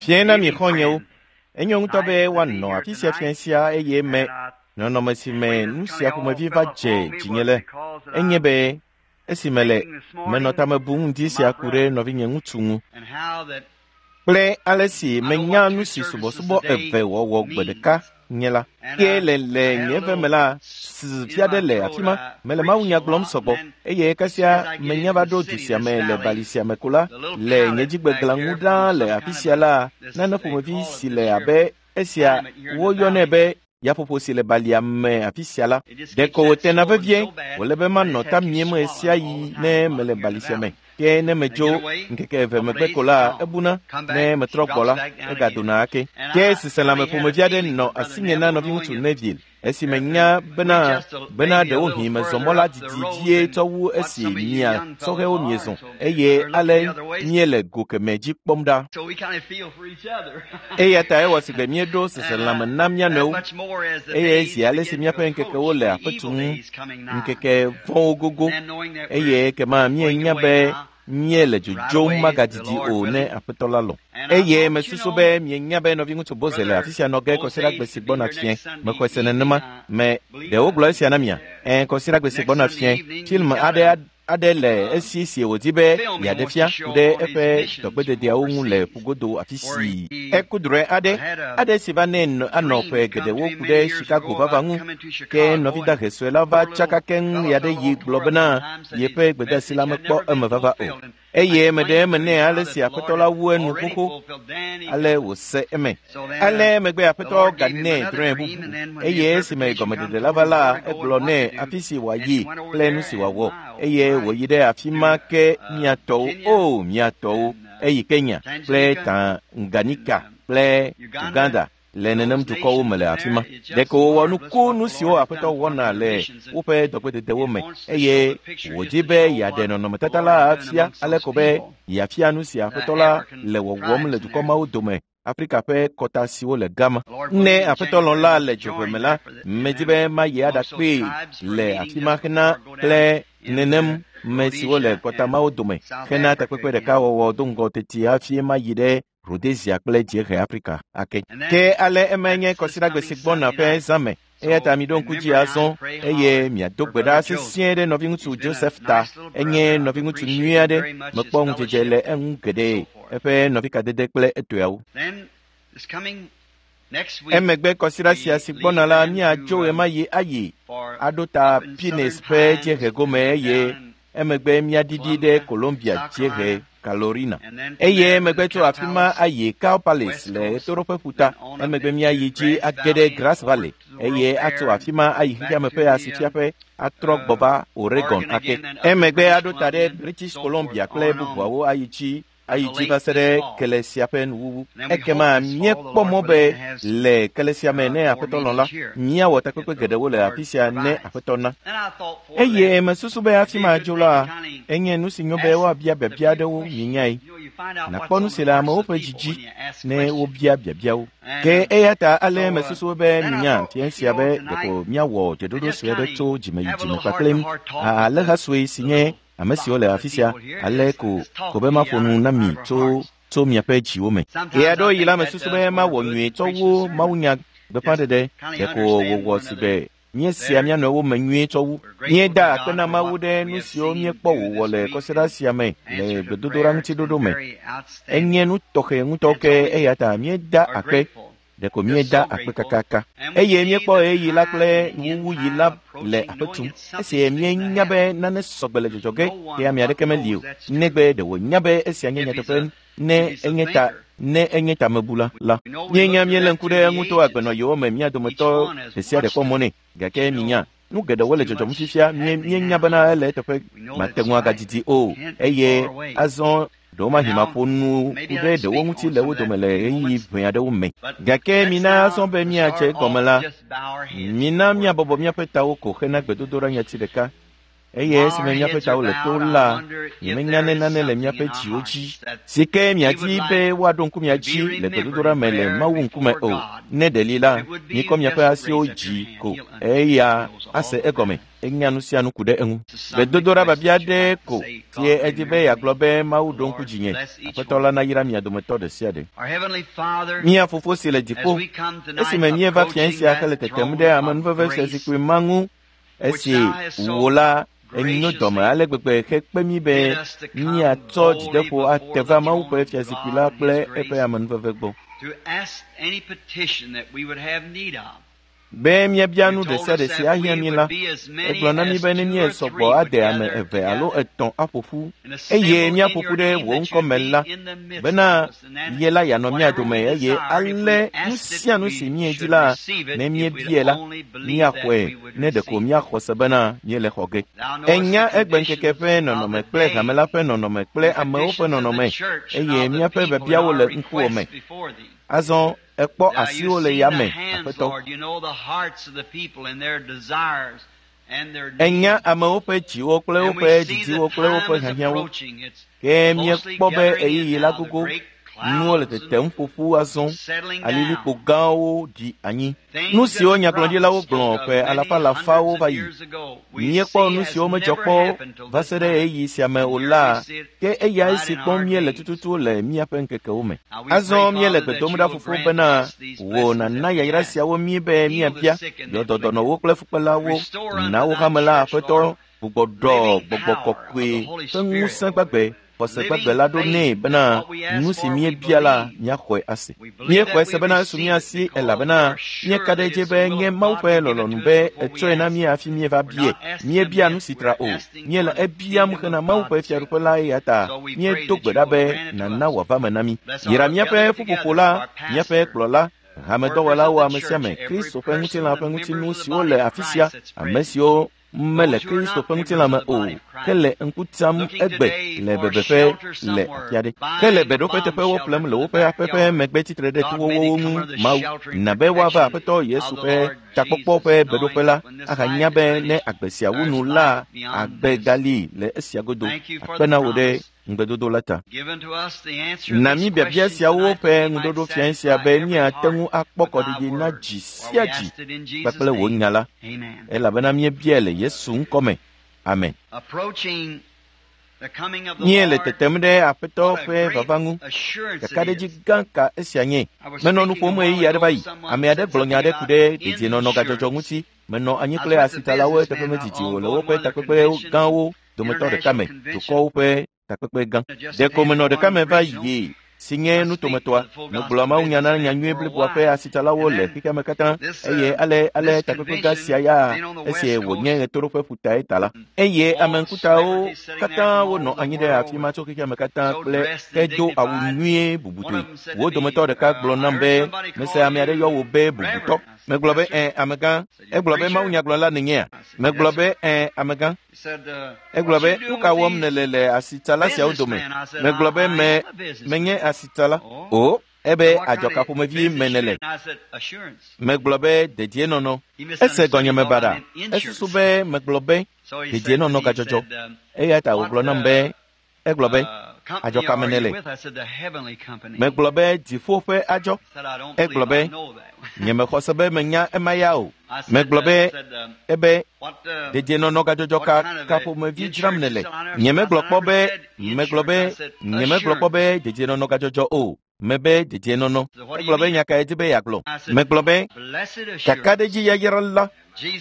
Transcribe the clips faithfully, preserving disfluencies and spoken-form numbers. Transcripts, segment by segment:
Fiẽ na mi xɔ̃nyewo. Enyo ŋutɔ be woanɔ afi sia fiẽ sia eye me nɔnɔme si me nu sia ƒomevi va dze dzinye le enye be esime le menɔ tame bum ŋdi sia ku ɖe nɔvinye ŋutsu ŋu kple ale si menya nu si subɔsubɔ eve wɔwɔ gbe ɖeka nye la. Ke le le nye eve me la, fia ɖe le afi ma, mele mawunya gblɔm sɔgbɔ eye kasia menya va ɖo du sia me le bali sia me ko la, le nye dzigbegla ŋu ɖaa le afi sia la, nane ƒomevi si le abe esia woyɔnɛ be yaƒoƒo si le balia me afi sia la, ɖeko wòtena vevie wòle be manɔ ta miem ɣe sia ɣi ne mele bali sia me. Ke ne medzo ŋkeke eve megbe ko la, ebuna ne metrɔ gbɔ la, egadona ake. Ke seselãme ƒomevi aɖe nɔ asinye na nɔviŋutsu Neville esime nya bena bena ɖewohĩ mezɔ mɔ la didi vie tsɔ wu esi mia sɔhɛwo miezɔ eye ale míele go kemɛ dzi kpɔm ɖa. Eya ta ewɔ sigbe míeɖo seselãme na mía nɔewo eye zi ale si míaƒe ŋkekewo le aƒe tum ŋkeke vɔ̃wo gogo eye kema míenya be míele dzodzom magadidi o ne aƒetɔ la lɔ̃. Eye mesusu be mienya be nɔviŋutsu Boze le afi sia nɔ ge kɔsiɖagbe si gbɔna fiẽ. Mexɔe se nenema. Me ɖe wogblɔ esia na mia? Ẽ, kɔsiɖagbe si gbɔna fiẽ. Film aɖe aɖe le esi si wòdi be yeaɖe fia ku ɖe eƒe dɔgbededeawo ŋu le ƒugodo afi si eku drɔ̃e aɖe aɖe si va nɛ anɔ ƒe geɖewo ku ɖe Chicago vava ŋu. Ke nɔvi dahe sue la va tsaka keŋ ya ɖe yi gblɔ bena yeƒe gbedeasi la mekpɔ eme vava o. Eye meɖe eme nɛ ale si aƒetɔ la wu enu xoxo ale wòse eme. Ale megbe aƒetɔ ganɛ drɔ̃e bubu eye esime gɔmeɖeɖe la va la, egblɔ nɛ afi si wòayi kple nu si wòawɔ eye wòyi ɖe afi ma ke mia tɔwo o mia tɔwo eyi Kenya kple Tanganyika kple Uganda le nenem dukɔwo me le afi ma. Ɖeko wòwɔ nuku nu siwo aƒetɔ wɔna le woƒe dɔgbededewo me eye wòdi be yeaɖe nɔnɔmetata la afia ale ko be yeafia nu si aƒetɔ la le wɔwɔm le dukɔ mawo dome Afrika ƒe kɔta siwo le Gama. Ne aƒetɔ lɔ̃ la le dzoƒe me la, medi be mayi aɖakpee le afi ma hena kple nenem me siwo le kɔta mawo dome hena takpekpe ɖeka wɔwɔ do ŋgɔ teti hafi mayi ɖe Rhodesia kple Dziehe Afrika ake. Ke ale emae nye kɔsiɖagbe si gbɔna ƒe zã me. Eya ta miɖo ŋku dzi azɔ eye miado gbe ɖa sesĩe ɖe nɔviŋutsu Joseph ta. Enye nɔviŋutsu nyui aɖe. Mekpɔ ŋudzedze le eŋu geɖe eƒe nɔvikadede kple etɔeawo. Emegbe kɔsiɖa sia si gbɔna la, míadzo ɣemaɣi ayi aɖo ta Pines ƒe dziehe gome eye emegbe míaɖiɖi ɖe Colombia dziehe Carolina. Eye emegbe tso afi ma ayi Cow Palace le ɣetoɖoƒe ƒuta. Emegbe míayi dzi age ɖe Grass Valley eye atso afi ma ayi xexeame ƒe asifiaƒe atrɔ gbɔ va Oregon ake. Emegbe aɖo ta ɖe British Columbia kple bubuawo ayi dzi ayi dzi va se ɖe kele sia ƒe nuwuwu. Ekema míekpɔ mɔ be le kele sia me ne aƒetɔ lɔ̃ la, míawɔ takpekpe geɖewo le afi sia ne aƒetɔ na. Eye mesusu be hafi madzo la, enye nu si nyo be woabia biabia aɖewo mienyae. Nàkpɔ nu si le amewo ƒe dzi dzi ne wobia biabiawo. Ke eya ta ale mesusu be minya fiẽ sia be ɖeko míawɔ dzeɖoɖo sue aɖe tso dzime yi dzime kpakple alẽha sue si nye ame siwo le afi sia ale ko ko be maƒo nu na mi tso tso miaƒe dziwo me. Ɣeaɖewoɣi la mesusu be mawɔ nyuie tsɔ wu mawunya gbeƒãɖeɖe ɖeko wòwɔ si be míesea mía nɔewo me nyuie tsɔ wu. Míeda akpe na Mawu ɖe nu siwo míekpɔ wòwɔ le kɔsiɖa sia me le gbedodoɖa ŋuti ɖoɖo me. Enye nu tɔxɛ ŋutɔ ke eya ta míeda akpe ɖeko míeda akpe kakaka. Eye míekpɔ ɣeyiɣi la kple nuwuwuɣi la le aƒe tum. Esi míenya be nane sɔgbe le dzɔdzɔ ge ke ame aɖeke meli o. Negbe ɖe wònya be esia nye nyateƒe ne enye ta ne enye tamebula la. Míenya míelé ŋku ɖe eŋu to agbenɔyewo me mía dometɔ ɖe sia ɖe kpɔ mɔ nɛ. Gake minya nu geɖewo le dzɔdzɔm fifia míenya bena ele eteƒe mate ŋu agadidi o eye azɔ ɖewomahi maƒo nu ku ɖe ɖewo ŋuti le wo dome le ɣeyiɣi ʋɛ aɖewo me. Gake mina azɔ be míadze egɔme la, mina míabɔbɔ míaƒe tawo ko hena gbedodoɖa nyati ɖeka. Eye esime míaƒe tawo le to la, nyemenya ne nane le míaƒe dziwo dzi si ke miadi be woaɖo ŋku mia dzi le gbedodoɖa me le Mawu ŋkume o. Ne ɖe li la, mikɔ miaƒe asiwo dzi ko eya ase egɔme. Enya nu sia nu ku ɖe eŋu. Gbedodoɖa biabia aɖe ko sie edi be yeagblɔ be Mawu ɖo ŋku dzinye. Aƒetɔ la nayra mia dometɔ ɖe sia ɖe. Mía Fofo si le dziƒo, esime míeva fiẽ sia hele tetem ɖe amenuveve fiazikpui ma ŋu, esi wò la enyo dɔme ale gbegbe hekpe mí be míatsɔ dzideƒo ate va Mawu ƒe fiazikpui la kple eƒe amenuveve gbɔ. Be míabia nu ɖe sia ɖe si ahiã mí la, egblɔ na mí be ne míesɔ gbɔ ade ame eve alo etɔ̃ aƒo ƒu, eye míaƒo ƒu ɖe wò ŋkɔ me la, bena ye la yeanɔ mía dome eye ale nu sia nu si míedi la, ne míebiae la, míaxɔe ne ɖeko míaxɔ se bena míele xɔ ge. Enya egbeŋkeke ƒe nɔnɔme kple hame la ƒe nɔnɔme kple amewo ƒe nɔnɔme, eye míaƒe biabiawo le ŋkuwò me. Azɔ ekpɔ asiwo le yame, Aƒetɔ. Enya amewo ƒe dziwo kple woƒe didiwo kple woƒe hiahiãwo. Ke míekpɔ be ɣeyiɣi la gogo, nuwo le tetem ƒoƒu azɔ, alilikpo gãwo ɖi anyi. Nu siwo nyagblɔɖilawo gblɔ ƒe alafa alafawo va yi. Míekpɔ nu siwo medzɔ kpɔ va se ɖe ɣeyiɣi sia me o la, ke eyae si kpɔm míele tututu le míaƒe ŋkekewo me. Azɔ míele gbe dom ɖa Fofo bena wò nàna yayra siawo mí be míabia yɔdɔdɔnɔwo kple fukpelawo, na wo hame la Aƒetɔ gbugbɔ ɖɔ gbɔgbɔ kɔkɔe ƒe ŋusẽ gbagbe xɔse gbagbe la ɖo nɛ bena nu si míebia la míaxɔe ase. Míexɔe se bena esu mía si elabena míeka ɖe edzi be nye Mawu ƒe lɔlɔ̃nu be etsɔe na mí hafi míeva biae. Míebia nu si tra o. Míele ebiam hena Mawu ƒe fiaɖuƒe la eya ta míedo gbe ɖa be nàna wòava me na mí. Yra míaƒe ƒuƒoƒo la, míaƒe kplɔla, hamedɔwɔlawo ame sia ame, Kristo ƒe ŋutilã ƒe ŋutinu siwo le afi sia, ame siwo mele Kristo ƒe ŋutilã me o, ke le ŋku tsam egbe le bebeƒe le afi aɖe, ke le beɖoƒe teƒewo ƒlem le woƒe aƒe ƒe megbe tsitre ɖe towowo ŋu. Mawu, na be woava Aƒetɔ Yesu ƒe takpɔkpɔ ƒe beɖoƒe la ahanya be ne agbe sia wu nu la, agbe gali le esia godo. Akpe na wò ɖe ŋugbedodo la ta. Na mí biabia siawo ƒe ŋuɖoɖo fiẽ sia be míate ŋu akpɔ kɔɖiɖi na dzi sia dzi kpakple wò nya la, elabena míebiae le Yesu ŋkɔ me. Amen. Míele tetem ɖe Aƒetɔ ƒe vava ŋu. Kakaɖedzi gã ka esia nye. Menɔ nu ƒom ɣeyiɣi aɖe va yi. Ame aɖe gblɔ nya aɖe ku ɖe dedienɔnɔ gadzɔdzɔ ŋuti. Menɔ anyi kple asitsalawo eteƒe medidi o le woƒe takpekpe gãwo dometɔ ɖeka me, dukɔwo ƒe takpekpe gã. Ɖeko menɔ ɖeka me va yi si nye nutometɔa. Megblɔ mawunya na nyanyui bliboa ƒe asitsalawo le xexea me katã, eye ale ale takpekpe gã sia ya esi wònye ɣetoɖoƒe ƒutae ta la. Eye ame ŋkutawo katã wonɔ anyi ɖe afi ma tso xexea me katã kple hedo awu nyuie bubutɔe. Wo dometɔ ɖeka gblɔ nam be, mese ame aɖe yɔ wò be bubutɔ. Megblɔ be, ẽ, amegã. Egblɔ be, mawunyagblɔla nènyea? Megblɔ be, ẽ, amegã. Egblɔ be, nu ka wɔm nèle le asitsala siawo dome? Megblɔ be, me, menye asitsala. O, ebe adzɔka ƒomevi me nèle. Megblɔ be, dedienɔnɔ. Ese gɔnyeme baɖa. Esusu be megblɔ be, dedienɔnɔ gadzɔdzɔ. Eya ta wògblɔ nam be, egblɔ be, adzɔka me nèle. Megblɔ be, dziƒo ƒe adzɔ. Egblɔ be, nyemexɔ se be menya ema ya o. Megblɔ be, ebe, dedienɔnɔ gadzɔdzɔ ka ka ƒomevi dzram nèle. Nyemegblɔ kpɔ be, megblɔ be, nyemegblɔ kpɔ be dedienɔnɔ gadzɔdzɔ o. Mebe dedienɔnɔ. Egblɔ be nya kae di be yeagblɔ. Megblɔ be, kakaɖedzi yayra la,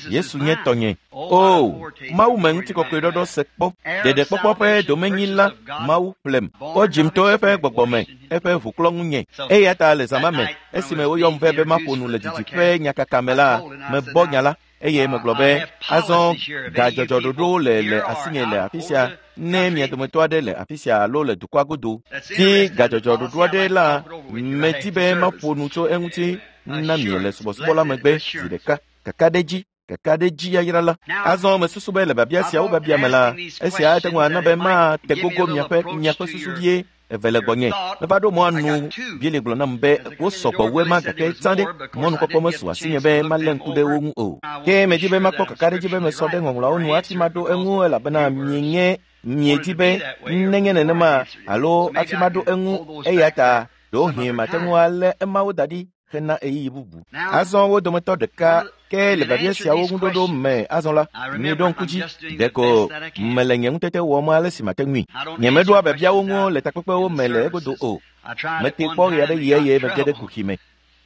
Yesu nye tɔnye. O, Mawu me ŋutikɔkɔe ɖɔɖɔ se kpɔ. Ɖeɖekpɔkpɔ ƒe domenyi la, Mawu ƒlem. Wodzim to eƒe gbɔgbɔ me, eƒe ʋuklɔ ŋunye. Eya ta le zã ma me, esime woyɔm vɛ be maƒo nu le didiƒe nyakaka me la, mebɔ nya la, eye megblɔ be, azɔ gadzɔdzɔ ɖoɖowo le le asinye le afi sia, ne mia dometɔ aɖe le afi sia alo le dukɔa godo. Di gadzɔdzɔ ɖoɖo aɖe la, medi be maƒo nu tso eŋuti na mi le subɔsubɔ la megbe zi ɖeka. Kakaɖedzi, kakaɖedzi yayra la. Azɔ mesusu be le biabia siawo biabia me la, esia ate ŋu ana be mate gogo miaƒe miaƒe susu vie Eve le gbɔnye. Meva ɖo mɔa nu Bill gblɔ nam be wosɔ gbɔ wu ema gake tsã ɖe mɔnukpɔkpɔ mesu asinye be malé ŋku ɖe wo ŋu o. Ke medi be makpɔ kakaɖedzi be mesɔ ɖe ŋɔŋlɔawo nu hafi maɖo eŋu elabena mienye miedi be nenye nenema alo hafi maɖo eŋu eya ta ɖewohĩ mate ŋu alé emawo da ɖi hena ɣeyiɣi bubu. Azɔ wo dometɔ ɖeka ke le biabia siawo ŋuɖoɖo me azɔ la, miɖo ŋku dzi ɖeko mele nye ŋutete wɔm ale si mate ŋui. Nyemeɖoa biabiawo ŋu le takpekpewo me le egodo o. Mete kpɔ ɣe aɖe ɣi eye mege ɖe kuxi me.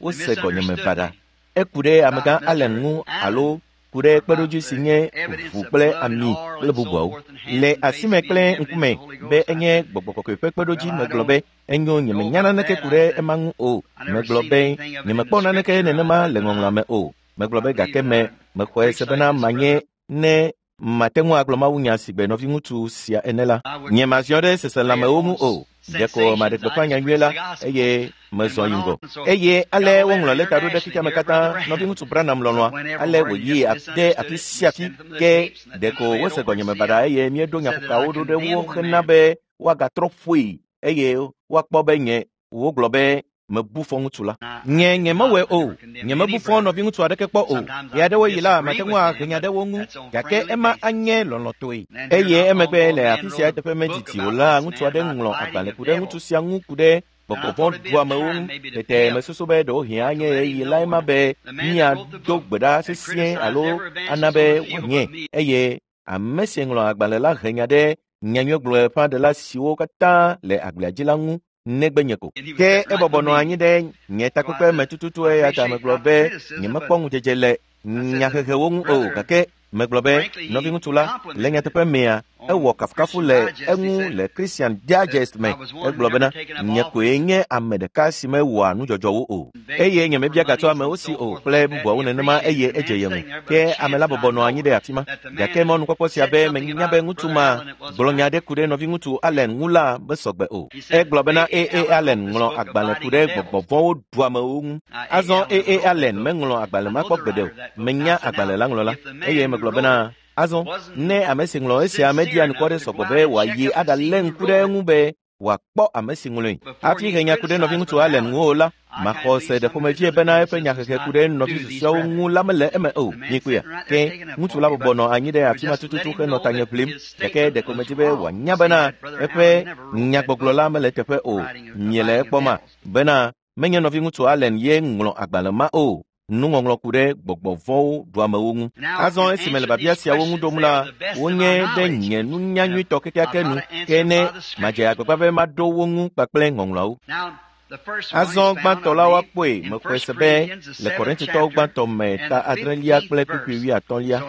Wose gɔnyeme baɖa. Eku ɖe amegã Allen ŋu alo ku ɖe kpeɖodzi si nye ʋu kple ami kple bubuawo. Le asime kple ŋkume be enye gbɔgbɔ kɔkɔe ƒe kpeɖodzi megblɔ be enyo nyemenya naneke ku ɖe ema ŋu o. Megblɔ be nyemekpɔ naneke nenema le ŋɔŋlɔa me o. Megblɔ be gake me mexɔe se bena manye ne mate ŋu agblɔ mawunya si gbe nɔviŋutsu sia ene la. Nyemaziɔ ɖe seselãmewo ŋu o. Ɖeko maɖe gbeƒã nyanyuie la eye mezɔ yi ŋgɔ. Eye ale woŋlɔ lɛta ɖo ɖe xexeame katã nɔviŋutsu Branham lɔlɔ̃a ale wòyi ɖe afi sia afi ke ɖeko wose gɔnyeme baɖa eye míeɖo nyaƒokawo ɖo ɖe wo hena be woagatrɔ ƒoe eye woakpɔ be nye wogblɔ be mebu fɔ ŋutsu la. Nye nyemewɔe o. Nyemebu fɔ nɔviŋutsu aɖeke kpɔ o. Ɣe aɖewo yi la mate ŋu ahe nya ɖe wo ŋu gake ema anye lɔlɔ̃tɔe. Eye emegbe le afi sia teƒe medidi o la ŋutsu aɖe ŋlɔ agbalẽ ku ɖe ŋutsu sia ŋu ku ɖe gbɔgbɔ vɔ̃ ɖuamewo ŋu. Tete mesusu be ɖewohĩ anye ɣeyiɣi la ema be míado gbe ɖa sesĩe alo ana be wòanye. Eye ame si ŋlɔ agbalẽ la he nya ɖe nyanyuigblɔƒãɖela siwo katã le agblea dzi la ŋu negbe nye ko. Ke ebɔbɔ nɔ anyi ɖe nye takpekpe me tututu eya ta megblɔ be nyemekpɔ ŋudzedze le nyahehewo ŋu o gake megblɔ be nɔviŋutsu la le nyateƒe mea ewɔ kafukafu le eŋu le Christian Digest me. Egblɔ bena nye koe nye ame ɖeka si mewɔa nudzɔdzɔwo o eye nyemebia gatso amewo si o kple bubuawo nenema eye edze ye ŋu. Ke ame la bɔbɔ nɔ anyi ɖe afi ma gake mɔnukpɔkpɔ sia be menya be ŋutsu ma gblɔ nya ɖe ku ɖe nɔviŋutsu Allen ŋu la mesɔgbe o. Egblɔ bena A A Allen ŋlɔ agbalẽ ku ɖe gbɔgbɔ vɔ̃wo ɖuamewo ŋu. Azɔ A A Allen meŋlɔ agbalẽ ma kpɔ gbeɖe o. Menya agbalẽ la ŋlɔla eye megblɔ bena azɔ ne ame si ŋlɔ esia media nukɔ ɖe sɔgbɔ be wòayi aɖalé ŋku ɖe eŋu be wòakpɔ ame si ŋlɔe. Hafi he nya ku ɖe nɔviŋutsu Allen ŋu o la, maxɔ se ɖe ƒomevie bena eƒe nyahehe ku ɖe nɔvi susɔeawo ŋu la mele eme o. Mikpɔea? Ke ŋutsu la bɔbɔ nɔ anyi ɖe afi ma tututu henɔ tanye ʋlim gake ɖeko medi be wòanya bena eƒe nyagbɔgblɔ la mele teƒe o. Miele ekpɔma bena menye nɔviŋutsu Allen ye ŋlɔ agbalẽ ma o. Nuŋɔŋlɔ ku ɖe gbɔgbɔ vɔ̃wo ɖuamewo ŋu. Azɔ esime le biabia siawo ŋu ɖom la, wonye ɖe nye nunya nyuitɔ kekeake nu ke ne madze agbagba be maɖo wo ŋu kpakple ŋɔŋlɔawo. Azɔ gbãtɔ la woakpɔe mexɔe se be le Korintitɔwo gbãtɔ me ta adrelia kple kpukpui wuiatɔ̃lia.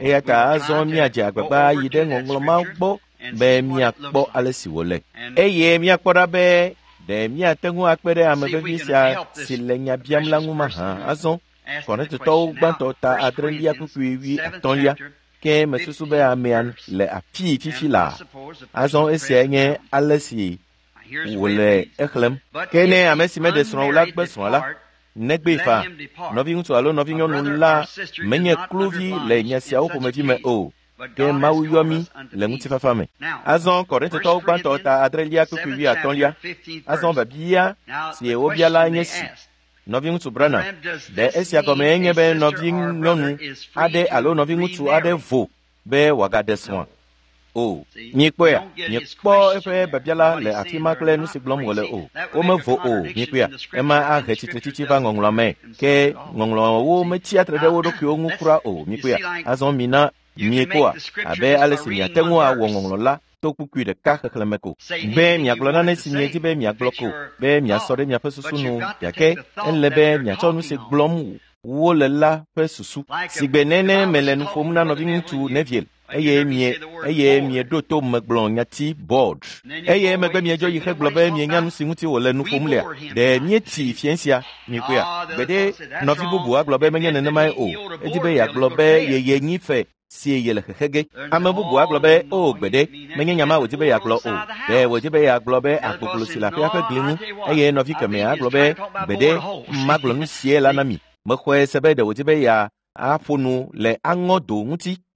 Eya ta azɔ míadze agbagba yi ɖe ŋɔŋlɔ ma gbɔ be míakpɔ ale si wòle. Eye míakpɔ ɖa be ɖe míate ŋu akpe ɖe ame vevi sia si le nya biam la ŋu mahã. Azɔ Korintitɔwo gbãtɔ ta adrelia kpukpui wuiatɔ̃lia ke mesusu be amea le afii fifi laa. Azɔ esiae nye ale si wòle exlẽm. Ke ne ame si meɖe srɔ̃ o la gbe srɔ̃a la, negbee faa. Nɔviŋutsu alo nɔvinyɔnu la menye kluvi le nya siawo ƒomevi me o. Ke Mawu yɔ mí le ŋutifafa me. Azɔ Korintitɔwo gbãtɔ ta adrelia kpukpui wuiatɔ̃lia. Azɔ biabia si wobia la nye si. Nɔviŋutsu Branham, ɖe esia gɔmee nye be nɔvinyɔnu aɖe alo nɔviŋutsu aɖe vo be wòagaɖe srɔ̃a? O. Miekpɔea? Miekpɔ eƒe biabia la le afi ma kple nu si gblɔm wòle o. Womevo o. Miekpɔea? Ema ahe tsitretsitsi va ŋɔŋlɔa me. Ke ŋɔŋlɔawo metsia tre ɖe wo ɖokuiwo ŋu kura o. Miekpɔea? Azɔ mina miekpɔa abe ale si miate ŋu awɔ ŋɔŋlɔ la to kpukpui ɖeka xexlẽme ko. Be miagblɔ nane si miedi be miagblɔ ko, be miasɔ ɖe miaƒe susu nu gake ele be miatsɔ nu si gblɔm wole la ƒe susu. Sigbe nene mele nu ƒom na nɔviŋutsu Neville eye mie eye mieɖo to megblɔ nyati board. Eye megbe miedzɔ yi hegblɔ be mienya nu si ŋuti wòle nu ƒom lea. Ɖe míetsi fiẽ sia miekpɔea? Gbeɖe nɔvi bubu agblɔ be menye nenemae o. Edi be yeagblɔ be yeye nyi fe si ye le xexe ge. Ame bubu agblɔ be o gbeɖe menye nya ma wòdi be yeagblɔ o. Ɖe wòdi be yeagblɔ be agboglo si le aƒea ƒe gli ŋu eye nɔvi kemɛ agblɔ be gbeɖe magblɔ nu sie la na mi. Mexɔe se be ɖe wòdi be ya aƒo nu le aŋɔdo ŋuti.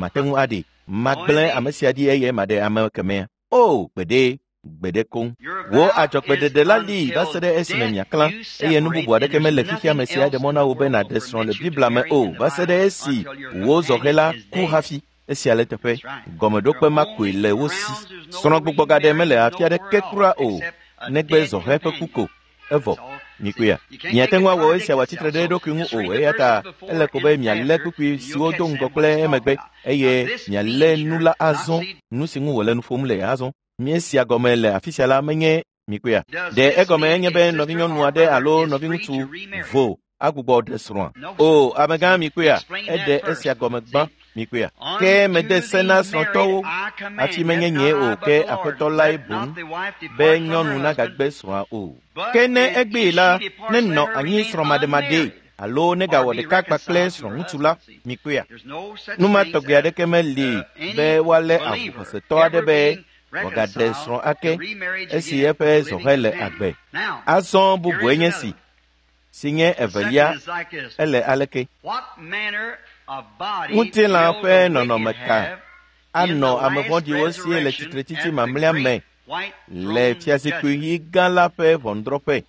Mate ŋu aɖee. Magblẽ ame sia ɖi eye maɖe ame kemɛa. O, gbeɖe, gbeɖe koŋ. Wò adzɔgbeɖeɖe la li va se ɖe esime miaklã eye nu bubu aɖeke mele xexea me si aɖe mɔ na wò be nàɖe srɔ̃ le Biblia me o va se ɖe esi wò zɔhɛ la ku hafi. Esia le teƒe. Gɔmeɖokpe ma koe le wo si. Srɔ̃gbugbɔgaɖe mele afi aɖeke kura o negbe zɔhɛ ƒe ku ko. Evɔ. Mikuya. Miate ŋu awɔ esia wòatsitre ɖe eɖokui ŋu o eya ta ele ko be mialé kpukpui siwo do ŋgɔ kple emegbe eye mialé nu la azɔ nu si ŋu wòle nu ƒom le azɔ. Míesia gɔme le afi sia la menye mikuya. Ɖe egɔme enye be nɔvinyɔnu aɖe alo nɔviŋutsu vo agbugbɔ ɖe srɔ̃a. O, amegã mikuya, eɖe esia gɔme gbã mikuya. Ke mede se na srɔ̃tɔwo hafi menye nye o ke aƒetɔ lae boŋ be nyɔnu nagagbe srɔ̃a o. Ke ne egbee la, nenɔ anyi srɔ̃maɖemaɖe alo negawɔ ɖeka kpakple srɔ̃ŋutsu la, mikuya. Nu ma tɔgbi aɖeke meli be woalé avu xɔsetɔ aɖe be wòagaɖe srɔ̃ ake esi eƒe zɔhɛ le agbe. Azɔ bubue nye si, si nye evelia, ele aleke? Ŋutilã ƒe nɔnɔme ka anɔ ame vɔ̃ɖiwo sie le tsitretsitsi mamlɛa me le fiazikpui ɣi gã la ƒe ʋɔnudrɔ̃ƒe?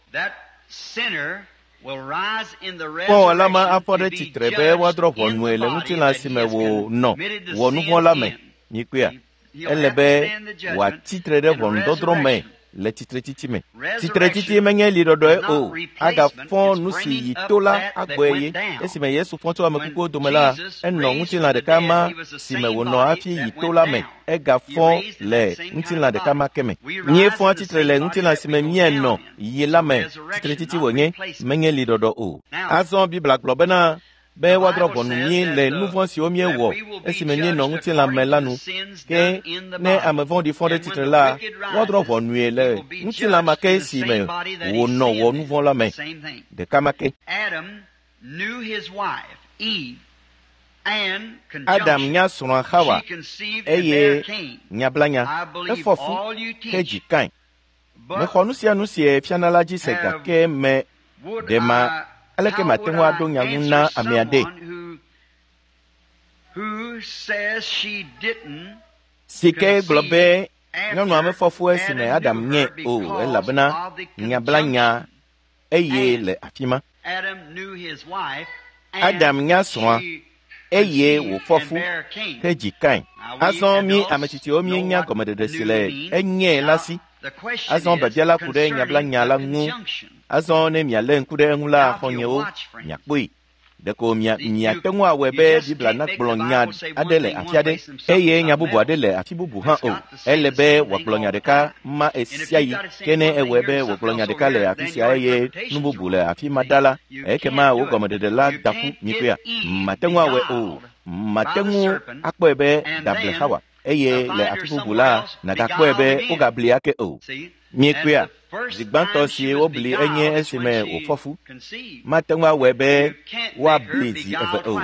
Kpɔwɔla ma afɔ ɖe tsitre be woadrɔ̃ ʋɔnue le ŋutilã si me wònɔ wɔ nu vɔ̃ la me. Mikpɔea? Ele be wòatsitre ɖe ʋɔnudɔdrɔ̃ me le tsitretsitsi me. Tsitretsitsi menye liɖɔɖɔe o. Agafɔ nu si yi to la agbɔe ye. Esime Yesu fɔ tso ame kukuwo dome la, enɔ ŋutilã ɖeka ma si me wònɔ hafi yi to la me. Egafɔ le ŋutilã ɖeka ma ke me. Míefɔ tsitre le ŋutilã si me míenɔ yi la me. Tsitretsitsi wònye, menye liɖɔɖɔ o. Azɔ Biblia gblɔ bena be woadrɔ̃ ʋɔnu mí le nu vɔ̃ siwo míewɔ esime míenɔ ŋutilã me la nu. Ke ne ame vɔ̃ɖi fɔ ɖe tsitre la, woadrɔ̃ ʋɔnue le ŋutilã ma ke si me wònɔ wɔ nu vɔ̃ la me. Ɖeka ma ke. Adam nya srɔ̃a Xawa eye nyablanya efɔ fu hedzi Kain. Mexɔ nu sia nu si fiana la dzi se gake me ɖe ma aleke mate ŋu aɖo nya ŋu na ame aɖe si ke gblɔ be nyɔnua mefɔ fu esime Adam nye o elabena nyablanya eye le afi ma. Adam nya srɔ̃a eye wòfɔ fu hedzi Kain. Azɔ mí ame tsitsiwo míenya gɔmeɖeɖe si le enye la si. Azɔ biabia la ku ɖe nyablanya la ŋu. Azɔ ne mialé ŋku ɖe eŋu la, xɔ̃nyewo, miakpɔe. Ɖeko mia miate ŋu awɔe be Biblia nagblɔ nya aɖe le afi aɖe eye nya bubu aɖe le afi bubu hã o. Ele be wòagblɔ nya ɖeka ma ɣesiaɣi. Ke ne ewɔe be wògblɔ nya ɖeka le afi sia eye nu bubu le afi ma ɖa la, ekema wò gɔmeɖeɖe la da ƒu mikpɔea. Mate ŋu awɔe o. Mate ŋu akpɔe be dable Xawa eye le afi bubu la nàgakpɔe be wogabli ake o. Miekpɔea? Zi gbãtɔ si wobli enye esime wòfɔ fu. Mate ŋu awɔe be woabli zi eve o.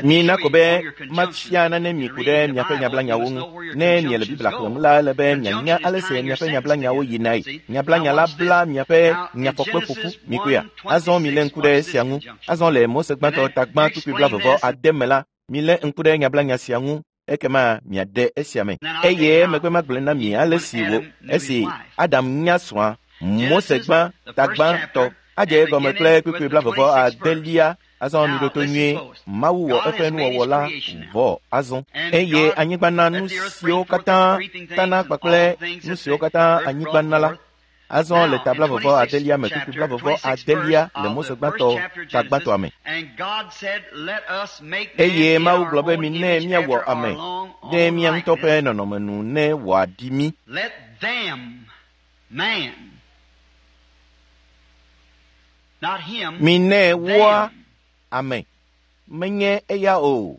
Mina ko be mafia nane mi ku ɖe miaƒe nyablanyawo ŋu. Ne miele Biblia xlẽm la, ele be mianya ale si miaƒe nyablanyawo yinae. Nyablanya la bla miaƒe nyafɔkpe ƒoƒu. Mikpɔea? Azɔ milé ŋku ɖe esia ŋu. Azɔ le Mose gbãtɔ ta gbã kpukpui blaeve ade me la, milé ŋku ɖe nyablanya sia ŋu. Ekema miaɖe esia me. Eye emegbe magblɔe na mi ale si wò esi Adam nya srɔ̃a Mose gbã ta gbãtɔ adze egɔme kple kpukpui blaeve adelia. Azɔ miɖo to nyuie. Mawu wɔ eƒe nuwɔwɔ la vɔ azɔ eye anyigba na nu siwo katã tana kpakple nu siwo katã anyigba na la. Azɔ le ta blaeve adelia me kpukpui blaeve adelia le Mose gbãtɔ ta gbãtɔa me. Eye Mawu gblɔ be minɛ míawɔ ame ɖe mía ŋutɔ ƒe nɔnɔme nu ne wòaɖi mí. Minɛ woa ame, menye eya o.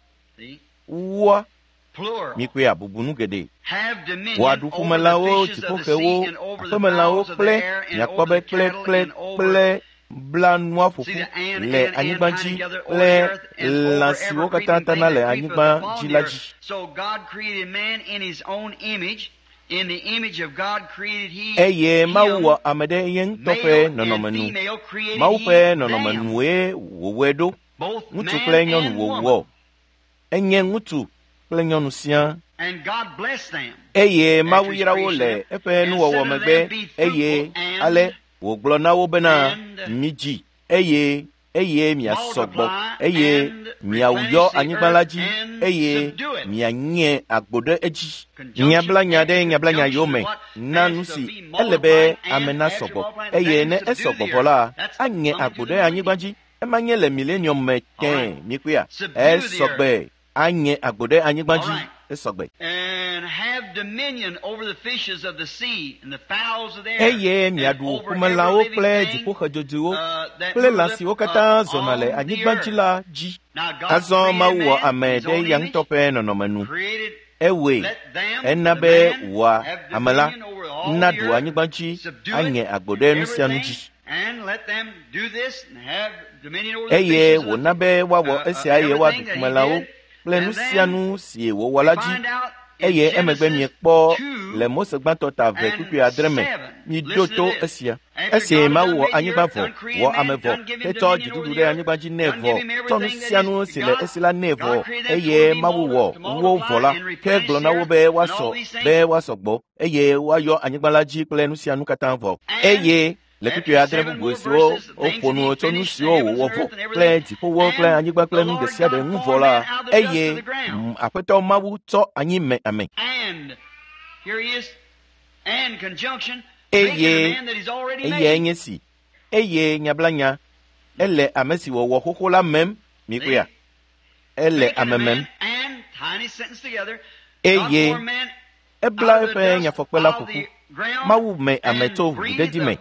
Woa mikpɔea bubu nu geɖe. Wòaɖu ƒumelãwo, dziƒoxewo, aƒemelãwo kple miakpɔ be kple kple kple bla nua ƒoƒu le anyigba dzi kple lã siwo katã tana le anyigba dzi la dzi. Eye Mawu wɔ ame ɖe ye ŋutɔ ƒe nɔnɔme nu. Mawu ƒe nɔnɔme nue wòwɔe ɖo. Ŋutsu kple nyɔnu wòwɔ. Enye ŋutsu kple nyɔnu siaa. Eye Mawu yra wo le eƒe nuwɔwɔ megbe, eye ale wògblɔ na wo bena, midzi, eye eye miasɔ gbɔ, eye miawuyɔ anyigba la dzi, eye mianye agbo ɖe edzi. Nyabla nya ɖe nyabla nya yome na nu si ele be ame nasɔ gbɔ, eye ne esɔ gbɔ vɔ la, anye agbo ɖe anyigba dzi. Ema nye le milenium me tẽ mikpɔea, esɔ gbe anye agbo ɖe anyigba dzi, esɔ gbe. Eye miaɖu ƒumelãwo kple dziƒoxedzodzoewo kple lã siwo katã zɔna le anyigba dzi la dzi. Azɔ Mawu wɔ ame ɖe eya ŋutɔ ƒe nɔnɔme nu. Ewɔe ena be wòa ame la naɖu anyigba dzi anye agbo ɖe nu sia nu dzi. Eye wòna be woawɔ esia eye woaɖu ƒumelãwo kple nu sia nu si wòwɔ la dzi. Eye emegbe miekpɔ le Mose gbãtɔ ta eve kpukpui adre me, miɖo to esia. Esi Mawu wɔ anyigba vɔ, wɔ ame vɔ, hetsɔ dziɖuɖu ɖe anyigba dzi nɛ vɔ, tsɔ nu sia nu si le esi la nɛ vɔ, eye Mawu wɔ wo vɔ la, ke gblɔ na wo be woasɔ be woasɔ gbɔ, eye woayɔ anyigba la dzi kple nu sia nu katã vɔ. Eye le kpukpui adre bubu siwo woƒo nu tso nu siwo wòwɔ vɔ kple dziƒowo kple anyigba kple nu ɖe sia ɖe ŋu vɔ la, eye Aƒetɔ Mawu tsɔ anyi me ame. Eye eyae nye si, eye nyablanya, ele ame si wòwɔ xoxo la mem, mikpɔea, ele ame mem. Eye ebla eƒe nyafɔkpe la ƒo ƒu. Mawu me ame tso ʋuɖedzi me,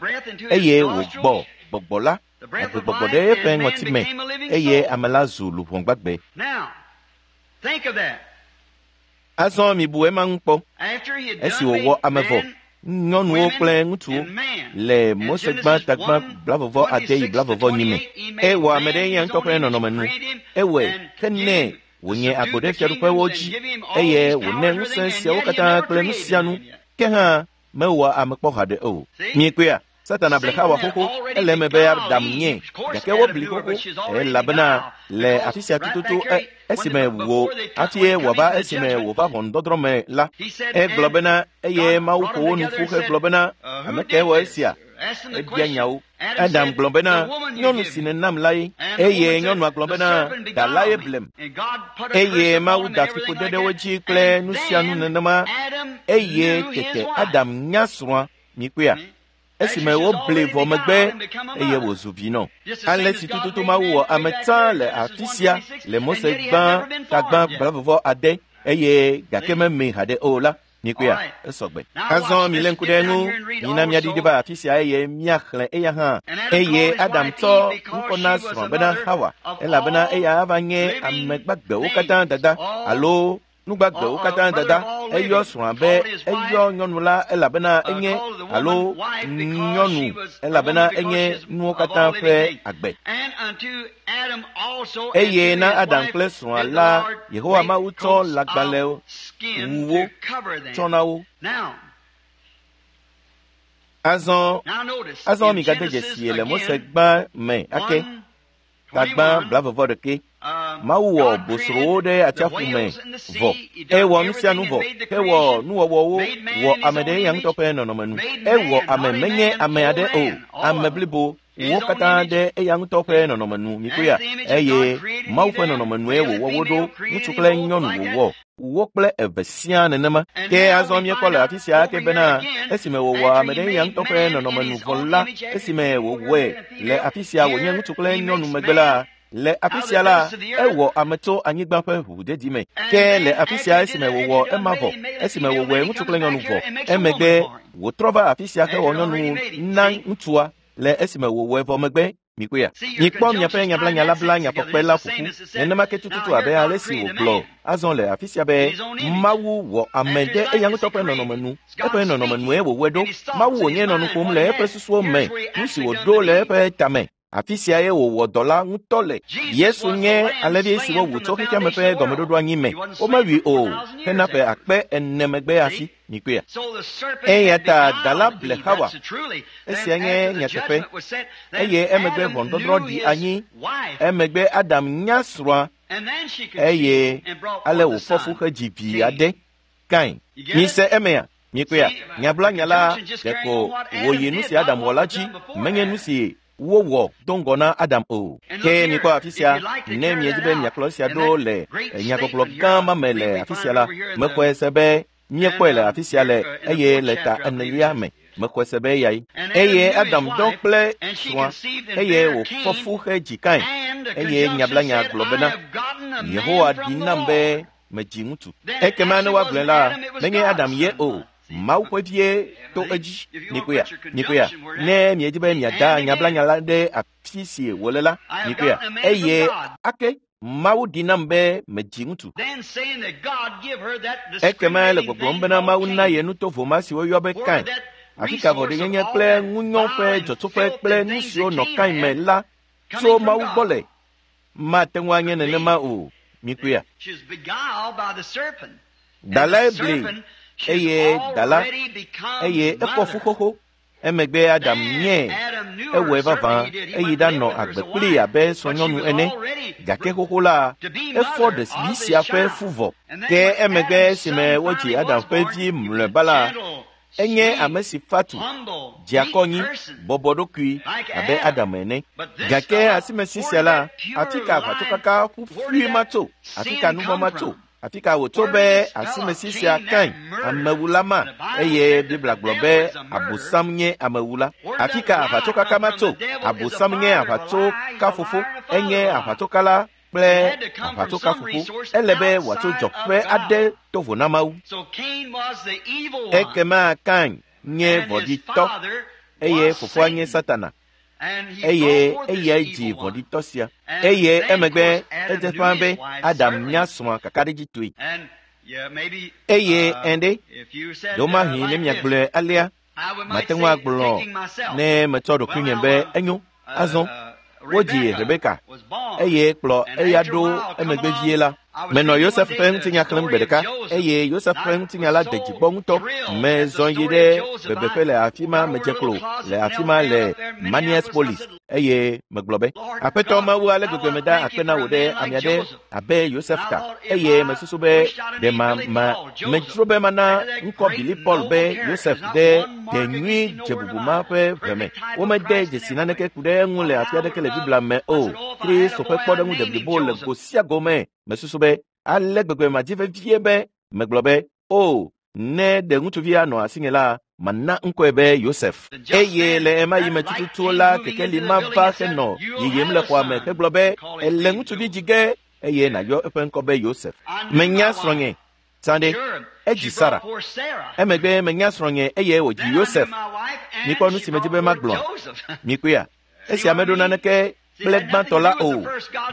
eye wògbɔ gbɔgbɔ la, agbegbɔgbɔ ɖe eƒe ŋɔti me, eye ame la zu luʋɔ gbagbe. Azɔ mibu ema ŋu kpɔ. Esi wòwɔ ame vɔ, nyɔnuwo kple ŋutsuwo le Mose gbã tagbã blavɔvɔ ade yi blavɔvɔ nyi me. Ewɔ ame ɖe eya ŋutɔ ƒe nɔnɔme nu. Ewɔe henɛ wònye agbo ɖe fiaɖuƒewo dzi, eye wònɛ ŋusẽ siawo katã kple nu sia nu. Ke hã mewɔ ame kpɔ haɖe o. Miekpɔea, Satana ble Xawa xoxo, ele eme be Adam nye, gake wobli xoxo, elabena le afi sia tututu esime wò hafi wòava esime wòva ʋɔnudɔdrɔ̃ me la, egblɔ bena eye Mawu ƒo wo nu ƒu hegblɔ bena, ame kae wɔ esia? Ebia nyawo. Adam gblɔ bena, nyɔnu si nènam la ye, eye nyɔnua gblɔ bena, da la ye blem. Eye Mawu da fiƒode ɖe wo dzi kple nu sia nu nenema, eye tete Adam nya srɔ̃a, mikpɔea, esime wobli vɔ megbe eye wòzu vinɔ. Ale si tututu Mawu wɔ ame tsã le afi sia le Mose gbã tagbã blavɔvɔ ade, eye gake memee haɖe o la, mikpɔea, esɔ gbe. Azɔ milé ŋku ɖe eŋu, mina míaɖiɖi va afi sia eye míaxlẽ eya hã. Eye Adam tsɔ ŋkɔ na srɔ̃a bena Hawa, elabena eya ava nye ame gbagbewo katã dada alo nugbagbewo katã dada. Eyɔ srɔ̃a be eyɔ nyɔnu la elabena enye alo nyɔnu elabena enye nuwo katã ƒe agbe. Eye na Adam kple srɔ̃a la, Yehowa Mawu tsɔ lãgbalẽ wuwo tsɔ na wo. Azɔ azɔ migade dzesi le Mose gbã me ake, tagbã blavɔvɔ ɖeke. Mawu wɔ bosrowo ɖe atsiaƒu me vɔ. Ewɔ nu sia nu vɔ, hewɔ nuwɔwɔwo, wɔ ame ɖe eya ŋutɔ ƒe nɔnɔme nu. Ewɔ ame menye ame aɖe o, ame blibo wo katã ɖe eya ŋutɔ ƒe nɔnɔme nu, mikpɔea, eye Mawu ƒe nɔnɔme nue wòwɔ wo ɖo, ŋutsu kple nyɔnu wòwɔ wo kple eve siaa nenema. Ke azɔ míekpɔ le afi sia ake bena esime wòwɔ ame ɖe eya ŋutɔ ƒe nɔnɔme nu vɔ la, esime wòwɔe le afi sia wònye ŋutsu kple nyɔnu megbe la, le afi sia la, ewɔ ame tso anyigba ƒe ʋuʋudedi me. Ke le afi sia esime wòwɔ ema vɔ, esime wòwɔe ŋutsu kple nyɔnu vɔ, emegbe wòtrɔ va afi sia hewɔ nyɔnu na ŋutsua le esime wòwɔe vɔ megbe. Mikpɔea, mikpɔ miaƒe nyablanya la bla nyafɔkpe la ƒo ƒu nenema ke tututu abe ale si wògblɔ azɔ le afi sia be Mawu wɔ ame ɖe eya ŋutɔ ƒe nɔnɔme nu. Eƒe nɔnɔme nue wòwɔe ɖo. Mawu wònye nɔ nu ƒom le eƒe susuwo me, nu si wòɖo le eƒe tame. Afi sia ye wòwɔ dɔ la ŋutɔ le. Yesu nye alẽvi si wowu tso xexeame ƒe gɔmeɖoɖo anyi me. Womewui o hena ƒe akpe ene megbe hafi. Mikpɔea. Eya ta da la ble Xawa. Esia nye nyateƒe. Eye emegbe ʋɔnudɔdrɔ̃ ɖi anyi. Emegbe Adam nya srɔ̃a Eye ale wòfɔ fu hedzi vi aɖe, Kain. Mise emea? Mikpɔea? Nyablanya la ɖeko wòyi nu si Adam wɔ la dzi, menye nu si wowɔ do ŋgɔ na Adam o. Ke mikpɔ afi sia, ne miedi be miakplɔ esia ɖo le nyagbɔgblɔ gã ma me le afi sia la, mexɔe se be míekpɔe le afi sia le eye le ta enelia me. Mexɔe se be eyae. Eye Adam dɔ kple srɔ̃a eye wòfɔ fu hedzi Kain. Eye nyablanya gblɔ bena, Yehowa ɖi nam be medzi ŋutsu. Ekema ne woagblɔe la, menye Adam ye o. Mawu ƒe vie to edzi. Mikpɔea? Mikpɔea? Ne miedi be miada nyablanya la ɖe afi si wòle la, mikpɔea? Eye ake Mawu ɖi nam be medzi ŋutsu. Ekema le gbɔgblɔm bena Mawu na ye nutovo ma si woyɔ be Kain. Afi ka vɔ̃ɖinyenye kple ŋunyɔ ƒe dzɔtsoƒe kple nu siwo nɔ Kain me la tso Mawu gbɔ le. Mate ŋu anye nenema o. Mikpɔea? Dalae bli eye dala eye efɔ fu xoxo. Emegbe Adam nye ewɔe vavã eyi ɖanɔ agbe kplii abe srɔ̃nyɔnu ene. Gake xoxo la, efɔ ɖevi sia ƒe fu vɔ. Ke emegbe esime wodzi Adam ƒe vi mlɔeba la, enye ame si fa tu, dze akɔ anyi, bɔbɔ ɖokui abe Adam ene. Gake asimesi sia la, afi ka aʋatsokaka ƒuƒui ma tso? Afi ka nu vɔ̃ ma tso? Afi ka wòtso be asimesi sia Kain, amewula ma, eye Biblia gblɔ be Abosam nye amewula. Afi ka aʋatsokaka ma tso? Abosam nye aʋatsokafofo, enye aʋatsokala kple aʋatsokafofo. Ele be wòatso dzɔƒe aɖe to vo na Mawu. Ekema Kain nye vɔ̃ɖitɔ eye fofoa nye Satana. Eye eyae dzi vɔ̃ɖitɔ sia. Eye emegbe edze ƒãa be Adam nya srɔ̃a kakaɖedzitɔe. Eye ɛnɖe, ɖewomahi ne miagblɔe alea, mate ŋu agblɔ ne metsɔ ɖokuinye be enyo. Azɔ wodzi Rebeka eye kplɔ eya ɖo emegbe vie la. Menɔ Yosef ƒe ŋutinya xlẽm gbe ɖeka eye Yosef ƒe ŋutinya la de dzi gbɔ ŋutɔ. Mezɔ yi ɖe bebeƒe le afi ma, medze klo le afi ma le Maniaspolis eye megblɔ be, Aƒetɔ Mawu, ale gbegbe meda akpe na wò ɖe ame aɖe abe Yosef ta. Eye mesusu be ɖe ma ma medzro be mana ŋkɔ Billy Paul be Yosef ɖe de nyui dze bubu ma ƒe ʋe me. Womede dzesi naneke ku ɖe eŋu le afi aɖeke le Biblia me o. Kristo ƒe kpɔɖeŋu deblibo le go sia go me. Mesusu be ale gbegbe madzi vevie be megblɔ be, o, ne ɖe ŋutsuvi anɔ asinye la, mana ŋkɔe be Yosef. Eye le ema yi me tututu la, kekeli ma va henɔ yiyim le xɔa me hegblɔ be, ele ŋutsuvi dzi ge eye nàyɔ eƒe ŋkɔ be Yosef. Menya srɔ̃nye. Sãde, edzi Sara. Emegbe menya srɔ̃nye eye wòdzi Yosef. Mikpɔ nu si medzi be magblɔ. Mikpɔea? Esia meɖo naneke kple gbãtɔ la o.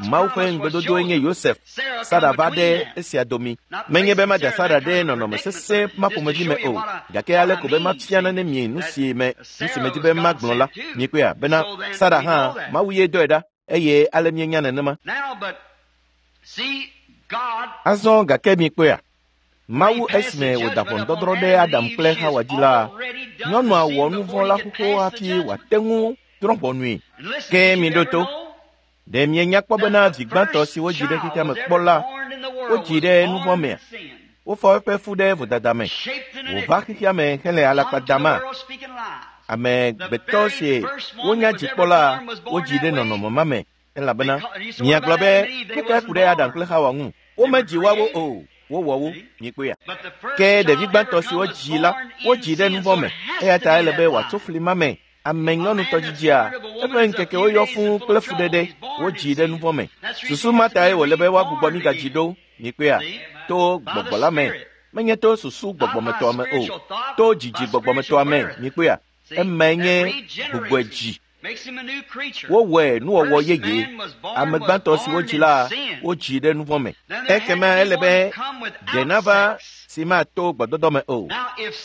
Mawu ƒe ŋugbedodoe nye Yosef. Sara va ɖe esia domi. Menye be mada Sara ɖe nɔnɔme sesẽ ma ƒomevi me o, gake ale ko be mafia nane mi nu si me nu si medzi be magblɔ la. Mikpɔea? Bena Sara hã Mawu ye dɔe ɖa eye ale mienya nenema. Azɔ gake mikpɔea? Mawu esime wòda ʋɔnudɔdrɔ̃ ɖe Adam kple Hawa dzi la, nyɔnua wɔ nu vɔ̃ la xoxo hafi wòate ŋu drɔ̃ ʋɔnui. Ke miɖo to. Ɖe mienya kpɔ bena vi gbãtɔ si wodzi ɖe xexea me kpɔ la, wodzi ɖe nu vɔ̃ mea? Wofɔ eƒe fu ɖe vodada me. Wòva xexea me hele alakpa dama. Amegbetɔ si wonya dzi kpɔ la, wodzi ɖe nɔnɔme ma me elabena miagblɔ be nu kae ku ɖe Adam kple Hawa ŋu? Womedzi woawo o. Wowɔ wo, mikpɔea? Ke ɖevi gbãtɔ si wodzi la, wodzi ɖe nu vɔ̃ me. Eya ta ele be wòatso fli ma me. Ame nyɔnutɔ dzidzia, eƒe ŋkekewo yɔ fũu kple fuɖeɖe, wodzi ɖe nu vɔ̃ me. Susu ma tae wòle be woagbugbɔ mí gadzi ɖo, mikpɔea? To gbɔgbɔ la me. Menye to susu gbɔgbɔmetɔa me o, to dzidzi gbɔgbɔmetɔa me, mikpɔea? Emae nye gbugbɔe dzi. Wowɔe nuwɔwɔ yeye. Ame gbãtɔ si wodzi la, wodzi ɖe nu vɔ̃ me. Ekema ele be ɖe nava si mato gbɔdɔdɔ me o.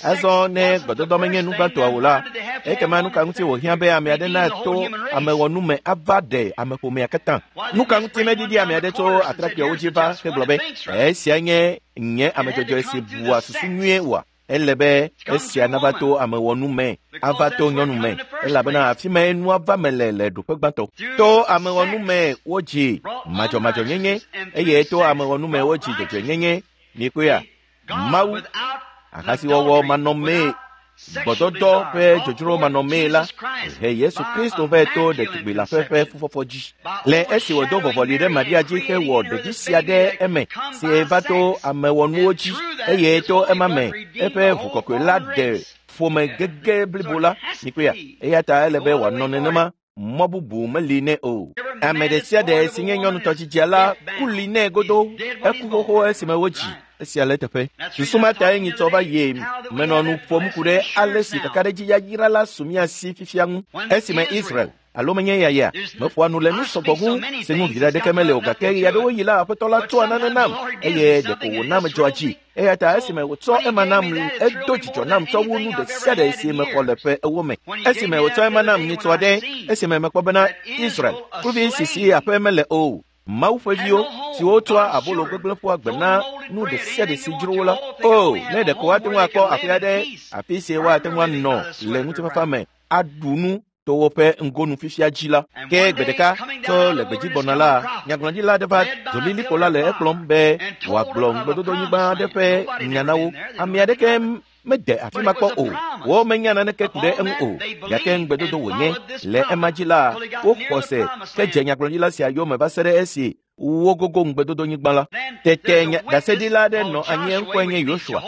Azɔ ne gbɔdɔdɔ menye nu gbãtɔa o la, ekema nu ka ŋuti wòhiã be ame aɖe nato amewɔnu me ava ɖe ameƒomea katã? Nu ka ŋuti meɖiɖi ame aɖe tso atrakpuiawo dzi va hegblɔ be, esia nye nye ame dzɔdzɔe si bua susu nyuie oa? Ele be esia nava to amewɔnu me, ava to nyɔnu me, elabena afi mae nua va me le le ɖoƒe gbãtɔ. To amewɔnu me wodzi madzɔmadzɔnyenye eye to amewɔnu me wodzi dzɔdzɔenyenye. Mikpɔea, Mawu ahasiwɔwɔ manɔmee, gbɔdɔdɔ ƒe dzodzro manɔmee la he Yesu Kristo vɛ to ɖetugbi la ƒe ƒe fufɔfɔ dzi. Le esi wòdo vɔvɔli ɖe Maria dzi hewɔ ɖevi sia ɖe eme si va to amewɔnuwo dzi eye to ema me eƒe ʋu kɔkɔe la ɖe ƒome gege blibo la. Mikpɔea, eya ta ele be wòanɔ nenema. Mɔ bubu meli nɛ o. Ame ɖe sia ɖe si nye nyɔnutɔdzidzia la ku li nɛ godo. Eku xoxo esime wodzi. Esia le teƒe. Susu ma tae nyitsɔ va ye menɔ nu ƒom ku ɖe ale si kakaɖedzi yayra la su mía si fifia ŋu. Esime Israel alo menye yaya meƒoa nu le nu sɔgbɔ ŋu si ŋu viɖe aɖeke mele o, gake ɣeaɖewoɣi la Aƒetɔ la tsɔa nane nam eye ɖeko wòna medzɔa dzi. Eya ta esime wòtsɔ ema nam, edo dzidzɔ nam tsɔ wu nu ɖe sia ɖe si mexɔ le ƒe ewo me. Esime wòtsɔ ema nam nyitsɔ aɖe, esime mekpɔ bena Israel kluvi si si aƒe mele o, Mawu ƒe viwo siwo tsɔa abolo gbegblẽ ƒua gbe na nu ɖe sia ɖe si dzro wo la. O, ne ɖeko woate ŋu akpɔ aƒe aɖe, afi si woate ŋu anɔ le ŋutifafa me, aɖu nu to woƒe ŋgonu fifia dzi la. Ke gbe ɖeka tso le gbedzi gbɔna la, nyagblɔɖila aɖe va dzolilikpo la le ekplɔm be wòagblɔ ŋugbedodonyigba aɖe ƒe nya na wo. Ame aɖeke mede afi ma kpɔ o, wo menya naneke ku ɖe eŋu o, gake ŋugbedodo wònye. Le ema dzi la, woxɔ se ke dze nyagblɔɖila sia yome va se ɖe esi wogogo ŋugbedodonyigba la. Tete ɖaseɖila aɖe nɔ anyi, eŋkɔe nye Yosua,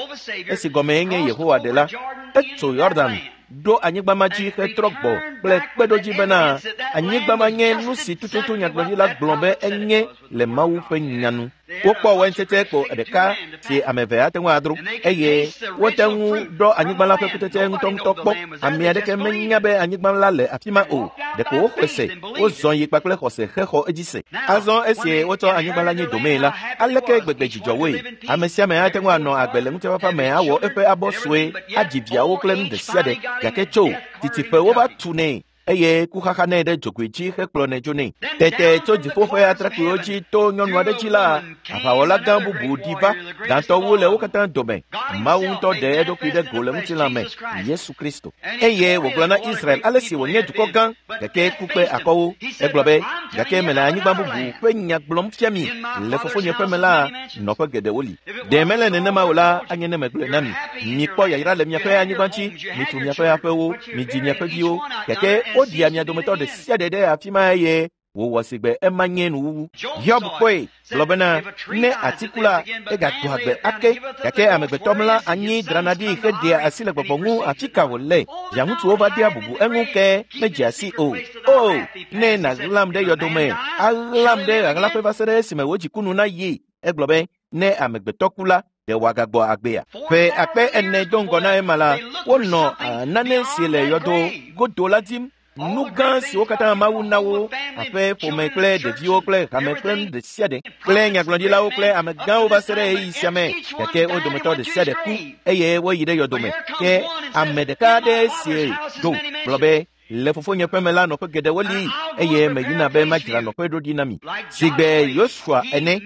esi gɔmee nye Yehowa ɖela. Etso Yɔdan ɖo anyigba ma dzi hetrɔ gbɔ kple kpeɖodzi bena anyigba ma nye nu si tututu nyagblɔɖila gblɔ be enye le Mawu ƒe nya nu. Wokpɔ waintsetse kpo ɖeka si ame eve ate ŋu adro eye wote ŋu ɖɔ anyigba la ƒe kutsetse ŋutɔŋutɔ kpɔ. Ame aɖeke menya be anyigba la le afi ma o, ɖeko woxɔe se, wozɔ yi kpakple xɔse hexɔ edzi se. Azɔ esi wotsɔ anyigba la nyi domee la, aleke gbegbe dzidzɔ woe! Ame sia ame ate ŋu anɔ agbe le ŋutifafa me awɔ eƒe abɔ sue, adzi viawo kple nu ɖe sia ɖe, gake tso titiƒe wova tu nɛ eye kuxaxa nɛ ɖe dzogoe dzi hekplɔnɛ dzo nɛ. Tete tso dziƒo ƒe atrakpuiwo dzi to nyɔnu aɖe dzi la, aʋawɔla gã bubu ɖi va, gãtɔ wu le wo katã dome. Mawu ŋutɔ ɖe eɖokui ɖe go le ŋutilã me, Yesu Kristo. Eye wògblɔ na Israel ale si wònye dukɔ gã, gake ku kpe akɔwo. Egblɔ be, gake mele anyigba bubu ƒe nya gblɔm fia mi. Le fofonye ƒe me la, nɔƒe geɖewo li. Ɖe mele nenema o la, anye ne megblɔe na mi. Mikpɔ yayra le miaƒe anyigba dzi, mitu miaƒe aƒewo, midzi miaƒe viwo, gake woɖia mia dometɔ ɖe sia ɖe ɖe afi ma eye wòwɔ si gbe ema nye nuwuwu. Hiob kpɔe gblɔ bena ne atiku la egagbɔ agbe ake, gake amegbetɔ mla anyi drana ɖi heɖea asi le gbɔgbɔ ŋu afi ka wòle. Viaŋutsuwo va dea bubu eŋu ke medzea si o. O, ne nàɣlam ɖe yɔdome, aɣlam ɖe ɣaɣlaƒe va se ɖe esime wò dzikunu na yi. Egblɔ be ne amegbetɔ ku la, ɖe wòagagbɔ agbea. Ƒe akpe ene do ŋgɔ na ema la, wonɔ nane si le yɔdo godo la dim. Nu gã siwo katã Mawu na wo, aƒe, ƒome kple ɖeviwo kple hame kple nu ɖe sia ɖe, kple nyagblɔɖilawo kple amegãwo va se ɖe ɣeyiɣi sia me, gake wo dometɔ ɖe sia ɖe ku eye woyi ɖe yɔdome. Ke ame ɖeka aɖe si do gblɔ be, le fofonye ƒe me la nɔƒe geɖewo li eye meyina be madzra nɔƒe ɖo ɖi na mi. Sigbe Yosua ene,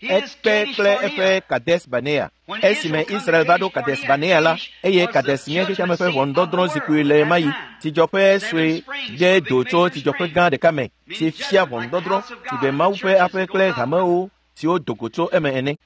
ekpe kple eƒe Kades Barnea. Esime Israel va ɖo Kades Barnea la, eye Kades nye xexeame ƒe ʋɔnudɔdrɔ̃ zikpui le ɣemaɣi. Tsidzɔƒe sue ɖe do tso tsidzɔƒe gã ɖeka me si fia ʋɔnudɔdrɔ̃ sigbe Mawu ƒe aƒe kple hamewo siwo do go tso eme ene.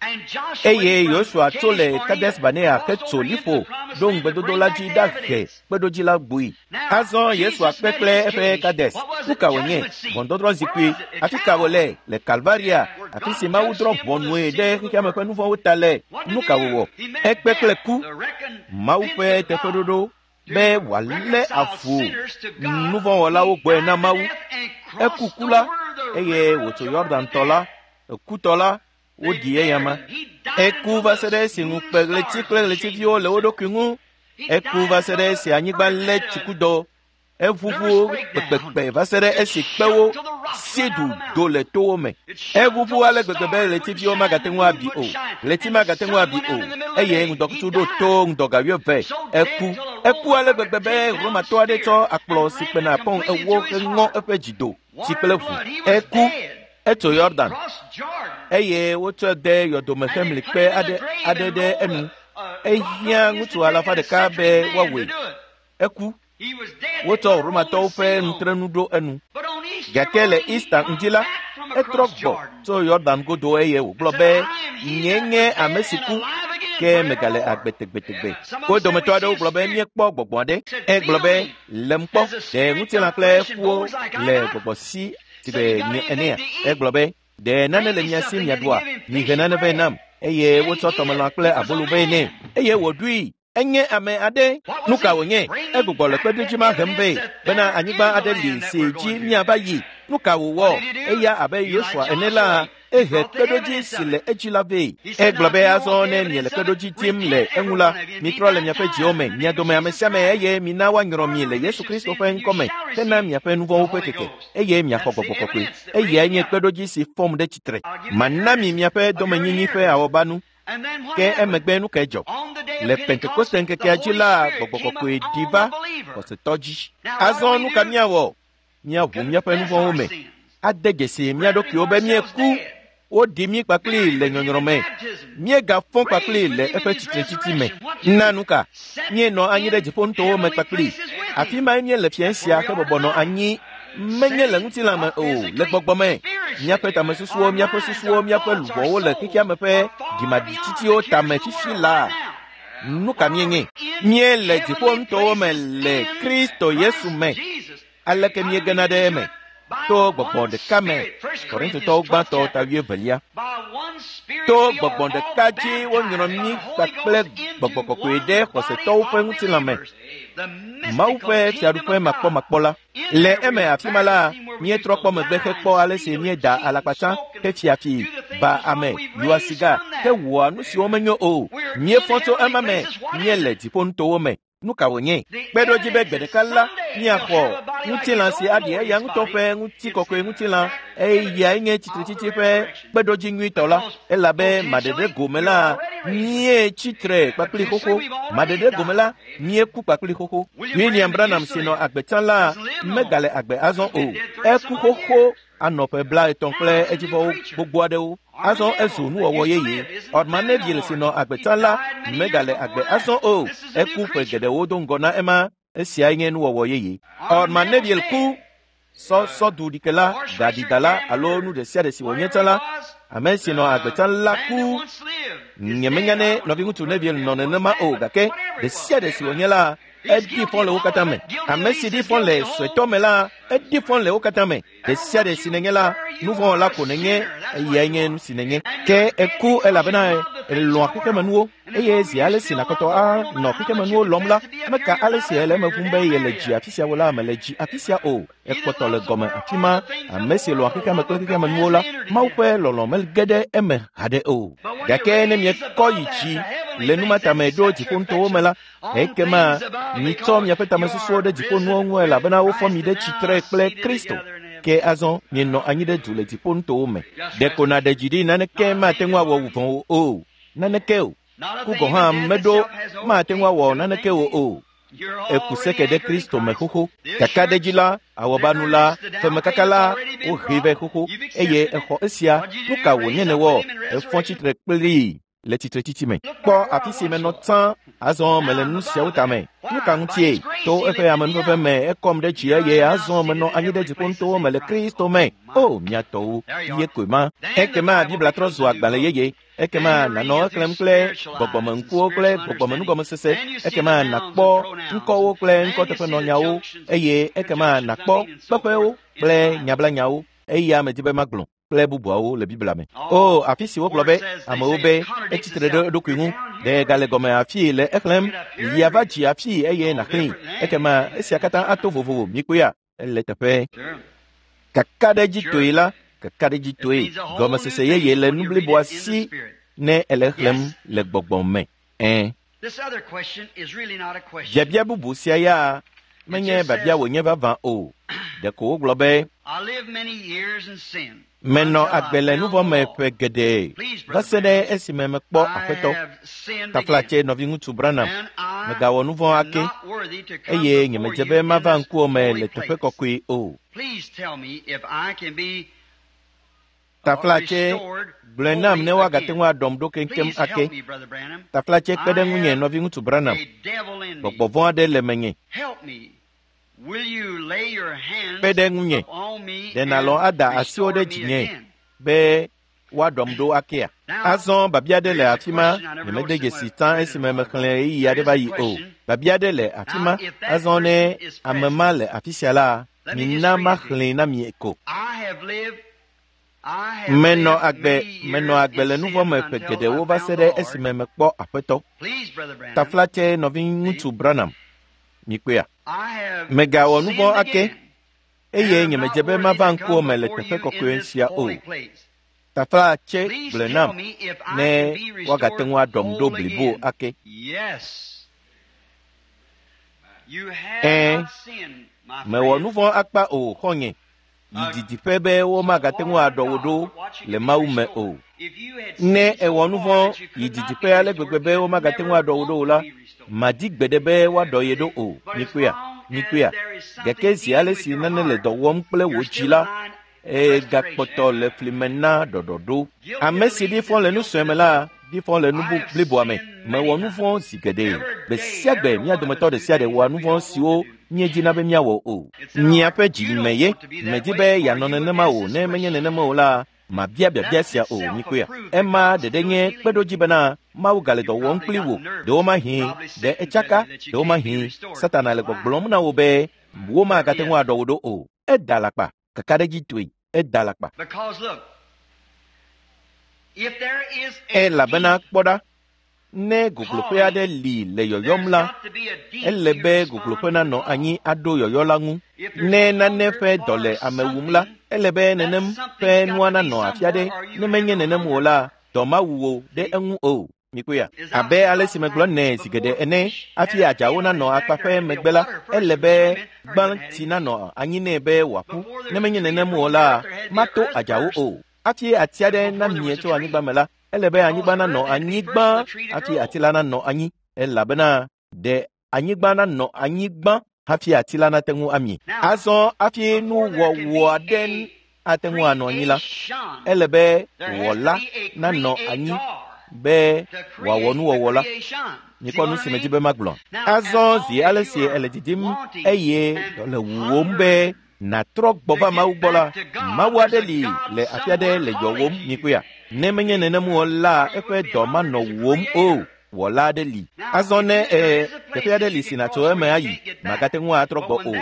Eye Yosua tso le Kades Barnea hetso liƒo ɖo ŋugbedodo la dzi ɖahe kpeɖodzi la gbui. Azɔ Yesua kpe kple eƒe Kades. Nu ka wònye? Ʋɔnudɔdrɔ̃ zikpui. Afi ka wòle? Le Kalvaria, afi si Mawu drɔ̃ ʋɔnue ɖe xexeame ƒe nu vɔ̃wo ta le. Nu ka wòwɔ? Ekpe kple ku. Mawu ƒe teƒeɖoɖo be wòalé avu nuvɔ̃wɔlawo gbɔe na Mawu. Eku ku la eye wòtso Yɔdan tɔ la, ekutɔ la, woɖi eyama. Eku va se ɖe esi ŋukpe ɣleti kple ɣletiviwo le wo ɖokui ŋu. Eku va se ɖe esi anyigba lé tsikudɔ. Eʋuʋu kpekpekpe va se ɖe esi kpewo si du do le towo me. Eʋuʋu ale gbegbe be ɣletiviwo magate ŋu abi o, ɣleti magate ŋu abi o, eye ŋdɔkutsu ɖo to ŋdɔga wuieve. Eku. Eku ale gbegbe be Romatɔ aɖe tsɔ akplɔ si kpena pɔn ewo heŋɔ eƒe dzido tsi kple ʋu. Eku. Etso Yɔdan eye wotsɔe de yɔdomexemlikpe aɖe aɖe ɖe enu. Ehiã ŋutsu alafa ɖeka be woawɔe. Eku. Wotsɔ Romatɔwo ƒe nutrenu ɖo enu. Gake le Easter ŋdi la, etrɔ gbɔ tso Yɔdan godo eye wògblɔ be, nye nye ame si ku, ke megale agbe tegbetegbe. Wo dometɔ aɖewo gblɔ be míekpɔ gbɔgbɔ aɖe. Egblɔ be, lem kpɔ, ɖe ŋutilã kple ƒuwo le gbɔgbɔ si si be nye enea. Egblɔ be, ɖe nane le mia si miaɖua? Mihe nane vɛ nam. Eye wotsɔ tɔmelã kple abolo vɛ nɛ. Eye wòɖui. Enye ame aɖe. Nu ka wònye? Egbugbɔ le kpeɖodzi ma hem vɛ bena anyigba aɖe li si dzi míava yi. Nu ka wòwɔ? Eya abe Yosua ene la, ehe kpeɖodzi si le edzi la vɛ. Egblɔ be azɔ ne miele kpeɖodzi dim le eŋu la, mitrɔ le miaƒe dziwo me, mia dome ame sia ame eye mina woanyrɔ mi le Yesu Kristo ƒe ŋkɔme hena miaƒe nuvɔ̃wo ƒe keke eye miaxɔ gbɔgbɔ kɔkɔe. Eyae nye kpeɖodzi si fɔm ɖe tsitre. Mana mi miaƒe domenyinyi ƒe awɔbanu. Ke emegbe nu kae dzɔ? Le Pentekoste ŋkekea dzi la, gbɔgbɔ kɔkɔe ɖi va xɔsetɔ dzi. Azɔ nu ka míawɔ? Míaʋu míaƒe nuvɔ̃wo me, ade dzesi mía ɖokuiwo be míeku. Woɖi mí kpakpli le nyɔnyrɔ me. Míegafɔ kpakpli le eƒe tsitretsitsi me. Na nu ka? Míenɔ anyi ɖe dziƒonutowo me kpakpli. Afi mae míele fiẽ sia hebɔbɔ nɔ anyi menye le ŋutilã me o, le gbɔgbɔ me. Míaƒe tamesusuwo, míaƒe susuwo, míaƒe luʋɔwo le xexea me ƒe dzimaɖitsitsiwo tame fifi la. Nu ka míenye? Míele dziƒonutowo me le Kristo Yesu me. Aleke míegena ɖe eme? To gbɔgbɔ ɖeka me. Korintotɔwo gbãtɔ ta wuievelia. To gbɔgbɔ ɖeka dzi wonyrɔ mí kpakple gbɔgbɔ kɔkɔe ɖe xɔsetɔwo ƒe ŋutilã me. Mawu ƒe fiaɖuƒe makpɔmakpɔ la. Le eme afi ma la, míetrɔ kpɔ megbe hekpɔ ale si míeda alakpatsã, hefia fi, ba ame, lua siga, hewɔa nu siwo menyo o. Míefɔ tso ema me, míele dziƒonutowo me. Nu ka wònye? Kpeɖodzi be gbe ɖeka la, míaxɔ ŋutilã si aɖi eya ŋutɔ ƒe ŋutikɔkɔe ŋutilã, eyae nye tsitretsitsi ƒe kpeɖodzi nyuitɔ la. Elabe maɖeɖe gome la, míe tsitre kpakpli xoxo. Maɖeɖe gome la, míeku kpakpli xoxo. William Branham si nɔ agbe tsã la, megale agbe azɔ o. Eku xoxo anɔ ƒe blaetɔ̃ kple edzivɔwo gbogbo aɖewo. Azɔ ezu nuwɔwɔ yeye. Orman Neville si nɔ agbe tsã la, megale agbe azɔ o. Eku ƒe geɖewo do ŋgɔ na ema. Esiae nye nuwɔwɔ yeye. Orman Neville ku. Sɔ sɔduɖikela, gaɖidala alo nu ɖe sia ɖe si wònye tsã la, ame si nɔ agbe tsã la ku. Nyemenya ne nɔviŋutsu Neville nɔ nenema o, gake ɖe sia ɖe si wònye la, eɖi fɔ le wo katã me. Ame si ɖi fɔ le suetɔ me la, eɖi fɔ le wo katã me. Ɖe sia ɖe si nenye la, nuvɔ̃wɔla ko nenye, eyae nye nu si nenye. Ke eku elabena elɔ̃a xexemenuwo eye zi ale si nàkpɔtɔ anɔ xexemenuwo lɔm la, meka ale si ele eme ʋum be yele dzi afi sia wo la mele dzi afi sia o. Ekpɔtɔ le gɔme afi ma. Ame si lɔ̃a xexeame kple xexemenuwo la, Mawu ƒe lɔlɔ̃ mege ɖe eme haɖe o. Gake ne miekɔ yi dzi le nu ma tame ɖo dziƒonutowo me la, ekema mitsɔ miaƒe tamesusuwo ɖe dziƒonuwo ŋu elabena wofɔ mi ɖe tsitre kple Kristo. Ke azɔ mienɔ anyi ɖe du le dziƒonutowo me. Ɖeko nàɖe dzi ɖi naneke mate ŋu awɔ wò vɔ̃ o. Naneke o. Ku gɔ̃ hã meɖo mate ŋu awɔ naneke o o. Eku seke ɖe Kristo me xoxo. Kakaɖedzi la, awɔbanu la, femekaka la, wohee vɛ xoxo eye exɔ esia. Nu ka wònye nèwɔ? Efɔ tsitre kplii le tsitretsitsi me. Kpɔ afi si menɔ tsã, azɔ mele nu siawo tame. Nu ka ŋutie? To eƒe amenuveve me ekɔm ɖe dzi eye azɔ menɔ anyi ɖe dziƒonutowo me le Kristo me. O, mia tɔwo, ye koe ma. Ekema Biblia trɔ zu agbalẽ yeye. Ekema nànɔ exlẽm kple gbɔgbɔmeŋkuwo kple gbɔgbɔmenugɔmesese. Ekema nàkpɔ ŋkɔwo kple ŋkɔteƒenɔnyawo eye ekema nàkpɔ kpeƒewo kple nyablanyawo. Eya medi be magblɔ kple bubuawo le Biblia me. O, afi si wogblɔ be amewo be etsitre ɖe eɖokui ŋu, ɖe gale gɔme afii le exlẽm, yi ava dzi afii eye nàxlẽe. Ekema esia katã ato vovovo. Mikpɔea? Ele teƒe. Kakaɖedzitoe la, kakaɖedzitoe, gɔmesese yeye le nu bliboa si ne ele xlẽm le gbɔgbɔ me. Ɛ̃. Biabia bubu sia ya menye biabia wònye vavã o. Ɖeko wogblɔ be, menɔ agbe le nuvɔ̃ me ƒe geɖe va se ɖe esime mekpɔ Aƒetɔ. Taflatse nɔviŋutsu Branham, megawɔ nuvɔ̃ ake eye nyemedze be mava ŋkuwò me le teƒe kɔkɔe o. Taflatse gblɔe nam ne woagate ŋu aɖɔm ɖo keŋkeŋ ake. Taflatse kpe ɖe ŋunye nɔviŋutsu Branham. Gbɔgbɔ vɔ̃ aɖe le menye. Kpe ɖe ŋunye. Ɖe nàlɔ̃ ada asiwo ɖe dzinye be woaɖɔm ɖo akea? Azɔ babia aɖe le afi ma nyemede dzesi tsã esime mexlẽ ɣeyiɣi aɖe va yi o. Babia aɖe le afi ma. Azɔ ne ame ma le afi sia la, mina maxlẽe na mi ko. Menɔ agbe menɔ agbe le nu vɔ̃ me ƒe geɖewo va se ɖe esime mekpɔ Aƒetɔ. Taflatse nɔviŋutsu Branham, mikpɔea? Megawɔ nu vɔ̃ ake eye nyemedze be mava ŋkuwò me le teƒe kɔkɔe sia o. Taflatse gblɔe nam ne woagate ŋu aɖɔm ɖo blibo ake. Ɛ̃, mewɔ nu vɔ̃ akpa o xɔ̃nye. Yi didiƒe be womagate ŋu aɖɔ wò ɖo le Mawu me o. Ne èwɔ nu vɔ̃ yi didiƒe ale gbegbe be womagate ŋu aɖɔ wò ɖo o la, madi gbeɖe be woaɖɔ ye ɖo o. Mikpɔea? Mikpɔea? Gake zi ale si nane le dɔ wɔm kple wò dzi la, egakpɔtɔ le fli me na ɖɔɖɔɖo. Ame si ɖi fɔ le nu sue me la, ɖi fɔ le nu bliboa me. Mewɔ nu vɔ̃ zi geɖe. Gbe sia gbe mía dometɔ ɖe sia ɖe wɔa nu vɔ̃ siwo míedina be míawɔ o. Miaƒe dzi me ye. Medi be yeanɔ nenema o. Ne menye nenema o la, mabia biabia sia o. Mikpɔea? Ema ɖeɖe nye kpeɖodzi bena Mawu gale dɔ wɔm kpli wò. Ɖewomahi ɖe etsaka, ɖewomahi Satana le gbɔgblɔm na wò be womagate ŋu aɖɔ wò ɖo o. Eda alakpa. Kakaɖedzitɔe, eda alakpa. Elabena kpɔ ɖa, ne gogloƒe aɖe li le yɔyɔm la, ele be gogloƒe nanɔ anyi aɖo yɔyɔ la ŋu. Ne nane ƒe dɔ le ame wum la, ele be nenem ƒe nua nanɔ afi aɖe. Ne menye nenem o la, dɔ mawu wò ɖe eŋu o. Mikpɔea? Abe ale si megblɔ nɛ zi geɖe ene, hafi adzawo nanɔ akpa ƒe megbe la, ele be gbãtsi nanɔ anyi nɛ be wòaƒu. Ne menye nenem o la, mato adzawo o. Hafi ati aɖe namie tso anyigba me la, ele be anyigba nanɔ anyi gbã hafi ati la nanɔ anyi, elabena ɖe anyigba nanɔ anyi gbã hafi ati la nate ŋu amie. Azɔ hafi nuwɔwɔ aɖe ate ŋu anɔ anyi la, ele be wɔla nanɔ anyi be wòawɔ nuwɔwɔ la. Mikpɔ nu si medzi be magblɔ. Azɔ zi ale si ele didim eye dɔ le wuwòm be nàtrɔ gbɔ va Mawu gbɔ la, Mawu aɖe li le afi aɖe le yɔwòm. Mikpɔea? Ne menye nenem o la, eƒe dɔ manɔ wuwòm o. Wɔla aɖe li. Azɔ ne e teƒe aɖe li si nàtso eme ayi, màgate ŋu atrɔ gbɔ o.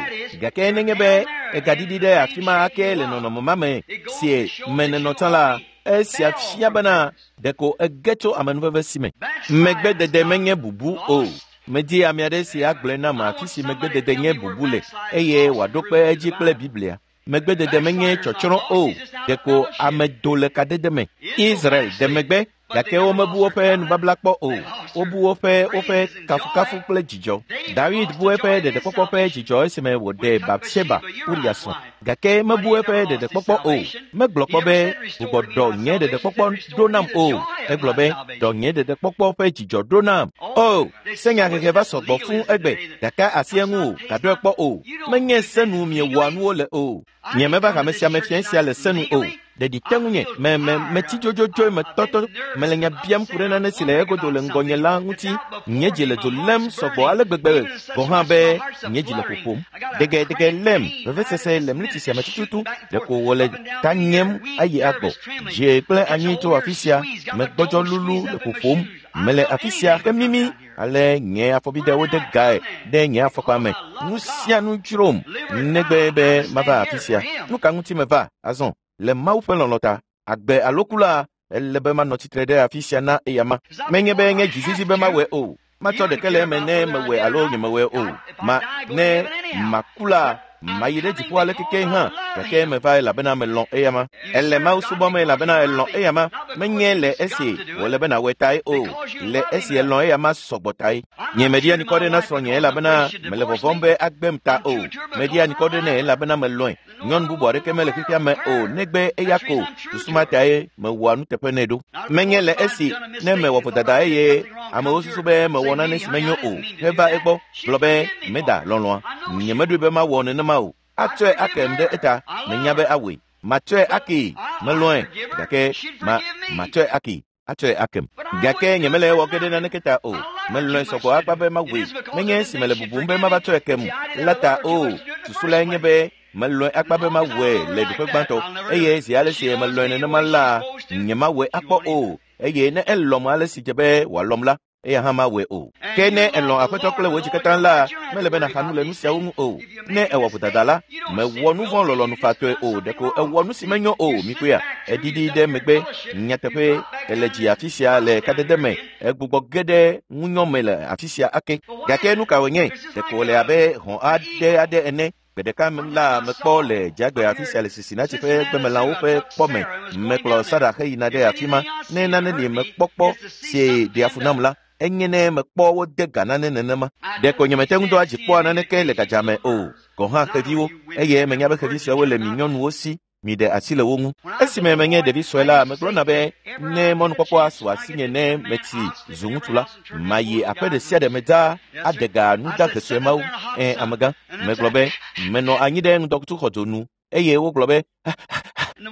Gake nenye be egaɖiɖi ɖe afi ma ake le nɔnɔme ma me si me nenɔ tsã la, esia fia bena ɖeko ege tso amenuveve si me. Megbedede menye bubu o. Medi ame aɖe si agblɔe nam afi si megbedede nye bubu le eye wòaɖo kpe edzi kple Biblia. Megbedede menye tsɔtsrɔ̃ o. Ɖeko ame do le kadede me. Israel de megbe gake womebu woƒe nubabla kpɔ o. Wobu woƒe woƒe kafukafu kple dzidzɔ. David bu eƒe ɖeɖekpɔkpɔ ƒe dzidzɔ esime wòɖe Batseba, Uria srɔ̃. Gake mebu eƒe ɖeɖekpɔkpɔ o. Megblɔ kpɔ be gbugbɔ ɖɔ nye ɖeɖekpɔkpɔ ɖo nam o. Egblɔ be ɖɔ nye ɖeɖekpɔkpɔ ƒe dzidzɔ ɖo nam. O, senyahehe va sɔgbɔ fũu egbe gake asi eŋu o, gaɖɔe kpɔ o. Menye senu miewɔa nuwo le o. Nyemeva hame sia me fia sia le senu o. Ɖeɖi te ŋunye, me me metsi dzodzodzoe metɔtɔ, mele nya biam ku ɖe nane si le egodo le ŋgɔnye la ŋuti. Nye dzi le dzo lém sɔgbɔ ale gbegbe gɔ̃ hã be nye dzi le ƒoƒom. Degedege lém, vevesese le mliti sia me tututu, ɖeko wòle ta nyem ayi agbɔ. Dze kple anyi tso afi sia, megbɔdzɔ lulu le ƒoƒom. Mele afi sia hemimi ale nye afɔbidewo de gae ɖe nye afɔkpa me. Nu sia nu dzrom negbe be mava afi sia. Nu ka ŋuti meva azɔ? Le Mawu ƒe lɔlɔ̃ ta, agbe alo ku la, ele be manɔ tsitre ɖe afi sia na eyama. Menye be nye dzizizi be mawɔe o. Matsɔ ɖeke le eme ne mewɔe alo nyemewɔe o. Ma ne maku la, mayi ɖe dziƒo ale keke hã, gake meva elabena melɔ̃ eyama. Ele Mawu subɔm elabena elɔ̃ eyama. Menye le esi wòle be nàwɔe tae o, le esi elɔ̃ eyama sɔgbɔ tae. Nye meɖia ŋkɔ ɖe na srɔ̃nye elabena mele vɔvɔ̃m be agbem ta o. Meɖia ŋkɔ ɖe nɛ elabena melɔ̃e. Nyɔnu bubu aɖeke mele xexea me o negbe eya ko. Susu ma tae mewɔa nuteƒe nɛ ɖo. Menye le esi ne mewɔ vodada eye amewo susu be mewɔ nane si menyo o heva egbɔ gblɔ be meda lɔlɔ̃a. Nyemeɖoe be mawɔ nenema o. Atsɔe akem ɖe eta. Menya be awɔe. Matsɔe akee, melɔ̃e, gake ma matsɔe akee, atsɔe akem. Gake nyemele ewɔ ge ɖe naneke ta o. Melɔ̃e sɔgbɔ akpa be mawɔe. Menye esi mele bubum be mava tsɔe kem la ta o. Susu lae nye be melɔ̃e akpa be mawɔe le ɖoƒe gbãtɔ eye zi ale si melɔ̃e nenema la, nyemawɔe akpɔ o. Eye ne elɔ̃m ale si dze be wòalɔ̃m la, eya hã mawɔe o. Ke ne elɔ̃ Aƒetɔ kple wò dzi katã la, mele be nàxa nu le nu siawo ŋu o. Ne ewɔ vodada la, mewɔ nu vɔ̃ lɔlɔ̃nufatɔe o, ɖeko ewɔ nu si menyo o. Mikpɔea, eɖiɖi ɖe megbe. Nyateƒe, ele dzi afi sia le kadede me, egbugbɔ ge ɖe ŋunyɔ me le afi sia ake. Gake nu ka wònye? Ɖeko wòle abe hɔ̃ aɖe aɖe ene. Gbe ɖeka la mekpɔ le dzagbe afi sia le Cincinnati ƒe gbemelãwo ƒe kpɔ me. Mekplɔ Sara heyina ɖe afi ma. Ne nane li mekpɔkpɔ si ɖea fu nam la, enye ne mekpɔ wode ga nane nenema. Ɖeko nyemete ŋu doa dzi kpɔa naneke le gadza me o, gɔ̃ hã xeviwo, eye menya be xevi siawo le mi nyɔnuwo si, miɖe asi le wo ŋu. Esime menye ɖevi sue la, megblɔna be ne mɔnukpɔkpɔ asu asinye ne metsi zu ŋutsu la, mayi aƒe ɖe sia ɖe me dzaa aɖe ga nudahe sue mawo. Ẽ, amegã, megblɔ be menɔ anyi ɖe ŋdɔkutsuxɔdzo nu eye wogblɔ be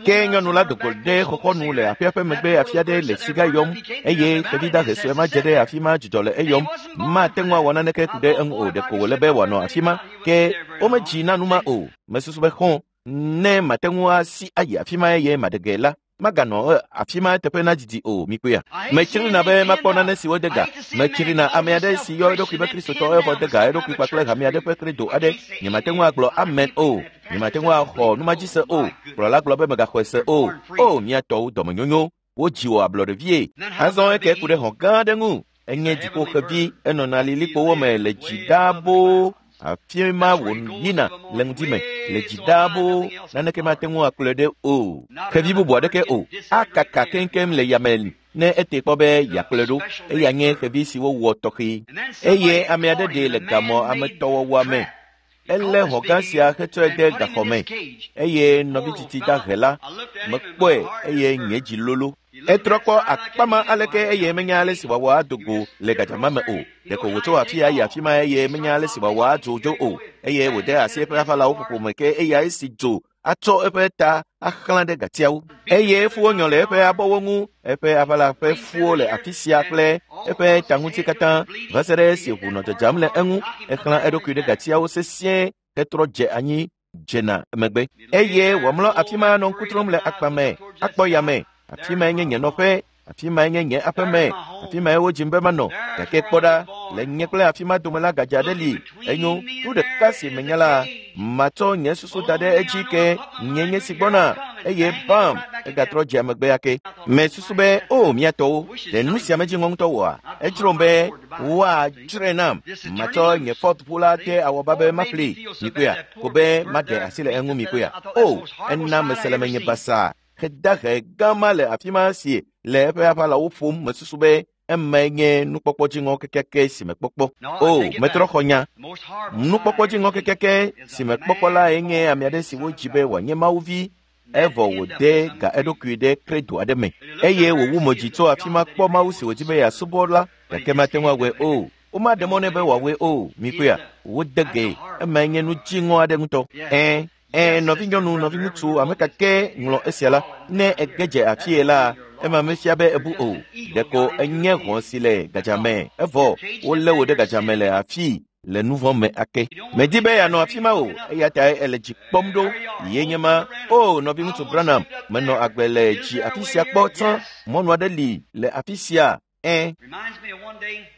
ke nyɔnu la do go ɖe xɔxɔnu le aƒea ƒe megbe afi aɖe le siga yɔm eye xevi dahe sue ma dze ɖe afi ma dzudzɔ le eyɔm. Mate ŋu awɔ naneke ku ɖe eŋu o, ɖeko wòle be wòanɔ afi ma. Ke womedzi na nu ma o. Mesusu be xɔ̃ ne mate ŋu asi ayi afi ma eye maɖe ge la, maganɔ afi ma teƒe na didi o. Mikpɔea, metsrina be makpɔ nane si wode ga. Metsrina ame aɖe si yɔ eɖokui be Kristotɔ evɔ de ga eɖokui kpakple hame aɖe ƒe credo aɖe. Nyemate ŋu agblɔ amen o. Nyemate ŋu axɔ numadzi se o. Kplɔla gblɔ be megaxɔe se o. O, mía tɔwo dɔmenyonyo, wodzi wò ablɔɖevie. Azɔ eke ku ɖe hɔ̃ gã aɖe ŋu. Enye dziƒoxevi, enɔna lilikpowo me le dzi ɖaa boo. Afi ma wòyina le ŋdi me le dzi ɖaa boo. Naneke mate ŋu akplɔe ɖe o. Xevi bubu aɖeke o. Akaka keŋkeŋ le yame ne ete kpɔ be yeakplɔe ɖo. Eya nye xevi si wowɔ tɔxɛ. Eye ame aɖe ɖee le gamɔ ametɔwɔwɔa me. Elé hɔ̃ gã sia hetsɔe de gaxɔ me eye nɔvi tsitsi dahe la mekpɔe eye nye dzi lolo. Etrɔ kpɔ akpa ma aleke eye menya ale si wòawɔ ado go le gadzama me o. Ɖeko wòtso afi ya yi afi ma eye menya ale si wòawɔ adzo dzo o. Eye wòde asi eƒe aʋalawo ƒoƒo me ke eya esi dzo atsɔ eƒe ta axlã ɖe gatiawo. Eye fuwo nyɔ le eƒe abɔwo ŋu, eƒe aʋala ƒe fuwo le afi sia kple eƒe ta ŋuti katã va se ɖe esi ʋu nɔ dzadzam le eŋu. Exlã eɖokui ɖe gatiawo sesĩe hetrɔ dze anyi dzena megbe. Eye wòamlɔ afi ma nɔ ŋku trɔm le akpa me, akpɔ yame. Afi mae nye nye nɔƒe, afi mae nye nye aƒeme, afi mae wodzim be manɔ. Gake kpɔ ɖa, le nye kple afi ma dome la gadza aɖe li. Enyo, nu ɖeka si menya la, matsɔ nye susu da ɖe edzi ke nye nye si gbɔna eye bam, egatrɔ dze megbe ake. Mesusu be, o mía tɔwo, ɖe nu sia medzi ŋɔ ŋutɔ wɔa? Edzrom be woadzrae nam. Matsɔ nye Ford ʋu la de awɔba be maƒlee. Mikpɔea, ko be maɖe asi le eŋu. Mikpɔea, o, ena mese le menye basaa. Xedahe gã ma le afi ma si le eƒe aʋalawo ƒom. Mesusu be emae nye nukpɔkpɔ dziŋɔ kekeake si mekpɔkpɔ. O, metrɔ xɔ nya. Nukpɔkpɔ dziŋɔ kekeake si mekpɔkpɔ lae nye ame aɖe si wodzi be wòanye Mawuvi, evɔ wòde ga eɖokui ɖe credo aɖe me eye wòwu mo dzi tso afi ma kpɔ Mawu si wòdi be yeasubɔ la, gake mate ŋu awɔe o. Womaɖe mɔ nɛ be wòawɔe o. Mikpɔea, wode ge. Emae nye nu dziŋɔ aɖe ŋutɔ. Ẽ, Ẽ, nɔvinyɔnu, nɔviŋutsu, ame ka ke ŋlɔ esia la, ne ege dze afie la, ema mefia be ebu o. Ɖeko enye hɔ̃ si le gadzame, evɔ wolé wò ɖe gadzame le afii le nu vɔ̃ me ake. Medi be yeanɔ afi ma o, eya tae ele dzi kpɔm ɖo. Ye nye ma. O, nɔviŋutsu Branham, menɔ agbe le dzi afi sia kpɔ tsã. Mɔnu aɖe li le afi sia. Ẽ,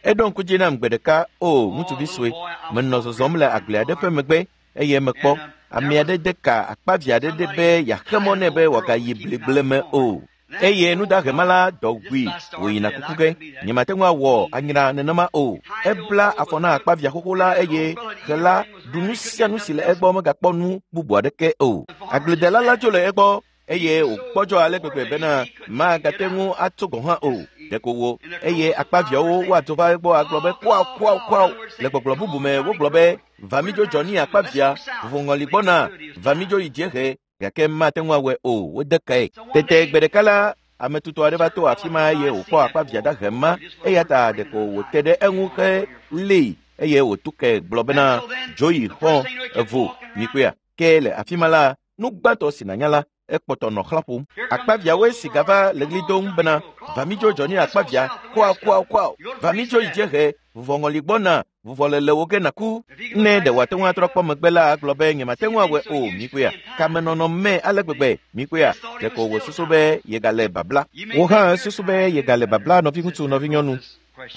eɖo ŋku dzi nam gbe ɖeka. O, ŋutsuvi sue, menɔ zɔzɔm le agble aɖe ƒe megbe eye mekpɔ ame aɖe de ka akpavi aɖe ɖe be yeaxe mɔ nɛ be wòagayi bligble me o. Eye nudahema la dɔ wui wòyina kuku ge. Nyemate ŋu awɔ anyra nenema o. Ebla afɔ na akpavia xoxo la eye xe la ɖu nu sia nu si le egbɔ megakpɔ nu bubu aɖeke o. Agbledela la dzo le egbɔ eye wògbɔdzɔ ale gbegbe bena magate ŋu atso gɔ̃ hã o. Ɖeko wo eye akpaviawo woadzo va egbɔ agblɔ be kuawo kuawo kuawo. Le gbɔgblɔ bubu me wogblɔ be va midzo dzɔ ni akpavia, vovoŋɔli gbɔna, va midzo yi dziehe, gake mate ŋu awɔe o. Wode kae. Tete gbe ɖeka la, ame tutɔ aɖe va to afi ma eye wòkpɔ akpavia dahe ma, eya ta ɖeko wòte ɖe eŋu helée eye wòtu ke gblɔ bena dzo yi xɔ evo. Mikpɔea, ke le afi ma la, nu gbãtɔ si nànya la, Ekpɔtɔ nɔ xlã ƒom. Akpaviawoe si gava le ɣli dom bena, va mi dzo Johnny akpavia, kua kua kua, va mi dzo yi dziehe, vuvɔŋɔli gbɔna, vuvɔ le le wo ge naku. Ne ɖe wòate ŋu atrɔ kpɔ megbe la, agblɔ be nyemate ŋu awɔe o, mikpɔea. Kamenɔnɔ me ale gbegbe, mikpɔea. Ɖeko wòsusu be yegale babla. Wò hã susu be yegale babla, nɔviŋutsu, nɔvinyɔnu.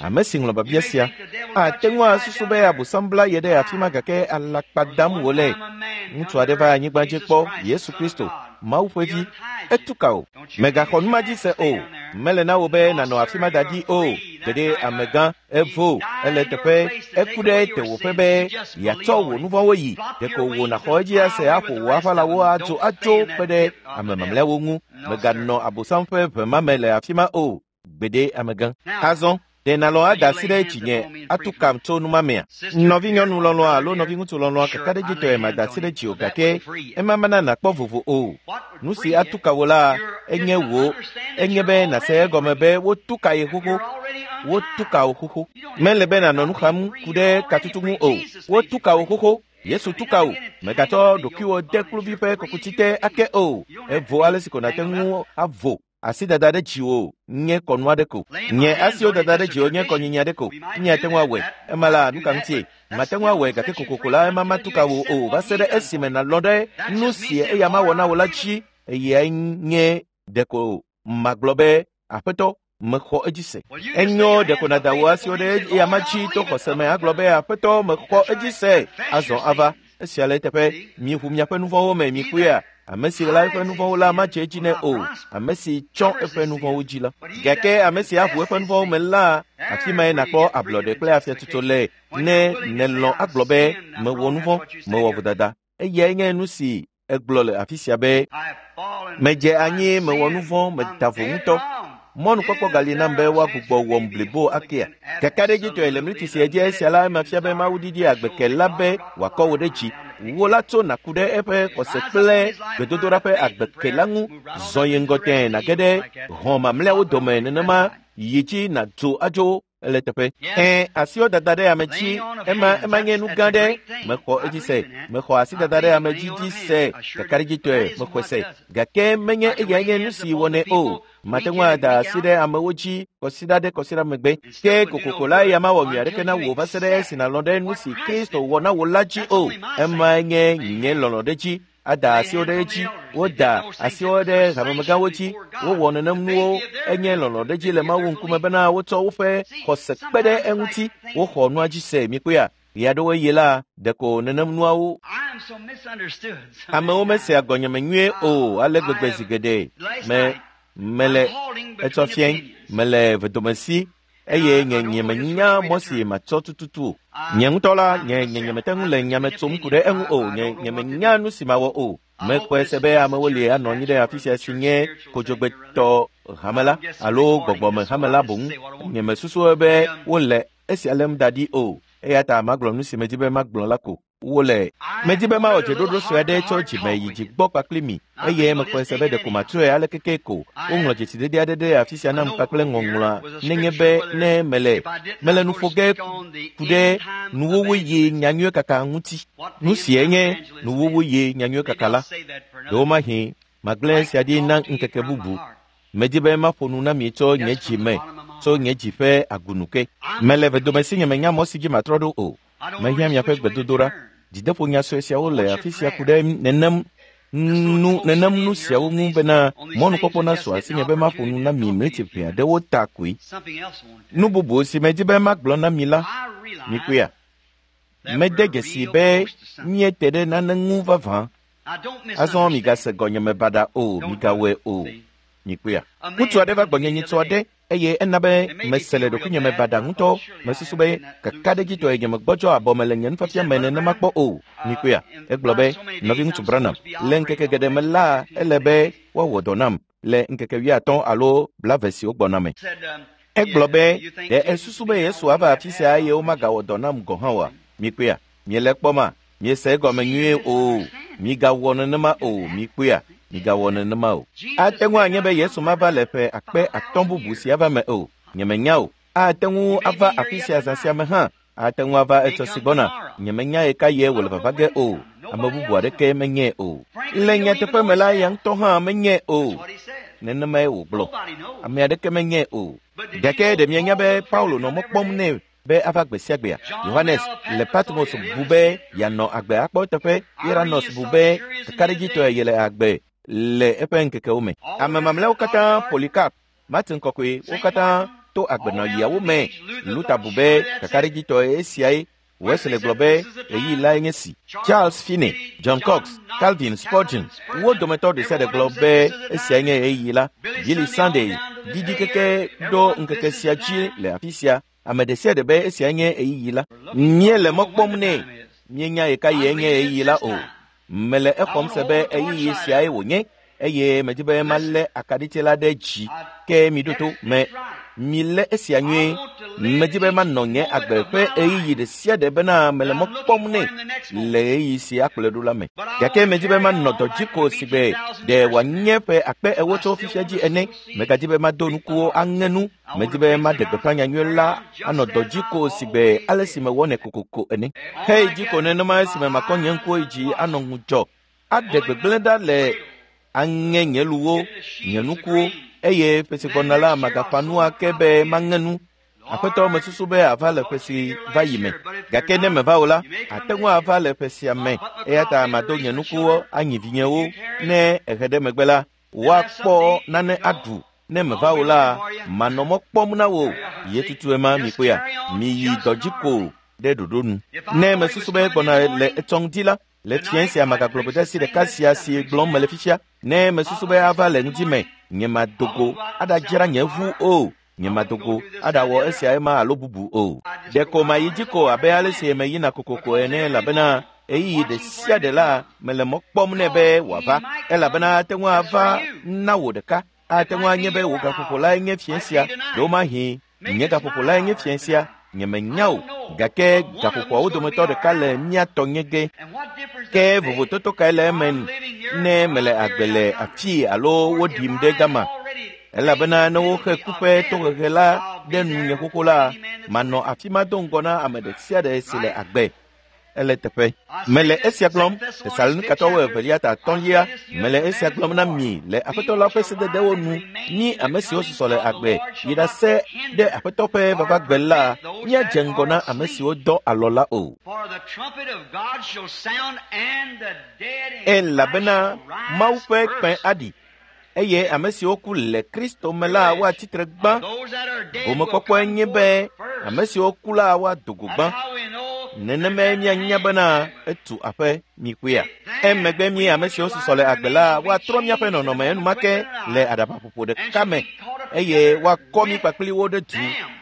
Ame si ŋlɔ babia sia ate ŋu asusu be Abosam bla ye ɖe afi ma gake alakpa dam wòle. Ŋutsu aɖe va anyigba dzi kpɔ Yesu Kristo, Mawu ƒe vi. Etu ka o. Mègaxɔ nu ma dzi se o. Mele na wò be nànɔ afi ma da ɖi o. Gbeɖe amegã, evo, ele teƒe, eku ɖe tewòƒe be yeatsɔ wò nu vɔ̃wo yi. Ɖeko wò nàxɔ edzi ase aƒo wò aʋalawo adzo atso kpe ɖe ame mamlɛawo ŋu. Mèganɔ Abosam ƒe ʋe ma me le afi ma o. Gbeɖe amegã. Azɔ, ɖe nàlɔ̃ ada asi ɖe dzinye atu kam tso nu ma mea? Nɔvinyɔnu lɔlɔ̃a alo nɔviŋutsu lɔlɔ̃a kakaɖedzitɔe mada asi ɖe dziwò gake ema mana nàkpɔ vovo o. Nu si atu ka wò la enye wò enye be nàse egɔme be wotu ka ye xoxo. Wotu ka wò xoxo. Mele be nànɔ nu xam ku ɖe katutu ŋu o. Wotu ka wò xoxo. Yesu tu ka wò. Mègatsɔ ɖokuiwò de kluvi ƒe kɔkuti te ake o. Evo ale si ko nàte ŋu avo. Asi dada ɖe dziwò nye kɔnu aɖe ko. Nye asiwo dada ɖe dziwò nye kɔnyinyi aɖe ko. Nye ate ŋu awɔe. Ema la, nu ka ŋutie? Mate ŋu awɔe gake kokoko la ema matu ka wò o va se ɖe esime nàlɔ̃ ɖe nu si eya mawɔ na wò la dzi. Eyae nye ɖeko magblɔ be, Aƒetɔ, mexɔ edzi se. Enyo ɖeko nàda wò asiwo ɖe eya ma dzi to xɔse me agblɔ be, Aƒetɔ, mexɔ edzi se. Azɔ ava. Esia le eteƒe. Miʋu miaƒe nu vɔ̃wo me, mikpɔea. Ame si ɣla eƒe nu vɔ̃wo la madze edzi nɛ o. Ame si tsɔ eƒe nu vɔ̃wo dzi la. Gake ame si aʋu eƒe nu vɔ̃wo me la, afi mae nàkpɔ ablɔɖe kple afiatsotso le. Ne nèlɔ̃ agblɔ be, mewɔ nu vɔ̃, mewɔ vodada. Eyae nye nu si egblɔ le afi sia be, medze anyi, mewɔ nu vɔ̃, meda vo ŋutɔ. Mɔnukpɔkpɔ gali nam be woagbugbɔ wɔm blibo akea. Kakaɖedzitɔe le mliti sia dzi esia la ema fia be Mawu didi agbeke la be wòakɔ wò ɖe dzi. Wò la tso nàku ɖe eƒe xɔse kple gbedodoɖa ƒe agbeke la ŋu. Zɔ yi ŋgɔ tẽe nàge ɖe hɔ̃ mamlɛawo dome nenema yi dzi nàdzo adzo ele teƒe. Ẽ, asiwo dada ɖe ame dzi, ema ema nye nu gã ɖe. Mexɔ edzi se. Mexɔ asi dada ɖe ame dzi dzi se. Kakaɖedzitɔe mexɔe se. Gake menye eyae nye nu si wɔnɛ o. Mate ŋu ada asi ɖe amewo dzi kɔsiɖa ɖe kɔsiɖa megbe. Ke kokoko la eya mawɔ nyui aɖeke na wò va se ɖe esi nàlɔ̃ ɖe nu si Kristo wɔ na wò la dzi o. Emae nye nye lɔlɔ̃ ɖe dzi. Ada asiwo ɖe edzi. Woda asiwo ɖe hamemegãwo dzi. Wowɔ nenem nuwo. Enye lɔlɔ̃ ɖe dzi le Mawu ŋkume bena wotsɔ woƒe xɔse kpe ɖe eŋuti. Woxɔ nua dzi se, mikpɔea. Ɣeaɖewoɣi la, ɖeko nenem nuawo. Amewo mesea gɔnyeme nyuie o ale gbegbe zi geɖe. Me mele etsɔ fiẽ, mele vedomesi eye nye nyemenya mɔ si matsɔ tututu o. Nye ŋutɔ la, nye nye nyemete ŋu le nyame tsom ku ɖe eŋu o. Nye nyemenya nu si mawɔ o. Mexɔe se be amewo li anɔ anyi ɖe afi sia si nye kodzogbetɔ hame la alo gbɔgbɔme hame la boŋ. Nyemesusu be wole esia lém da ɖi o. Eya ta magblɔ nu si medi be magblɔ la ko. Wole. Medi be mawɔ dzeɖoɖo sue aɖe tso dzime yi dzi gbɔ kpakple mi eye mexɔe se be ɖeko matrɔe ale keke ko. Woŋlɔ dzesidede aɖe ɖe afi sia nam kpakple ŋɔŋlɔa nenye be ne mele mele nu ƒo ge ku ɖe nuwuwu yi nyanyuie kaka ŋuti. Nu sie nye nuwuwu yi nyanyuie kaka la. Ɖewomahi magblẽ esia ɖi na ŋkeke bubu. Medi be maƒo nu na mi tso nye dzi me, tso nye dzi ƒe agunu ke. Mele vedomesi nye menya mɔ si dzi matrɔ ɖo o. Mehiã miaƒe gbedodoɖa. Dzideƒonya sue siawo le afi sia ku ɖe nenem nu nenem nu siawo ŋu bena mɔnukpɔkpɔ nasu asinye be maƒo nu na mi mliti ʋɛ aɖewo ta koe. Nu bubu si medi be magblɔ na mi la, mikpɔea. Mede dzesi be míete ɖe nane ŋu vavã. Azɔ migase gɔnyeme baɖa o, migawɔe o. Mikpɔea. Ŋutsu aɖe va gbɔnye nyitsɔ aɖe eye ena be mese le ɖokuinye me baɖa ŋutɔ. Mesusu be kakaɖedzitɔe nye megbɔdzɔ abɔ me le nye nufiafia me nenema kpɔ o. Mikpɔea. Egblɔ be, nɔviŋutsu Branham, le ŋkeke geɖe me la, ele be woawɔ dɔ nam le ŋkeke wuiatɔ̃ alo blaeve siwo gbɔna me. Egblɔ be, ɖe esusu be Yesu ava afi sia eye womagawɔ dɔ nam gɔ̃ hã oa? Mikpɔea. Miele kpɔma? Miese egɔme nyuie o. Migawɔ nenema o. Mikpɔea. Migawɔ nenema o. Ate ŋu anye be Yesu mava le ƒe akpe atɔ̃ bubu si ava me o. Nyemenya o. Ate ŋu ava afi sia zã sia me hã. Ate ŋu ava etsɔ si gbɔna. Nyemenya ɣe ka ɣie wòle vava ge o. Ame bubu aɖeke menyae o. Le nyateƒe me la, ya ŋutɔ hã menyae o. Nenemae wògblɔ. Ame aɖeke menyae o. Gake ɖe mienya be Paulo nɔ mɔ kpɔm nɛ be ava gbe sia gbea? Yohanes le Patmos bu be yeanɔ agbe akpɔ eteƒe. Iranos bu be kakaɖedzitɔe yele agbe le eƒe ŋkekewo me. Ame mamlɛawo katã, Polycarp, Martin Kɔkɔe, wo katã to agbenɔɣiawo me. Luther bu be kakaɖedzitɔe esiae. Wesley gblɔ be ɣeyiɣi lae nye si. Charles Finney, John Cox, Calvin, Spurgeon, wo dometɔ ɖe sia ɖe gblɔ be esiae nye ɣeyiɣi la. Billy Sunday didi keke ɖo ŋkeke sia dzi le afi sia. Ame ɖe sia ɖe be esiae nye ɣeyiɣi la. Míele mɔ kpɔm nɛ. Míenya ɣe ka ɣie nye ɣeyiɣi la o. Mele exɔm se be ɣeyiɣi siae wònye eye medi be malé akaɖiti la ɖe dzi. Ke miɖo to me. Milé esia nyuie. Medi be manɔ nye agbe ƒe ɣeyiɣi ɖe sia ɖe bena mele mɔ kpɔm nɛ le ɣeyiɣi si akplɔe ɖo la me. Gake medi be manɔ dɔ dzi ko si gbe ɖe wòanye ƒe akpe ewo tso fifia dzi ene. Megadi be mado nukuwo aŋe nu. Medi be maɖe gbeƒã nyanyui la anɔ dɔ dzi ko si gbe ale si mewɔnɛ kokoko ene. Hei dzi ko nenema esime makɔ nye ŋkuwo yi dzi anɔ ŋudzɔ aɖe gbegblẽ ɖa le aŋe nye luwo, nye nukuwo, eye ƒe si gbɔna la magaƒã nu ake be maŋe nu. Aƒetɔ mesusu be ava le ƒe si va yi me. Gake ne meva o la, ate ŋu ava le ƒe sia me. Eya ta mado nye nukuwo anyi vinyewo. Ne ehe ɖe megbe la, woakpɔ nane aɖu. Ne meva o la, manɔ mɔ kpɔm na wò. Ye tutue ma mi kpɔea? Miyi dɔ dzi ko ɖe ɖoɖo nu. Ne mesusu be gbɔna le etsɔ ŋdi la, le fiẽ sia magagblɔ gbedeasi ɖeka sia si gblɔm mele fifia. Ne mesusu be ava le ŋdi me, nye madogo aɖadzra nye ʋu o. Nye madogo aɖawɔ esia ema alo bubu o. Ɖeko mayi dzi ko abe ale si meyina kokoko ene elabena ɣeyiɣi ɖe sia ɖe la mele mɔ kpɔm nɛ be wòava. Elabena ate ŋu ava na wò ɖeka. Ate ŋu anye be wò gaƒoƒo lae nye fiẽ sia. Ɖewomahi nye gaƒoƒo lae nye fiẽ sia. Nyemenya o, gake gaƒoƒoawo dometɔ ɖeka le mía tɔ nye ge. Ke vovototo kae le eme ne mele agbe le afii alo woɖim ɖe gama? Elabena ne woxe ku ƒe tohehe la ɖe nunye xoxo la, manɔ afi ma do ŋgɔ na ame ɖe sia ɖe si le agbe. Ele teƒe. Mele esia gblɔm, Tesalonikatɔwo evelia ta atɔ̃lia, mele esia gblɔm na mi le Aƒetɔ la ƒe sededewo nu. Mí ame siwo susɔ le agbe yi ɖase ɖe Aƒetɔ ƒe vavagbe la, míadze ŋgɔ na ame siwo dɔ alɔ la o. Elabena Mawu ƒe kpẽ aɖi, eye ame siwo ku le Kristo me la woatsi tre gbã. Gomekpɔkpɔe nye be ame siwo ku la woado go gbã. Nenemae míanya bena etu aƒe mi kpɔea. Emegbe mí ame siwo susɔ le agbe la woatrɔ míaƒe nɔnɔme enumake le aɖabaƒoƒo ɖeka me eye woakɔ mí kpakpli wo ɖe du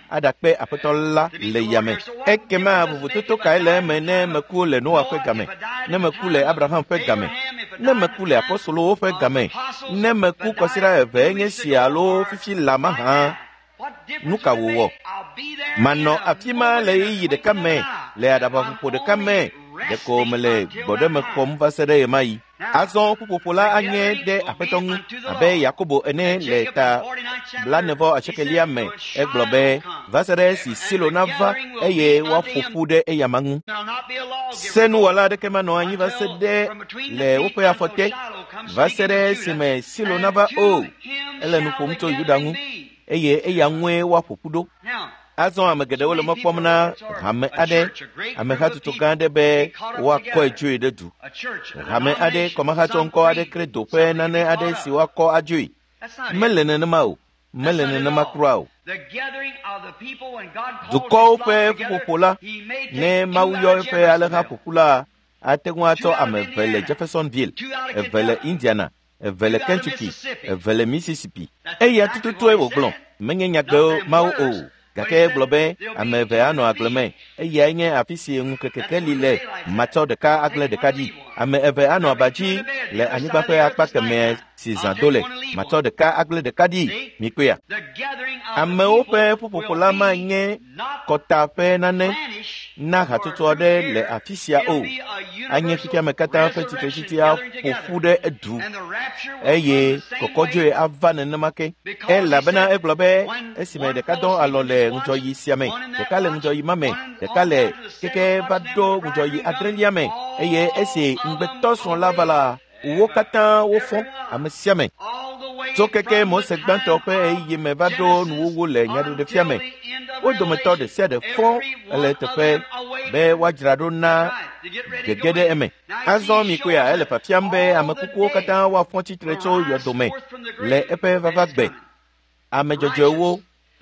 aɖakpe Aƒetɔ la le yame. Ekema vovototo kae le eme ne meku le Noa ƒe game, ne meku le Abraham ƒe game, ne meku le apostolowo ƒe game, ne meku kɔsiɖa eve nye si alo fifi la mahã? Nu ka wòwɔ? Manɔ afi ma le ɣeyiɣi ɖeka me, le aɖabaƒoƒo ɖeka me, ɖeko mele gbɔɖeme xɔm va se ɖe ɣemaɣi. Azɔ ƒuƒoƒo la anye ɖe Aƒetɔ ŋu abe Yakobo ene le ta blaenevɔ asiɖekɛlia me. Egblɔ be va se ɖe esi Silo nava eye woaƒo ƒu ɖe eyama ŋu. Senuwɔla aɖeke manɔ anyi va se ɖe le woƒe afɔ te va se ɖe esime Silo nava o. Ele nu ƒom tso Yuda ŋu eye eya ŋue woaƒo ƒu ɖo. Azɔ ame geɖewo le mɔ kpɔm na hame aɖe, amehatsotso gã aɖe be woakɔe dzoe ɖe du. Hame aɖe, kɔmahatsɔŋkɔ aɖe kredo ƒe nane aɖe si woakɔ adzoe. Mele nenema o. Mele nenema kura o. Dukɔwo ƒe ƒuƒoƒo la, ne Mawu yɔ eƒe alẽha ƒoƒu la, ate ŋu atsɔ ame eve le Jeffersonville, eve le Indiana, eve le Kentucky, eve le Mississippi. Eya tututue wògblɔ. Menye nyagbewo Mawu o. Gake egblɔ be ame eve anɔ agble me. Eyae nye afi si ŋukekekeli le. Matsɔ ɖeka agblẽ ɖeka ɖi. Ame eve anɔ aba dzi le anyigba ƒe akpa kemɛ si zã do le. Matsɔ ɖeka agblẽ ɖeka ɖi. Mikpɔea? Amewo ƒe ƒuƒoƒo la manye kɔta ƒe nane. na hatsotso aɖe le afi sia o. Anye xexeame katã ƒe tsitretsitsi aƒo ƒu ɖe edu eye kɔkɔdzoe ava nenema ke. Elabena egblɔ be esime ɖeka dɔ alɔ le ŋudzɔyi sia me, ɖeka le ŋudzɔyi ma me, ɖeka le keke va ɖo ŋudzɔyi adrelia me eye esi ŋugbetɔsrɔ̃ la va la, wo katã wofɔ ame sia ame. Tso keke Mose gbãtɔ ƒe ɣeyiɣi me va ɖo nuwuwu le nyaɖeɖefia me. Wo dometɔ ɖe sia ɖe fɔ le teƒe be woadzra ɖo na gege ɖe eme. Azɔ mikpɔea ele fiafiam be ame kukuwo katã woafɔ tsitre tso yɔdome le eƒe vava gbe. Ame dzɔdzɔewo,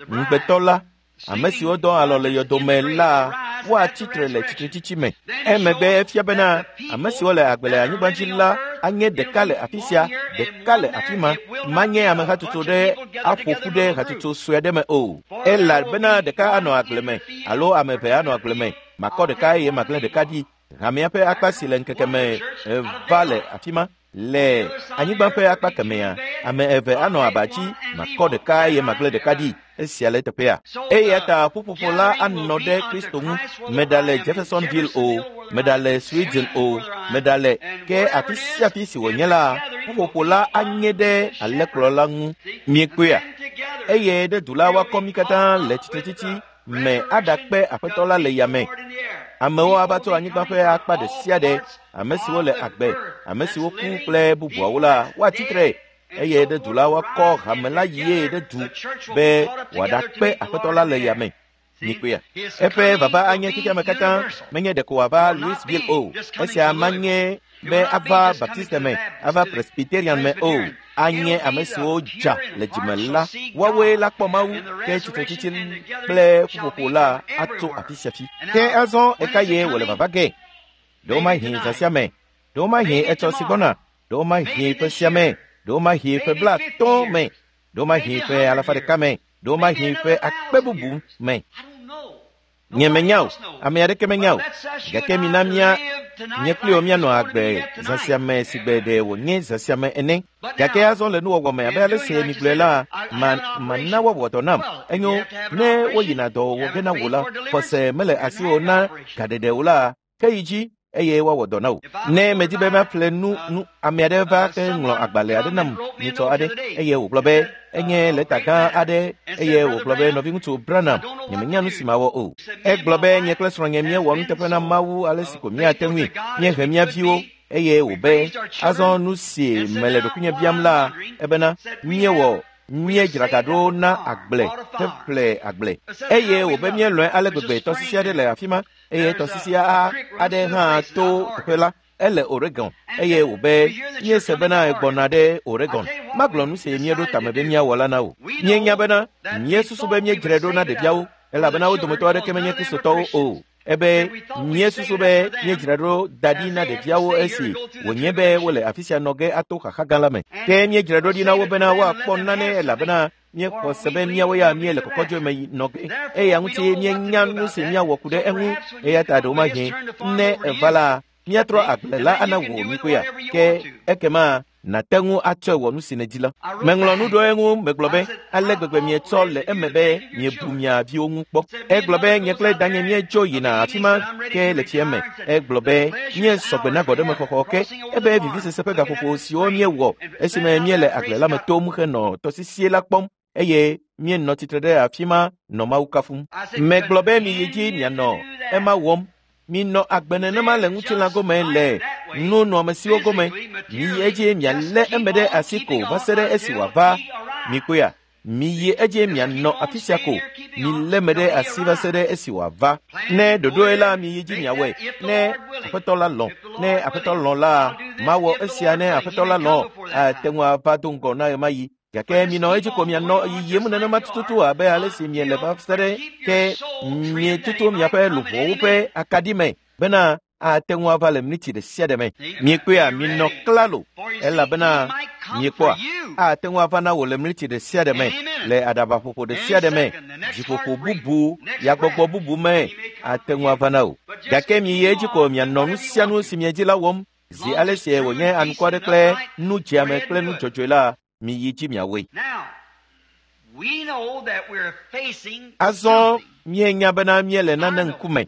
ŋugbetɔ la, ame siwo dɔ alɔ le yɔdome la woatsi tre le tsitretsitsi me. Emegbe efia bena ame siwo le agbe le anyigba dzi la anye ɖeka le afi sia, ɖeka le afi ma, manye ame hatsotso ɖe aƒo ƒu ɖe hatsotso sue aɖe me o. Elabena ɖeka anɔ agble me alo ame eve anɔ agble me, makɔ ɖeka eye magblẽ ɖeka ɖi. Hamea ƒe akpa si le ŋkeke me va le afi ma. Le anyigba ƒe akpa kemea, ame eve anɔ aba dzi, makɔ ɖeka eye magblẽ ɖeka ɖi. Esia le teƒea. Eya ta ƒuƒoƒo la anɔ ɖe Kristo ŋu. Meɖale Jeffersonville o, meɖale Sweden o, meɖale ke afi sia afi si wònye la, ƒuƒoƒo la anye ɖe alẽkplɔla ŋu. Miekpɔea? Eye ɖe du la woakɔ mí katã le tsitretsitsi me aɖakpe Aƒetɔ la le yame. Amewo ava tso anyigba ƒe akpa ɖe sia ɖe, ame siwo le agbe, ame siwo ku kple bubuawo la, woatsi tre eye ɖe du la woakɔ hame la yie ɖe du be wòaɖakpe Aƒetɔ la le yame. Mikpɔea? Eƒe vava anye xexeame katã, menye ɖeko wòava Louisville o. Esia manye be ava Baptiste me, ava Presbyterian me o. Anye ame siwo dza le dzime la, woawoe la kpɔ Mawu, ke tsitretsitsi kple ƒuƒoƒo la atso afi sia fi. Ke azɔ eka ye wòle vava ge? Ɖewomahi zã sia me, ɖewomahi etsɔ si gbɔna, ɖewomahi ƒe sia me, ɖewomahi ƒe blaatɔ̃ me, ɖewomahi ƒe alafa ɖeka me, ɖewomahi ƒe akpe bubu me. Nye menya o, ame aɖeke menya o. Gake mina mía nye kpli wo míanɔ agbe zã sia me si gbe ɖe wònye zã sia me ene. Gake azɔ le nuwɔwɔ me abe ale si migblɔe la, ma mana woawɔ dɔ nam. Enyo, ne woyina dɔ wɔ ge na wò la, xɔse mele asiwò na gaɖeɖe o la, ke yi dzi eye woawɔ dɔ na wò. Ne medi be maƒle nu nu ame aɖe va ke ŋlɔ agbalẽ aɖe nam nyitsɔ aɖe eye wògblɔ be enye lɛta gã aɖe eye wògblɔ be nɔviŋutsu Branham, nyemenya nu si mawɔ o. Egblɔ be nye kple srɔ̃nye míewɔ nuteƒe na Mawu ale si ko míate ŋui, míehe mía viwo eye wòbe azɔ nu si mele ɖokuinye biam la ebena míewɔ míedzra ga ɖo na agble heƒle agble eye wòbe míelɔ̃e ale gbegbe tɔsisi aɖe le afi ma eye tɔsisi aɖe hã to teƒe la ele Oregon eye wòbe míese bena egbɔna ɖe Oregon. Magblɔ nu si míeɖo tame be míawɔ la na wò. Míenya bena míesusu be míedzrae ɖo na ɖeviawo elabena wo dometɔ aɖeke menye Kristotɔwo o. Ebe míesusu be míedzra ɖo da ɖi na ɖeviawo esi wònye be wole afi sia nɔ ge ato xaxa gã la me. Ke míedzra ɖo ɖi na wo bena woakpɔ nane elabena míexɔ se be míawo ya míele kɔkɔdzoe me nɔ ge eya ŋuti míenya nu si míawɔ ku ɖe eŋu eya ta ɖewomahi ne eva la míatrɔ agble la ana wò mikpɔea ke ekema nàte ŋu atsɔe wɔ nu si nèdi la. Meŋlɔ nu ɖo eŋu megblɔ be ale gbegbe mietsɔ le eme be miebu mia viwo ŋu kpɔ. Egblɔ be nye kple danye míedzo yina afi ma ke le tsia me. Egblɔ be míesɔgbe na gbɔɖemexɔxɔ ke ebe vivisese ƒe gaƒoƒo siwo míewɔ esime míele agble la me tom henɔ tɔsisie la kpɔm eye míenɔ tsitre ɖe afi ma nɔ Mawu kafum. Megblɔ be miyi dzi mianɔ ema wɔm. Minɔ agbe nenema le ŋutilã gome le nunɔamesiwo gome. Miyi edzi mialé eme ɖe asi ko va se ɖe esi wòava. Mikpɔea? Miyi edzi mianɔ afi sia ko. Milé eme ɖe asi va se ɖe esi wòava. Ne ɖoɖoe la, miyi dzi miawɔe. Ne Aƒetɔ la lɔ̃, ne Aƒetɔ lɔ̃ la, mawɔ esia ne Aƒetɔ la lɔ̃, ate ŋu ava do ŋgɔ na ɣemaɣi. Gake minɔ edzi ko mianɔ yiyim nenema tututu abe ale si miele va se ɖe ke mietutu miaƒe luʋɔwo ƒe akaɖi me bena ate ŋu ava le miniti ɖe sia ɖe me. Miekpɔea? Minɔ klalo elabena miekpɔa ate ŋu ava na wò le miniti ɖe sia ɖe me, le aɖabaƒoƒo ɖe sia ɖe me, dziƒoƒo bubu, yagbɔgbɔ bubu me ate ŋu ava na wò. Gake miyi edzi ko mianɔ nu sia nu si miedzi la wɔm zi ale si wònye anukware kple nu dzeame kple nu dzɔdzɔe la, miyi dzi miawɔe. Azɔ míenya bena míele nane ŋkume.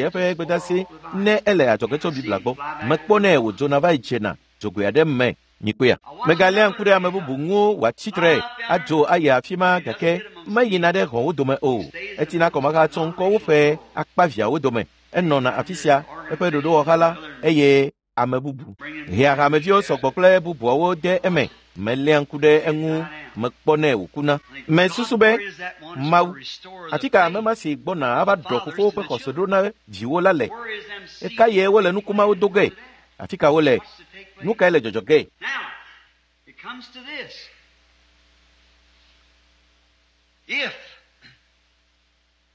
eƒe gbedasi ne ele adzɔge tso Biblia gbɔ. Mekpɔnɛ wòdzona va yi dzena dzogoe aɖe me. Mikpɔea? Megaléa ŋku ɖe ame bubu ŋu wòatsi tre adzo ayi afi ma gake meyina ɖe xɔwo dome o. Etina kɔmahatsɔ ŋkɔwo ƒe akpaviãwo dome. Enɔna afi sia eƒe ɖoɖowɔha la eye ame bubu. Hea hameviwo sɔgbɔ kple bubuawo de eme. Meléa ŋku ɖe eŋu mekpɔnɛ wòkuna. Mesusu be Mawu, afi ka ame ma si gbɔna ava ɖɔ fofowo ƒe xɔse ɖo na viwo la le? Eka ye wole nukumawo do ge? Afi ka wole? Nu kae le dzɔdzɔ ge?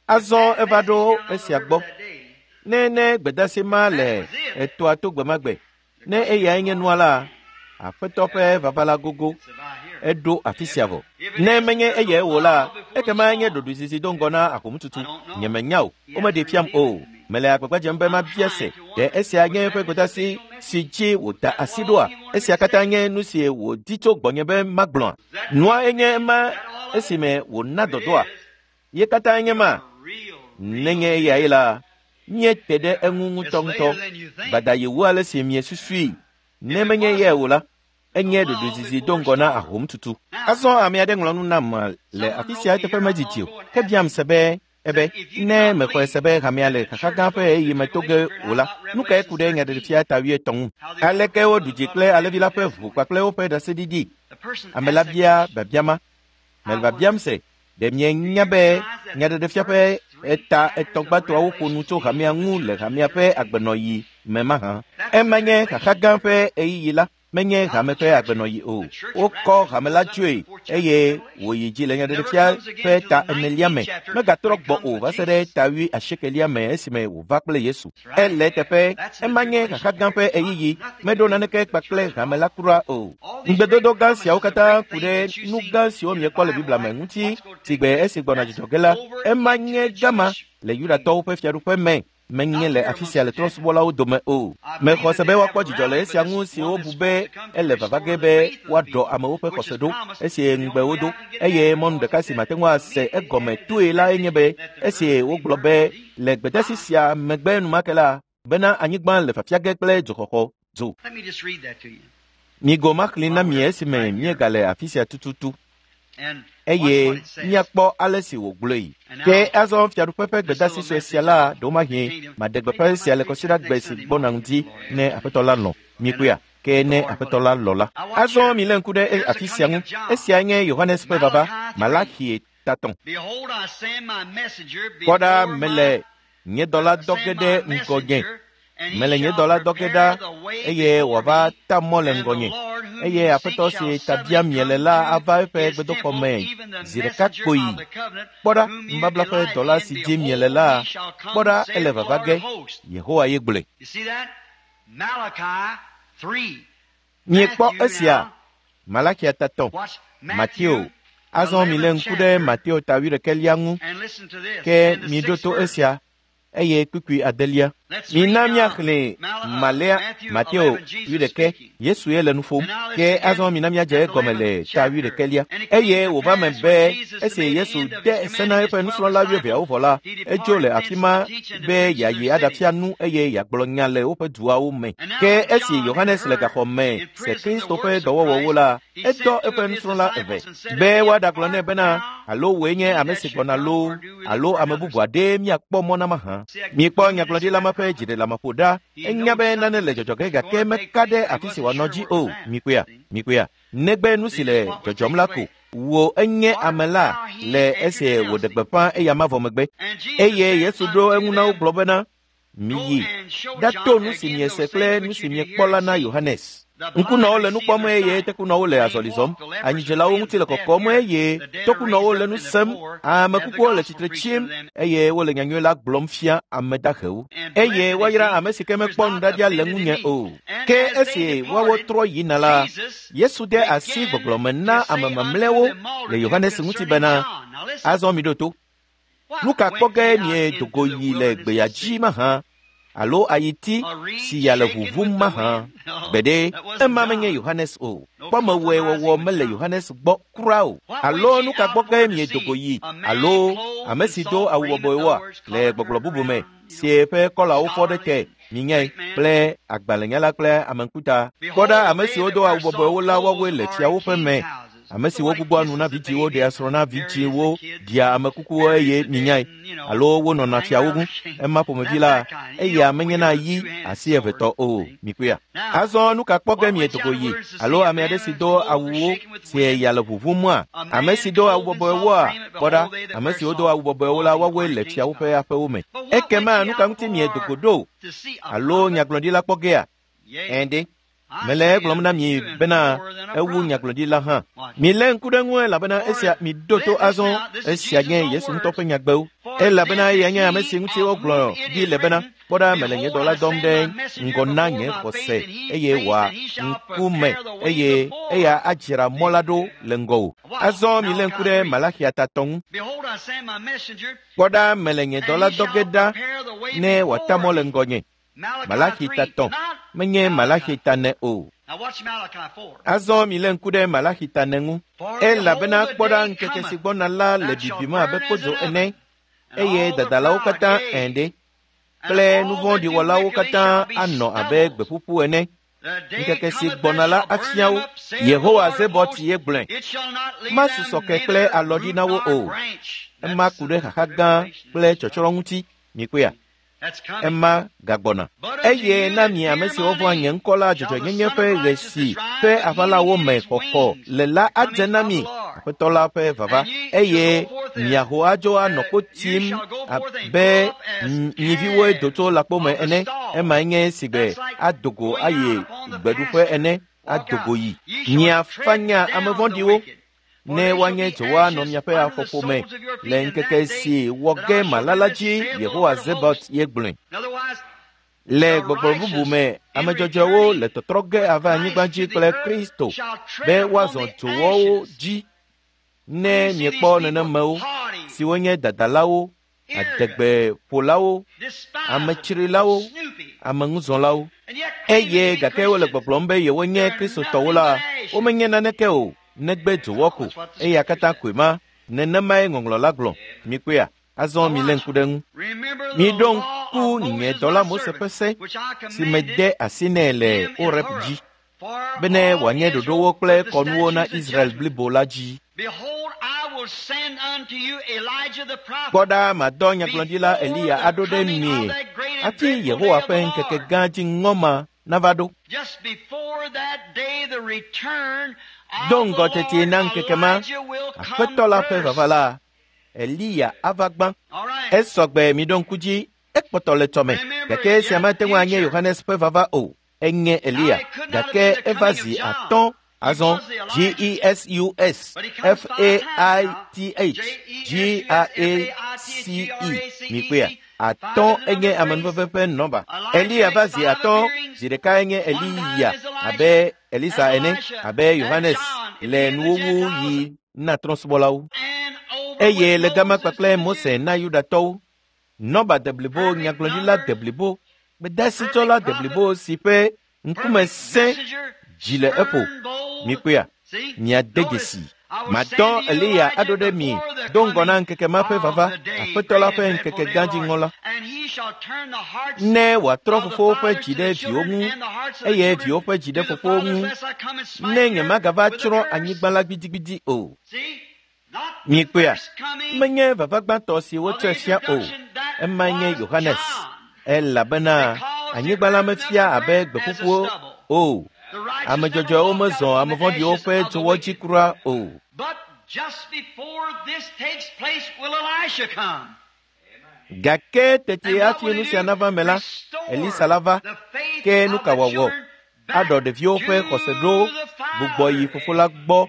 Azɔ eva ɖo esia gbɔ. Ne ne gbedasi ma le etɔa to gbemagbe, ne eyae nye nua la, Aƒetɔ ƒe vava la gogo, eɖo afi sia vɔ. Ne menye eyae wò la, ekema enye ɖoɖoezizi do ŋgɔ na ahomututu. Nyemenya o, womeɖee fiam o. Mele agbagba dzem be mabia se, ɖe esia nye eƒe gbedasi si dzi wòda asi ɖoa? Esia katã nye nu si wòdi tso gbɔnye be magblɔa? Nua enye ema esime wòna dɔdɔa? Ye katã nye ma? Nenye eyae la, míete ɖe eŋu ŋutɔŋutɔ. Gbada yi wu ale si miesusui. Ne menye eyae o la, enye ɖoɖoezizi do ŋgɔ na ahomututu. Azɔ ame aɖe ŋlɔ nu nam le afi sia eteƒe medidi o. Ke biam se be ebe ne mexɔe se be hamea le xaxa gã ƒe ɣeyiɣi me to ge o la, nu kae ku ɖe nyaɖeɖefia ta wuietɔ̃ ŋu? Aleke woɖu dzi kple alẽvi la ƒe ʋu kpakple woƒe ɖaseɖiɖi? Ame la bia biabia ma. Mele biabiam se, ɖe mienya be nyaɖeɖefia ƒe eta etɔ̃ gbãtɔawo ƒo nu tso hamea ŋu le hamea ƒe agbenɔɣi me mahã? Ema nye xaxa gã ƒe ɣeyiɣi la, menye hame ƒe agbenɔɣi o. Wokɔ hame la tsoe eye wòyi dzi le nyaɖeɖefia ƒe ta enelia me. Megatrɔ gbɔ o va se ɖe ta wui asiekelia me esime wòva kple Yesu. Ele teƒe, ema nye xaxa gã ƒe ɣeyiɣi, meɖo naneke kpakple hame la kura o. Ŋugbedodo gã siawo katã ku ɖe nu gã siwo miekpɔ le Biblia me ŋuti sigbe esi gbɔna dzidzɔ ge la, ema nye gama le Yudatɔwo ƒe fiaɖuƒe me. Menye le afi sia le trɔ̃subɔlawo dome o. Mexɔ se be woakpɔ dzidzɔ le esia ŋu si wobu be ele vava ge be woaɖɔ amewo ƒe xɔse ɖo esi ŋugbe wodo. Eye mɔnu ɖeka si mate ŋu ase egɔme toe la enye be esi wogblɔ be le gbedasi sia megbe enumake la bena anyigba le fafia ge kple dzoxɔxɔ dzo. Migo maxlẽ na mi esime míegale afi sia tututu. Eye míakpɔ ale si wògblɔe. Ke azɔ fiaɖuƒe ƒe gbedasi sue sia la ɖewomahi maɖe gbeƒã sia le kɔsiɖagbe si gbɔna ŋuti ne Aƒetɔ la lɔ̃. Mikpɔea? Ke ne Aƒetɔ la lɔ̃ la. Azɔ milé ŋku ɖe afi sia ŋu. Esia nye Yohanes ƒe vava, Malaxi tatɔ̃. Kpɔ ɖa, mele nye dɔla dɔ ge ɖe ŋgɔnye. Mele nye dɔla dɔ ge ɖa eye wòava ta mɔ le ŋgɔnye. Eye Aƒetɔ si ta biam miele la ava eƒe gbedoxɔ me zi ɖeka kpoyi. Kpɔ ɖa, nubabla ƒe dɔla si dim miele la, kpɔ ɖa, ele vava ge. Yehowa ye gblɔe. Miekpɔ esia? Malaxia tatɔ̃, Mateo. Azɔ milé ŋku ɖe Mateo ta wuiɖekɛlia ŋu. Ke miɖo to esia eye kpukpui adelia. Mina míaxlẽ Malea Mateo wuiɖekɛ. Yesu ye le nu ƒom. Ke azɔ mina míadze egɔme le ta wuiɖekɛlia. Eye wòva me be esi Yesu de se na eƒe nusrɔ̃la wuieveawo vɔ la, edzo le afi ma be yeayi aɖafia nu eye yeagblɔ nya le woƒe duawo me. Ke esi Yohanes le gaxɔ me se Kristo ƒe dɔwɔwɔwo la, edɔ eƒe nusrɔ̃la eve be woaɖagblɔ nɛ bena alo wòe nye ame si gbɔna loo alo ame bubu aɖee míakpɔ mɔ na mahã. Miekpɔ nyagblɔɖila ma ƒe dziɖeleameƒo ɖa. Enya be nane le dzɔdzɔ ge gake meka ɖe afi si wòanɔ dzi o. Mikpɔea? Mikpɔea? Negbe nu si le dzɔdzɔm la ko. Wò enye ame la le esi wòɖe gbeƒã eya ma vɔ megbe. Eye Yesu ɖo eŋu na wo gblɔ bena, miyi ɖato nu si miese kple nu si miekpɔ la na Yohanes. Ŋkunɔwo le nu kpɔm eye tekunɔwo le azɔli zɔm. Anyidzelawo ŋuti le kɔkɔm eye tokunɔwo le nu sem. Ame kukuwo le tsitre tsim eye wole nyanyui la gblɔm fia ame dahewo. Eye woayra ame si ke mekpɔ nuɖaɖia le ŋunye o. Ke esi woawo trɔ yina la, Yesu de asi gbɔgblɔ me na ame mamlɛawo le Yohanes ŋuti bena, azɔ miɖo to. Nu ka kpɔ ge miedo go yi le gbea dzi mahã? Alo ayiti si ya le ʋuʋum mahã? Gbeɖe, ema menye Yohanes o. Kpɔmewɔe wɔwɔ mele Yohanes gbɔ kura o. Alo nu ka gbɔ ge miedo go yi? Alo ame si do awu bɔbɔewoa le gbɔgblɔ bubu me si eƒe kɔlawo fɔ ɖe te minyae kple agbalẽnyala kple ameŋkuta. Kpɔ ɖa, ame siwo do awu bɔbɔewo la woawoe le fiawo ƒe me. Ame siwo gbugbɔa nu na vidzĩwo ɖea srɔ̃ na vidzĩwo ɖia ame kukuwo eye minyae alo wonɔna fiawo ŋu. Ema ƒomevi la, eya menye na yi asi evetɔ o. Mikpɔea? Azɔ nu ka kpɔ ge miedogo yi alo ame aɖe si do awuwo si eya le ʋuʋumua? Ame si do awu bɔbɔewoa? Kpɔ ɖa, ame siwo do awu bɔbɔewo la woawoe le fiawo ƒe aƒewo me. Ekema nu ka ŋuti miedogo ɖo alo nyagblɔɖila kpɔ gea? Ɛ̃ ɖe. Mele egblɔm na mi bena ewu nyagblɔɖila hã. Milé ŋku ɖe ŋu elabena esia miɖo to azɔ esia nye Yesu ŋutɔ ƒe nyagbewo. Elabena eya nye ame si ŋuti wogblɔ ɖi le bena, kpɔ ɖa mele nye dɔla dɔm ɖe ŋgɔ na nye xɔse eye wòa ŋkume eye eya adzra mɔ la ɖo le ŋgɔwò. Azɔ milé ŋku ɖe Malaxia tatɔ ŋu. Kpɔ ɖa mele nye dɔla dɔ ge ɖa ne wòata mɔ le ŋgɔnye. Malaxi tatɔ menye Malaxi tane o. Azɔ milé ŋku ɖe Malaxi tane ŋu. Elabena kpɔ ɖa ŋkeke si gbɔna la le bibim abe kpodzo ene eye dadalawo katã ẽ ɖe kple nuvɔ̃ɖiwɔlawo katã anɔ abe gbeƒuƒu ene. Ŋkeke si gbɔna la afia wo. Yehowa Zebɔt ye gblɔe. Masusɔ ke kple alɔɖi na wo o. Ema ku ɖe xaxa gã kple tsɔtsrɔ̃ ŋuti. Mikpɔea? Ema gagbɔna. Eye na mi ame siwo vɔ̃a nye ŋkɔ la dzɔdzɔenyenye ƒe ɣe si ƒe aʋalawo me xɔxɔ le la adze na mi Aƒetɔ la ƒe vava eye miaho adzo anɔ kpo tim abe nyiviwoe do tso lãkpo me ene. Emae nye sigbe adogo ayi gbeɖuƒe ene adogo yi. Miafanya ame vɔ̃ɖiwo ne woanye dzowoa nɔ miaƒe afɔƒome le ŋkeke si wɔ ge mala la dzi. Yehowa Zebɔt ye gblɔe. Le gbɔgblɔ bubu me, ame dzɔdzɔewo le tɔtrɔ ge ava anyigba dzi kple Kristo be woazɔ dzowɔwo dzi. Ne miekpɔ nenemewo siwo nye dadalawo, adegbeƒolawo, ametsrilawo, ameŋuzɔlawo eye gake wole gbɔgblɔm be yewonye Kristotɔwo la, womenye naneke o negbe dzowɔ ko. Eya katã koe ma. Nenemae ŋɔŋlɔ la gblɔ. Mikpɔea? Azɔ milé ŋku ɖe ŋu. Miɖo ŋku nye dɔla Mose ƒe se si mede asi nɛ le Horeb dzi bene wòanye ɖoɖowo kple kɔnuwo na Israel blibo la dzi. Kpɔ ɖa madɔ nyagblɔɖila Eliya aɖo ɖe mi hafi Yehowa ƒe ŋkeke gã dziŋɔ ma nava ɖo. Do ŋgɔ teti na ŋkeke ma, Aƒetɔ la ƒe vava la, Eliya ava gbã. Esɔgbe miɖo ŋku dzi, ekpɔtɔ le tɔme. Gake esia mate ŋu anye Yohanes ƒe vava o. Enye Eliya, gake eva zi atɔ̃. Azɔ G E S U S F A I T H G R A C E mikpɔea? Atɔ̃ enye amenuveve ƒe nɔba. Eliya va zi atɔ̃, zi ɖeka enye Eliya abe Elisa ene, abe Yohanes le nuwuwu yi na trɔ̃subɔlawo. Eye le gama kpakple Mose na Yudatɔwo. Nɔba deblibo, nyagblɔɖila deblibo, gbedasitsɔla deblibo si ƒe ŋkume sẽ dzi le eƒo. Mikpɔea? Miade dzesi. Madɔ Eliya aɖo ɖe mi do ŋgɔ na ŋkeke ma ƒe vava, Aƒetɔ la ƒe ŋkeke gã dziŋɔ la. Ne wòatrɔ fofowo ƒe dzi ɖe viwo ŋu eye viwo ƒe dzi ɖe fofowo ŋu, ne nyemagava tsrɔ̃ anyigba la gbidigbidi o. Mikpɔea? Menye vava gbãtɔ si wotsɔe fia o. Emae nye Yohanes. Elabena anyigba la mefia abe gbeƒuƒuwo o. Ame dzɔdzɔewo mezɔ ame vɔ̃ɖiwo ƒe dzowɔ dzi kura o. Gake tete hafi nu sia nava me la, Elisa la va. Ke nu ka wòawɔ? Aɖɔ ɖeviwo ƒe xɔse ɖo gbugbɔ yi fofo la gbɔ,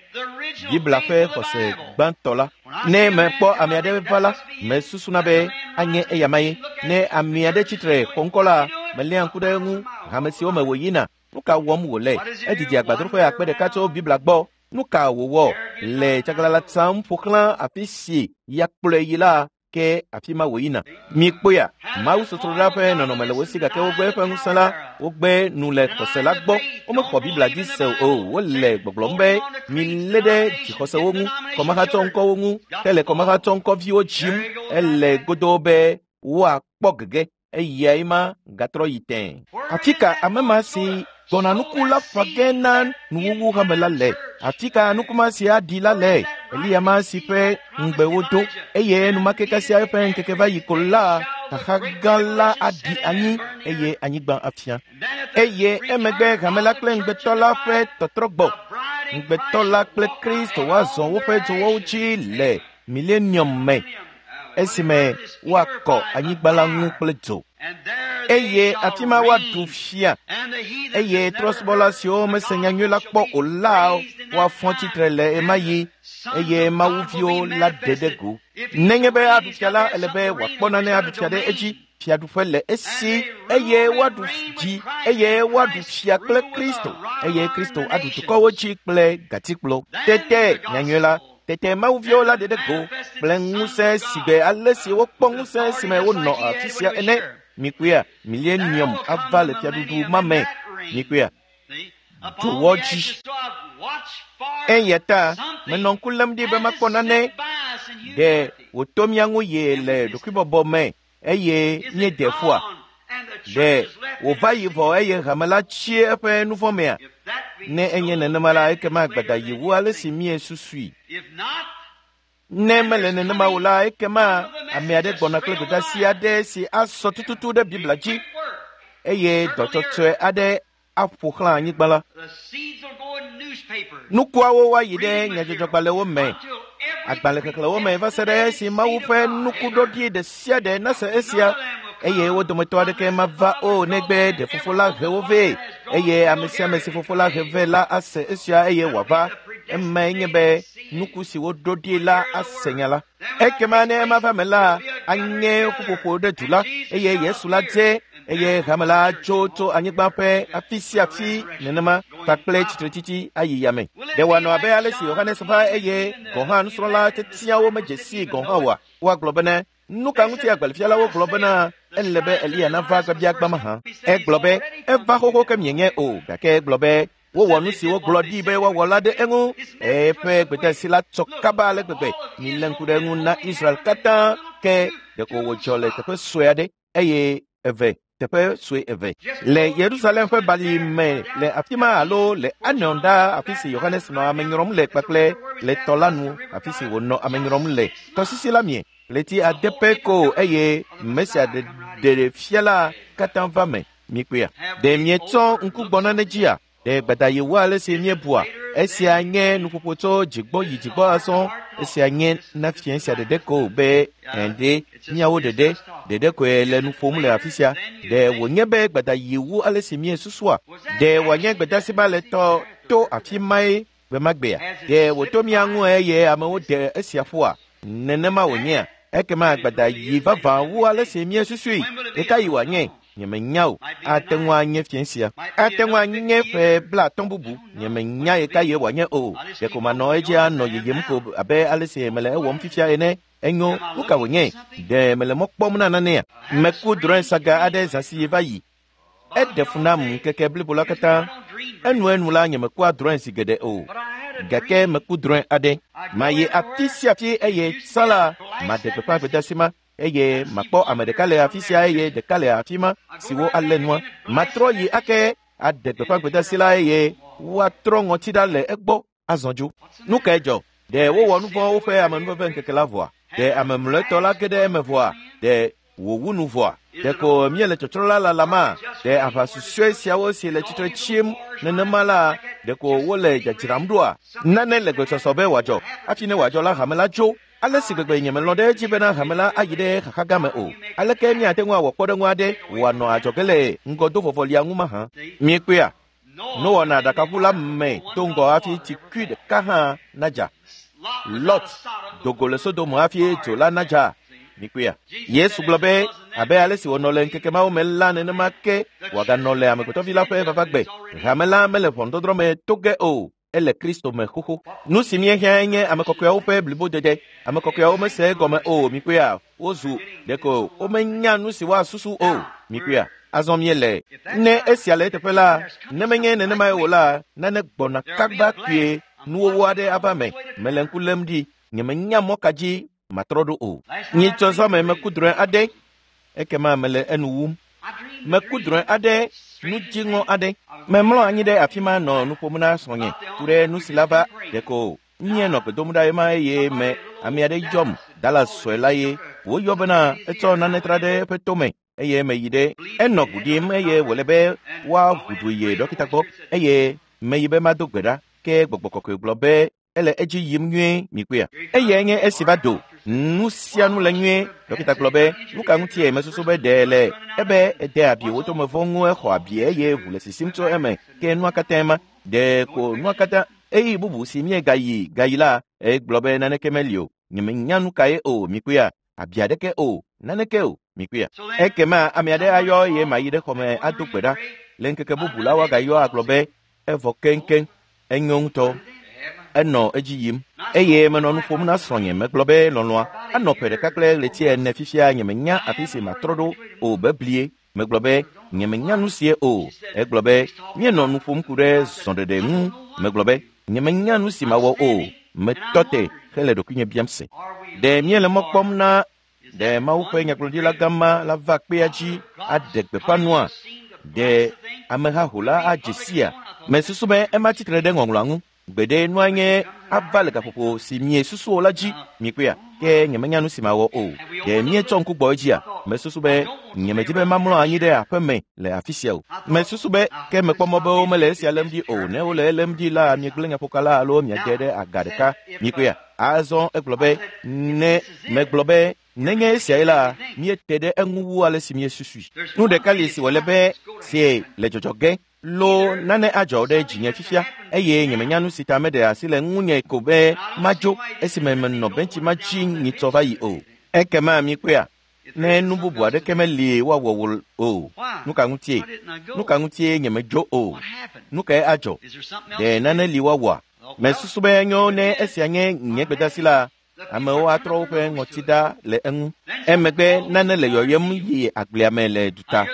Biblia ƒe xɔse gbãtɔ la. Ne mekpɔ ame aɖe va la, mesusuna be anye eyama ye. Ne ame aɖe tsitre xɔ ŋkɔ la, meléa ŋku ɖe eŋu hame siwo me wòyina. Nu ka wɔm wòle? Edidi agbadroƒe akpe ɖeka tso Biblia gbɔ. Nu ka wòwɔ? Le tsaglãla tsam ƒo xlã afi si yakplɔe yi la, ke afi ma wòyina. Mikpɔea? Mawu sosroɖa ƒe nɔnɔme le wo si gake wogbe eƒe ŋusẽ la, wogbe nu le xɔse la gbɔ. Womexɔ Biblia dzi se o. Wole gbɔgblɔm be milé ɖe dzixɔsewo ŋu, kɔmahatsɔ ŋkɔwo ŋu, hele kɔmahatsɔ ŋkɔviwo dzim. Ele godoo be woakpɔ gege. Eyae ma gatrɔ yi tẽ. Afi ka ame ma si gbɔna nuku la ƒã ge na nuwuwu hame la le? Afi ka nuku ma si aɖi la le? Eliya ma si ƒe ŋugbe wodo eye enumake kasia eƒe ŋkeke va yi ko la, xaxa gã la aɖi anyi eye anyigba afia. Eye emegbe hame la kple ŋugbetɔ la ƒe tɔtrɔ gbɔ. Ŋugbetɔ la kple Kristo woazɔ woƒe dzowɔwo dzi le milenium me esime woakɔ anyigba la ŋu kple dzo. Eye afi ma woaɖu fia. Eye trɔ̃subɔla siwo mese nyanyui la kpɔ o la woafɔ tsitre le ɣemaɣi eye mawuviwo la ɖe ɖe go. Nenye be aɖu fia la, ele be wòakpɔ nane aɖu fia ɖe edzi. Fiaɖuƒe le esi eye woaɖu dzi eye woaɖu fia kple Kristo eye Kristo aɖu dukɔwo dzi kple gatikplɔ. Tete nyanyui la, tete mawuviwo la ɖe ɖe go kple ŋusẽ si gbe ale si wokpɔ ŋusẽ si me wonɔ afi sia ene. Mikpɔea, milenium ava le fiaɖuɖu ma me. Mikpɔea, dzowɔ dzi. Eya ta menɔ ŋku lém ɖi be makpɔ nane ɖe wòto mía ŋu ye le ɖokuibɔbɔ me eye míede ƒua. Ɖe wòva yi vɔ eye hame la tsi eƒe nuvɔ̃ mea? Ne enye nenema la, ekema gbada yi wu ale si míesusui. Ne mele nenema o la, ekema ame aɖe gbɔna kple gbedeasi aɖe si asɔ tututu ɖe Biblia dzi eye dɔtsɔtsɔe aɖe aƒo xlã anyigba la. Nukuawo woayi ɖe nyadzɔdzɔgbalẽwo me, agbalẽxexlẽwo me va se ɖe esi Mawu ƒe nukuɖoɖi ɖe sia ɖe nase esia eye wo dometɔ aɖeke mava o negbe ɖe fofo la he wo vɛ eye ame sia ame si fofo la he vɛ la ase esia eye wòava. Emae nye be nuku si woɖo ɖi la ase nya la. Ekema ne ema va me la, anye ƒuƒoƒo ɖe du la eye Yesu la dze eye hame la tso tso anyigba ƒe afi sia afi nenema kpakple tsitretsitsi ayi yame. Ɖe wòanɔ abe ale si Yohanes va eye gɔ̃ hã nusrɔ̃la tetiawo medze sii gɔ̃ hã oa? Woagblɔ bena, nu ka ŋuti agbalẽfialawo gblɔ bena ele be Eliya nava gbabiagbã mahã? Egblɔ be eva xoxo ke mienye o, gake egblɔ be wowɔ nu si wogblɔ ɖi be woawɔ la ɖe eŋu. Eƒe gbedeasi la tsɔ kaba ale gbegbe. Milé ŋku ɖe eŋu na Israel katã ke ɖeko wòdzɔ le teƒe sue aɖe eye eve teƒe sue eve le Yerusalem ƒe bali me le afi ma alo le Anon ɖaa afi si Yohanes nɔ ame nyrɔm le kpakple le tɔ la nu afi si wònɔ ame nyrɔm le. Tɔsisi la mie ɣleti ade pɛ ko eye Mesia ɖeɖe fia la katã va me. Mikpɔea, ɖe mietsɔ ŋku gbɔ nane dzia? Ɖe gbada yi wu ale si míebua? Esia nye nuƒoƒo tso dzigbɔ yi dzigbɔ azɔ. Esia nye na fia sia ɖeɖe ko be ɛ̃de míawo ɖeɖe ɖeɖe koe le nu ƒom le afi sia. Ɖe wònye be gbada yi wu ale si míesusua? Ɖe wòanye gbedeasi ma le tɔ to afi mae gbe ma gbea? Ɖe wòto mía ŋu eye amewo ɖe esia ƒua? Nenema wònyea? Ekema gbada yi vavã wu ale si míesusui. Ɣekaɣi wòanye? Nyemenya o. Ate ŋu anye fia sia. Ate ŋu anye ƒe blaatɔ̃ bubu. Nyemenya ɣekaɣie wòanye o. Ɖeko manɔ edzi anɔ yiyim ko abe ale si mele ewɔm fifia ene. Enyo, nu ka wònye? Ɖe mele mɔ kpɔm na nanea? Meku drɔ̃e saga aɖe zã si va yi. Eɖe fu nam ŋkeke blibo la katã. Enuenu la nyemekua drɔ̃e zi geɖe o. Gake meku drɔ̃e aɖe. Mayi afi sia afi eye tsã la, maɖe gbeƒã gbedeasi ma. Eye makpɔ ame ɖeka le afi sia eye ɖeka le afi ma siwo alé nua. Matrɔ yi ake aɖe gbeƒã gbedeasi la eye woatrɔ ŋɔti ɖa le egbɔ azɔ dzo. Nu kae dzɔ? Ɖe wowɔ nu vɔ̃ woƒe amenuveve ŋkeke la vɔa? Ɖe ame mlɔetɔ la ge ɖe eme vɔa? Ɖe wòwu nu vɔa? Ɖeko míele tsɔtsrɔ̃ la lalama? Ɖe aʋa susɔe siawo si le tsitre tsim nenema la, ɖeko wole dzadzram ɖoa? Nane le gbesɔsɔ be wòadzɔ. Hafi ne wòadzɔ la, hame la tso. Ale si gbegbe nyemelɔ̃ ɖe edzi bena hame la ayi ɖe xaxa gã me o. Aleke míate ŋu awɔ kpɔɖeŋu aɖe wòanɔ adzɔge le ŋgɔdovɔvɔlia ŋu mahã? Miekpɔea? Noa nɔ aɖakaʋu la me do ŋgɔ hafi tsikui ɖeka hã nadza. Lot do go le Sodom hafi dzo la nadza. Mikpɔea? Yesu gblɔ be abe ale si wònɔ le ŋkeke mawo me la nenema ke wòaganɔ le amegbetɔvi la ƒe vavagbe. Hame la mele ʋɔnudɔdrɔ̃ me to ge o. Ele Kristo me xoxo. Nu si míehiã nye ame kɔkɔeawo ƒe blibodede. Ame kɔkɔeawo mese egɔme o. Mikpɔea? Wozu ɖeko womenya nu si woasusu o. Mikpɔea? Azɔ míele. Ne esia le eteƒe la, ne menye nenemae o la, nane gbɔna kaba kpuie nuwɔwɔ aɖe ava me. Mele ŋku lém ɖi. Nyemenya mɔ ka dzi matrɔ ɖo o. Nyitsɔ zã me meku drɔ̃e aɖe. Ekema mele enu wum. Meku drɔ̃e aɖe, nu dziŋɔ aɖe. Memlɔ anyi ɖe afi ma nɔ nu ƒom na srɔ̃nye ku ɖe nu si la va ɖeko míenɔ gbe dom ɖa ɣe ma eye me ame aɖe yɔm Dallas sue la ye woyɔ bena etsɔ nane tra ɖe eƒe tome eye meyi ɖe enɔ ʋu ɖim eye wòle be woaʋu du yi ɖɔkita gbɔ eye meyi be mado gbe ɖa ke gbɔgbɔ kɔkɔe gblɔ be ele edzi yim nyuie mikpɔea. Eyae nye esi va do nu sia nu le nyuie. Ɖɔkita gblɔ be nu ka ŋutie mesusu be ɖe le ebe ede abi wo tome vɔ ŋu exɔ abi eye ʋu le sisim tso eme ke nua katã ma ɖe ko nua katã eyi bubu si míegayi gayi la egblɔ be naneke meli o. Nyemenya nu kae o mikpɔea abi aɖeke o naneke o mikpɔea. Ekema ame aɖe ayɔ eye mayi ɖe xɔme ado gbe ɖa. Le ŋkeke bubu la woagayɔ agblɔ be evɔ keŋkeŋ enyo ŋutɔ. Enɔ edzi yim eye menɔ nu ƒom na srɔ̃nye megblɔ be lɔlɔ̃a anɔ ƒe ɖeka kple ɣleti ene fifia nyemenya afi si matrɔ ɖo o beblie. Megblɔ be nyemenya nu sie o. Egblɔ be míenɔ nu ƒom ku ɖe zɔɖeɖe ŋu. Megblɔ be nyemenya nu si mawɔ o. Metɔ te hele ɖokuinye biam se. Ɖe míele mɔ kpɔm na ɖe Mawu ƒe nyagblɔɖila gã la va kpea dzi aɖe gbeƒã nua? Ɖe amehaho la adze sia? Mesusu be ema tsitre ɖe ŋɔŋlɔa ŋu. Gbeɖe nua nye ava le gaƒoƒo si miesusu o la dzi mikpɔea ke nyemenya nu si mawɔ o. Ɖe míetsɔ ŋku gbɔ edzia? Mesusu be nyemedi be mamlɔ anyi ɖe aƒe me le afi sia o. Mesusu be ke mekpɔ mɔ be womele esia lém ɖi o. Ne wole elém ɖi la, miegblẽ nyaƒoka la alo miade ɖe aga ɖeka mikpɔea. Azɔ egblɔ be ne megblɔ be nenye esiae la, míete ɖe eŋu wu ale si míesusui. Nu ɖeka li si wòle be sie le dzɔdzɔ ge lo nane adzɔ ɖe dzinye fifia eye nyemenya nu si ta meɖe asi le ŋunye ko be madzo esime menɔ bentsi ma dzi nyitsɔ va yi o. Ekema mikpɔea ne nu bubu aɖeke meli woawɔ wò o. Nu ka ŋutie? Nu ka ŋutie nyemedzo o? Nu kae adzɔ? Ɖe nane li woawɔa? Mesusu be enyo ne esia nye nye gbedeasi la, amewo atrɔ woƒe ŋɔti ɖa le eŋu. Emegbe nane le yɔyɔm yi agblea me le duta.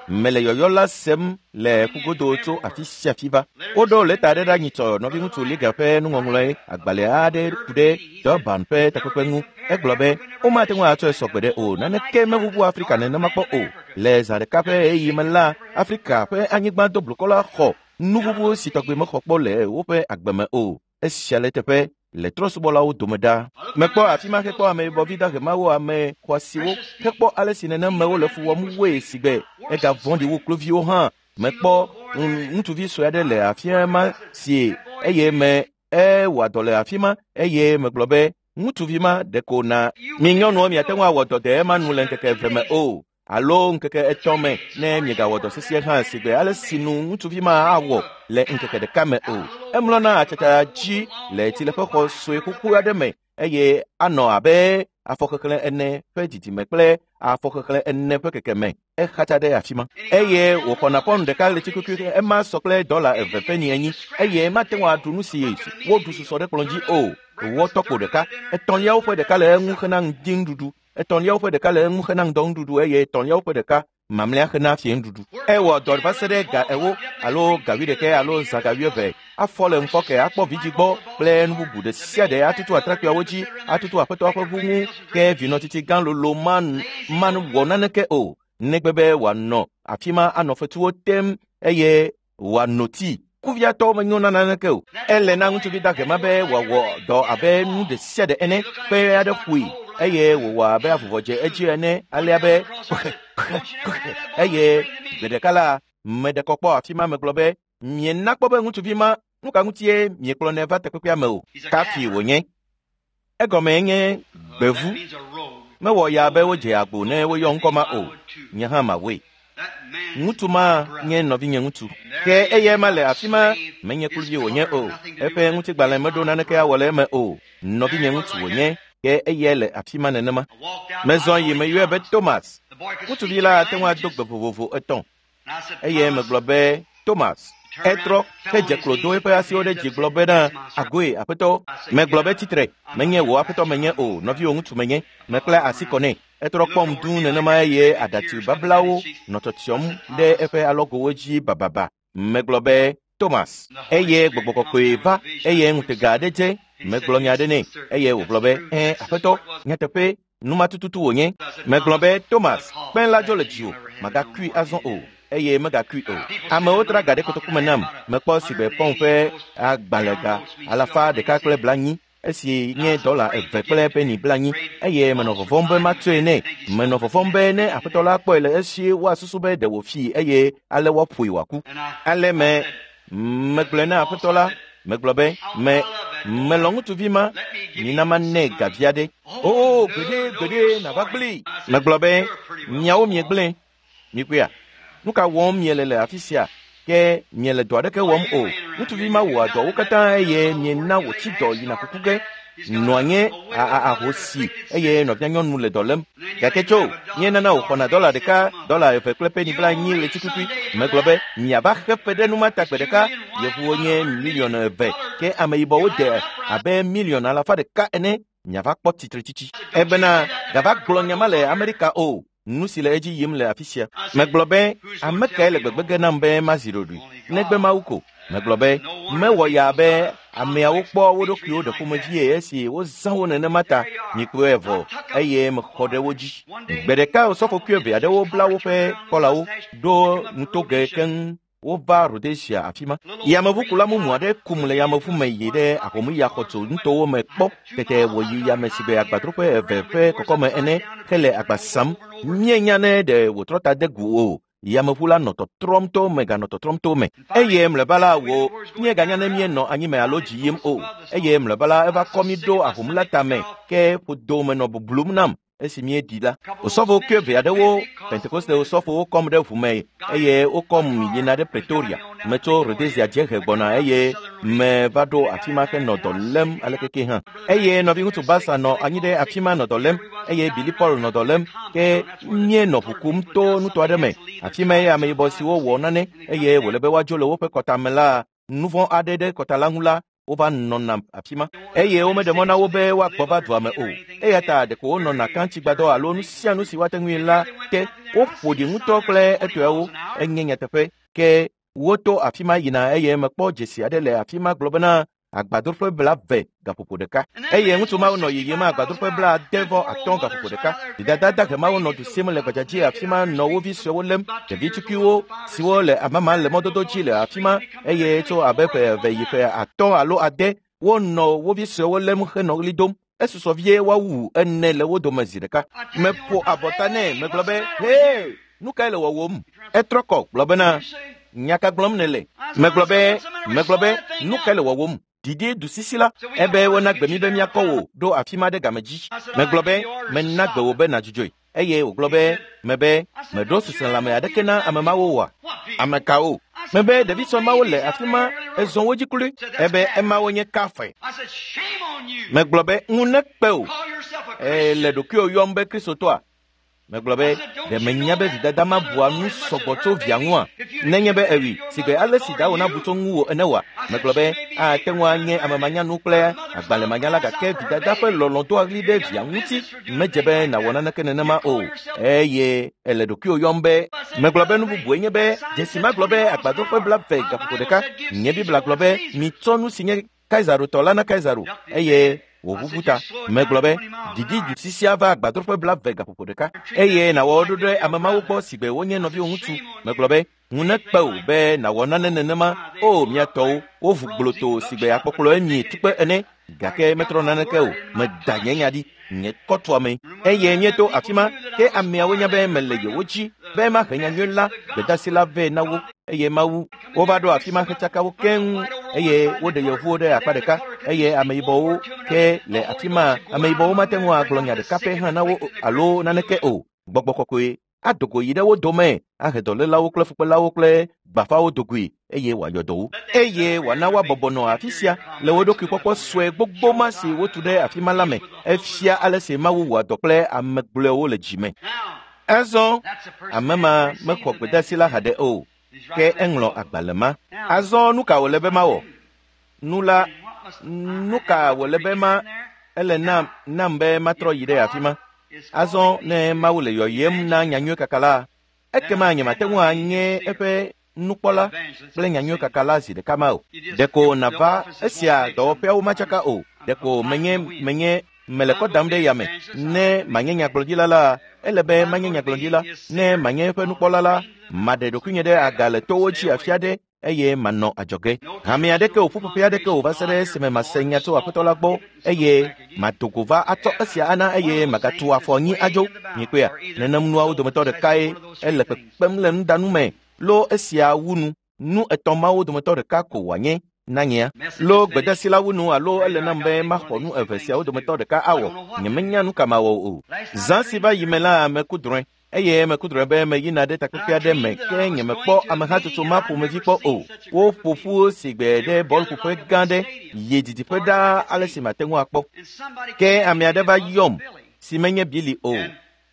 Mele yɔyɔ la sem le ƒugodo tso afi sia afi va. Woɖo lɛta aɖe ɖe nyitsɔ nɔviŋutsu Liga ƒe nuŋɔŋlɔe agbalẽ aɖe ku ɖe Durban ƒe takpekpe ŋu. Egblɔ be womate ŋu atsɔe sɔ gbeɖe o. Naneke meʋuʋu Afrika nenema kpɔ o. Le zã ɖeka ƒe ɣeyiɣi me la, Afrika ƒe anyigba do blukɔ la xɔ nuʋuʋu si tɔgbe mexɔ kpɔ le woƒe agbe me o. Esia le teƒe le trɔ̃subɔlawo dome ɖa. Mekpɔ afi ma hekpɔ ameyibɔvi dahemawo, ame xɔasiwo, hekpɔ ale si nenemewo le fu wɔm woe si gbe ega vɔ̃ɖi wu kluviwo hã. Mekpɔ ŋutsuvi sue aɖe le afi ma si eye me ewɔa dɔ le afi ma eye megblɔ be ŋutsuvi ma ɖeko na mi nyɔnuwo miate ŋu awɔ dɔ de ema nu le ŋkeke eve me o alo ŋkeke etɔ̃ me ne miegawɔ dɔ sesĩe hã si gbe ale si nu ŋutsuvi ma awɔ le ŋkeke ɖeka me o. Emlɔna atsatsa dzi le tsileƒexɔ sue xoxo aɖe me eye anɔ abe afɔxexlẽ ene ƒe didime kple afɔxexlẽ ene ƒe kekeme. Exatsa ɖe afi ma eye wòxɔna pɔnu ɖeka ɣleti kukui ema sɔ kple dɔla eve ƒe nyi enyi eye mate ŋu aɖu nu si woɖu susɔ ɖe kplɔ̃ dzi o. Wòwɔ tɔkpo ɖeka, etɔ̃liawo ƒe ɖeka le eŋu hena ŋdinuɖuɖu, etɔ̃liawo ƒe ɖeka le eŋu hena ŋdɔnuɖuɖu eye etɔ̃liawo ƒe ɖeka mamlɛa hena fiẽnuɖuɖu. Ewɔ dɔ va se ɖe ga ewo alo ga wuiɖekɛ alo zã ga wuieve. Afɔ le ŋufɔke akpɔ vidzi gbɔ kple nu bubu ɖe sia ɖe atutu atrakpuiawo dzi, atutu aƒetɔa ƒe ʋu ŋu ke vinɔtsitsi gã lolo ma wɔ naneke o negbe be wòanɔ afi ma anɔ fetuwo tem eye wòano tii. Kuviatɔwo menyo na naneke o. Ele na ŋutsuvi dahe ma be wòawɔ dɔ abe nu ɖe sia ɖe ene kpe aɖe ƒoe eye wòwɔ abe avuvɔ dze edzi ene alea be eye gbe ɖeka la meɖe kɔ kpɔ afi ma megblɔ be miena kpɔ be ŋutsuvi ma nu ka ŋutie miekplɔnɛ va takpekpea me o. Kafi wònye. Egɔme nye gbevu. Mewɔ ya be wodze agbo ne woyɔ ŋkɔ ma o. Nye hã mawɔe. Ŋutsu ma nye nɔvinye ŋutsu. Ke eya ma le afi ma menye kluvi wònye o. Eƒe ŋutigbalẽ meɖo naneke awɔ le eme o. Nɔvinye ŋutsu wònye ke eya le afi ma nenema. Mezɔ yi meyɔe be Thomas. Ŋutsuvi la ate ŋu ado gbe vovovo etɔ̃. Eye megblɔ be Thomas. Etrɔ hedze klo do eƒe asiwo ɖe dzi gblɔ bena agoe aƒetɔ. Megblɔ be tsitre menye wò aƒetɔ menye o, nɔviwò ŋutsu menye. Mekpla asi kɔ nɛ. Etrɔ kpɔm duu nenema eye aɖatsi bablawo nɔ tsyɔtsyɔm ɖe eƒe alɔgowo dzi bababa. Megblɔ be Thomas. Eye gbɔgbɔ kɔkɔe va eye ŋutega aɖe dze. Megblɔ nya aɖe nɛ eye wògblɔ be ɛ̃ aƒetɔ, nyateƒe Numa tututu wònye. Megblɔ be Thomas, kpẽ la dzo le dziwò, màgakui azɔ o eye megakui o. Amewo tra ga ɖe kotoku me nam. Mekpɔ sigbe pɔn ƒe agbalẽga alafa ɖeka kple blanyi esi nye dɔla eve kple peni blanyi eye menɔ vɔvɔ̃m be matsɔe nɛ. Menɔ vɔvɔ̃m be ne aƒetɔ la kpɔe le esi woasusu be ɖe wòfii eye ale woaƒoe wòaku. Ale me megblɔe na aƒetɔ la, megblɔ be me melɔ̃ ŋutsuvi ma, mina manɛ gavi aɖe. O gbeɖe gbeɖe nàva gblẽe. Megblɔ be miawo miegblẽ. Mikpɔea? Nu ka wɔm miele le afi sia? Ke miele dɔ aɖeke wɔm o. Ŋutsuvi ma wɔa dɔwo katã eye miena wòtsi dɔ yina kuku ge. Nɔa nye ahosi eye nɔvia nyɔnu le dɔ lém. Gake tso, míenana wòxɔna dɔla ɖeka, dɔla eve kple peni blanyi ɣleti Megblɔ be miava xe fe ɖe numa ta gbe ɖeka. Yevuwo nye miliɔn eve ke ameyibɔwo de abe miliɔn alafa ɖeka ene. Miava kpɔ tsitretsitsi. Ebena gava gblɔ nya ma le Amerika o. Nu si le edzi yim le afi sia. Megblɔ be ame kae le gbegbe ge nam be mazi ɖoɖoe negbe Mawu ko. Megblɔ be mewɔ ya be ameawo kpɔ wo ɖokuiwo ɖe ƒomevie esi wozã wo nenema ta mikpɔe vɔ eye mexɔ ɖe wo dzi. Gbe ɖeka osɔfokui eve aɖewo bla woƒe kɔlawo ɖo nutoge keŋ wova Rhodesia afi ma. Yameʋukula mumu aɖe kum le yameʋu me yi ɖe ahomuyaxɔtso nutowo me kpɔ tete wòyi yame si be agbadroƒe eve ƒe kɔkɔme ene hele agba sam. Míenya ne ɖe wòtrɔ ta de gu o. Yameʋu la nɔ tɔtrɔm to me ganɔ tɔtrɔm to me eye mlɔeba la wo míeganya ne míenɔ anyime alo dzi yim o. Eye mlɔeba la eva kɔ mí ɖo ahom la tame ke ƒodo menɔ bublum nam esi míeɖi la. Osɔfo kue eve aɖewo Pentekoste osɔfowo kɔm ɖe ʋu me eye wokɔm yina ɖe Pretoria. Metso Rhodesia dziehe gbɔna eye meva ɖo afi ma henɔ dɔ lém alekeke hã. Eye nɔviŋutsu Basa nɔ anyi ɖe afi ma nɔ dɔ lém eye Billy Paul nɔ dɔ lém ke míenɔ ʋu kum to nuto aɖe me. Afi ma ye ameyibɔ siwo wɔ nane eye wòle be woadzo le woƒe kɔtame la nu vɔ̃ aɖe ɖe kɔta la ŋu la wova nɔna afi ma eye womeɖe mɔ na wo be woagbɔ va dua me o. Eya ta ɖeko wonɔna katsigbadɔ alo nu sia nu si woate ŋui la te woƒo ɖi ŋutɔ kple etɔewo. Enye nyateƒe ke woto afi ma yina eye mekpɔ dzesi aɖe le afi ma gblɔ bena agbadroƒe blaeve gaƒoƒo ɖeka eye ŋutsu mawo nɔ yiyim agbadroƒe blaade vɔ atɔ̃ gaƒoƒo ɖeka. Didada dahe mawo nɔ du sim le gbadzadzi afi ma nɔ wo vi suewo lém. Ɖevi tukpuiwo siwo le amama le mɔdodo dzi le afi ma eye tso abe ƒe eve yi ƒe atɔ̃ alo ade wonɔ wo vi suewo lém henɔ ɣli dom. Esusɔ vie woawu ene le wo dome zi ɖeka. Meƒo abɔta nɛ megblɔ be hee, nu kae le wɔwɔm? Etrɔ kɔ gblɔ bena nya ka gblɔm nèle? Megblɔ be megblɔ be nu kae le wɔwɔm? Didi du sisi la ebe wona gbe mi be míakɔ wò ɖo afi ma ɖe game dzi. Megblɔ be mena gbe wò be nàdzudzɔe eye wògblɔ be mebe meɖo seselãme aɖeke na ame mawo oa? Ame kawo? Mebe ɖevi sue mawo le afi ma ezɔ wo dzi kloe. Ebe emawo nye kafe. Megblɔ be ŋu nekpe o. Ele ɖokuiwò yɔm be Kristotɔa? Megblɔ be ɖe menya be vidada ma bua nu sɔgbɔ tso via ŋua? Nenye be ewui sigbe ale si dawò nabu tso ŋuwò ene oa? Megblɔ be ate ŋu anye amemanyanu kple agbalẽmanyala gake vidada ƒe lɔlɔ̃ doa ɣli ɖe via ŋuti medze be nàwɔ naneke nenema o. Eye ele ɖokuiwò yɔm be. Megblɔ be nu bubue nye be dzesi ma gblɔ be agbadroƒe blaeve gaƒoƒo ɖeka. Nye Biblia gblɔ be mitsɔ nu si nye Kaisaro tɔ la na Kaisaro eye wòʋuʋu ta. Megblɔ be didi du sisia va agbadroƒe blaeve gaƒoƒo ɖeka eye nàwɔ ɖo ɖe ame mawo gbɔ sigbe wonye nɔviwò ŋutsu. Megblɔ be ŋu nekpe wò be nàwɔ nane nenema o. Mia tɔwo wovu gbloto sigbe akpɔkplɔ emi tukpe ene gake metrɔ naneke o. Meda nye nya ɖi nye kɔtua me eye míeto afi ma ke ameawo nya be mele yewo dzi be mahe nyanyui la gbedasi la vɛ na wo eye Mawu wova ɖo afi ma hetsaka wo keŋ eye woɖe yevuwo ɖe akpa ɖeka eye ameyibɔwo ke le afi ma. Ameyibɔwo mate ŋu agblɔ nya ɖeka pɛ hã na wo alo naneke o. Gbɔgbɔ kɔkɔe ado go yi ɖe wo dome ahe dɔlélawo kple fukpelawo kple gbafawo dogoe eye wòayɔ dɔ wo eye wòana woabɔbɔ nɔ afi sia le wo ɖokui kpɔkpɔ sue gbogbo ma si wotu ɖe afi ma la me. Efia ale si Mawu wɔa dɔ kple ame gblɔewo le dzime. Azɔ ame ma mexɔ gbedeasi la haɖe o ke eŋlɔ agbalẽ ma. Azɔ nu ka wòle be mawɔ? Nu la nu ka wòle be ma ele nam nam be matrɔ yi ɖe afi ma? Azɔ ne Mawu le yɔyem na nyanyui kaka la, ekema nyemate ŋu anye eƒe nukpɔla kple nyanyui kaka la zi ɖeka ma o. Ɖeko nàva esia dɔwɔƒeawo matsaka o. Ɖeko menye menye Mele kɔ dam ɖe yame. Ne manye nyagblɔɖila la, ele be manye nyagblɔɖila. Ne manye eƒe nukpɔla la, maɖe ɖokuinye ɖe aga le towo dzi afi aɖe eye manɔ adzɔge. Hame aɖeke o, ƒuƒoƒe aɖeke o va se ɖe esime mase nya tso Aƒetɔ la gbɔ eye mado go va atsɔ esia ana eye magatu afɔ anyi adzo. Mikpɔea, nenem nuawo dometɔ ɖekae ele kpekpem le nudanu me. Lo esia wu nu. Nu etɔ̃ mawo dometɔ ɖeka ko wòanye na nyea. Lo gbedasi la wu nu alo ele nam be maxɔ nu eve siawo dometɔ ɖeka awɔ. Nyemenya nu ka mawɔ o. Zã si va yi me la, meku drɔ̃e. Eye meku drɔ̃e be meyina ɖe takpekpe aɖe me ke nyemekpɔ amehatsotso ma ƒomevi kpɔ o. Woƒo ƒu si gbe ɖe bɔlƒoƒe gã ɖe yi didiƒe ɖaa ale si mate ŋu akpɔ. Ke ame aɖe va yɔm si menye Bili o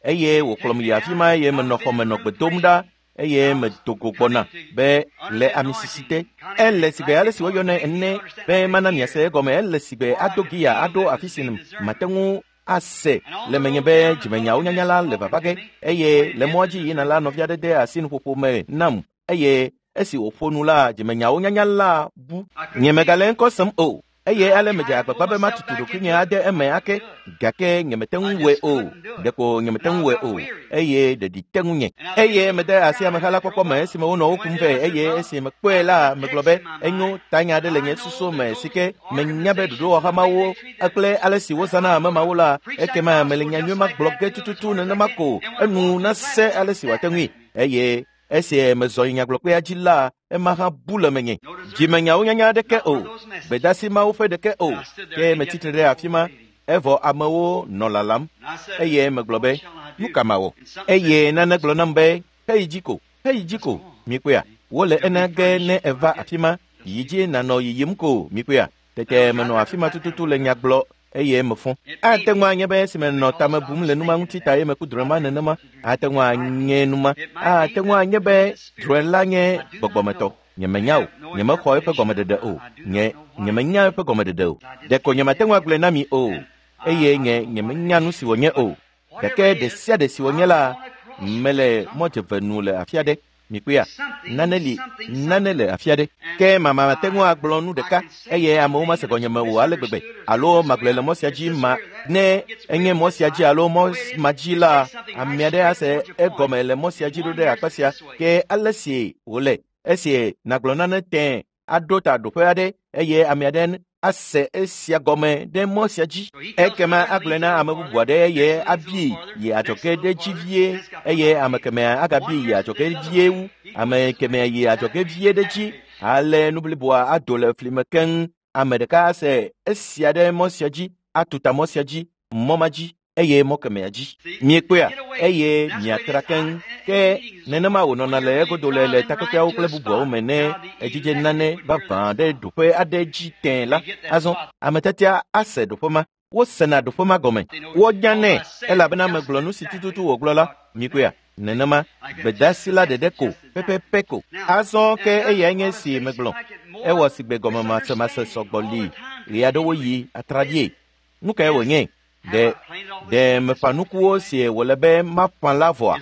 eye wòkplɔm yi afi ma eye menɔ xɔme nɔ gbe dom ɖa eye medo go gbɔna be le amisisi te. Ele sigbe ale si woyɔnɛ ene be mana miase egɔme. Ele sigbe ado gia aɖo afi si mate ŋu ase le menye be dzimenyawo nyanya la le vava ge eye le mɔa dzi yina la nɔvi aɖe de asi nuƒoƒo me nam eye esi wòƒo nu la dzimenyawo nyanya la bu. Nyemegale ŋkɔ sem o eye ale medze agbagba be matutu ɖokuinye ade eme ake gake nyemete ŋu wɔe o. Ɖeko nyemete ŋu wɔe o eye ɖeɖi te ŋunye. Eye mede asi ameha la kpɔkpɔ me esime wonɔ wo kum vɛ eye esi mekpɔe la megblɔ be enyo tanya aɖe le nye susu me si ke menya be ɖoɖowɔha mawo kple ale si wozãna ame mawo la ekema mele nya nyui ma gblɔ ge tututu nenema ko enu nase ale si wòate ŋui. Eye esi mezɔ yi nyagblɔkpea dzi la ema hã bu le menye. Dzimenyawo nyanya aɖeke o, gbedasi mawo ƒe ɖeke o. Ke metsitre ɖe afi ma evɔ amewo nɔ lalam eye megblɔ be nu ka mawɔ? Eye nane gblɔ nam be heyi dzi ko, heyi dzi ko. Mikpɔea, wole ena ge ne eva afi ma yi dzi nanɔ yiyim ko. Mikpɔea, tete menɔ afi ma tututu le nya gblɔ eye mefɔ. Ate ŋu anye be esime nɔ tame bum le numa ŋuti ta ye meku drɔ̃e ma nenema. Ate ŋu anye numa. Ate ŋu anye be drɔ̃e la nye gbɔgbɔmetɔ. Nyemenya o. Nyemexɔ eƒe gɔmeɖeɖe o. Nye nyemenya eƒe gɔmeɖeɖe o. Ɖeko nyemate ŋu agblɔe na mi o. Eye nye nyemenya nu si wònye o. Gake ɖe sia ɖe si wònye la, mele mɔdzeve nu le afi aɖe. Mikpɔea, nane li, nane le afi aɖe. Ke mama mate ŋu agblɔ nu ɖeka eye amewo mase gɔnyeme o ale gbegbe alo magblɔe le mɔ sia dzi ma ne enye mɔ sia dzi alo mɔ ma dzi la ame aɖe ase egɔme le mɔ sia dzi ɖo ɖe akpa sia. Ke ale si wòle esi nagblɔ nane tẽ aɖo ta ɖoƒe aɖe eye ame aɖe ase esia gɔme ɖe mɔ sia dzi. Ekema agblɔe na ame bubu aɖe eye abi yi adzɔge ɖe dzi vie eye ame kemɛa agabi yi adzɔge vie wu. Ame kemɛa yi adzɔge vie ɖe dzi ale nu bliboa ado le fli me keŋ. Ame ɖeka ase esia ɖe mɔ sia dzi atu ta mɔ sia dzi mɔ ma dzi eye mɔ kemɛa dzi. Miekpɔea eye miatra keŋ. Ke nenema wònɔna le egodo le le takpekpeawo kple bubuawo me ne edzidze nane vavã ɖe ɖoƒe aɖe dzi tẽ la. Azɔ ame tiatia ase ɖoƒe ma. Wosena ɖoƒe ma gɔme. Wonya nɛ elabena megblɔ nu si tututu wògblɔ la. Mikpɔea, nenema gbedasi la ɖeɖe ko pɛpɛpɛ ko. Azɔ ke eyae nye si megblɔ. Ewɔ sigbe gɔmemasemase sɔgbɔ li ɣe aɖewo yi atraɖie. Nu kae wònye? Ɖe ɖe meƒã nukuwo si wòle be maƒã la vɔa?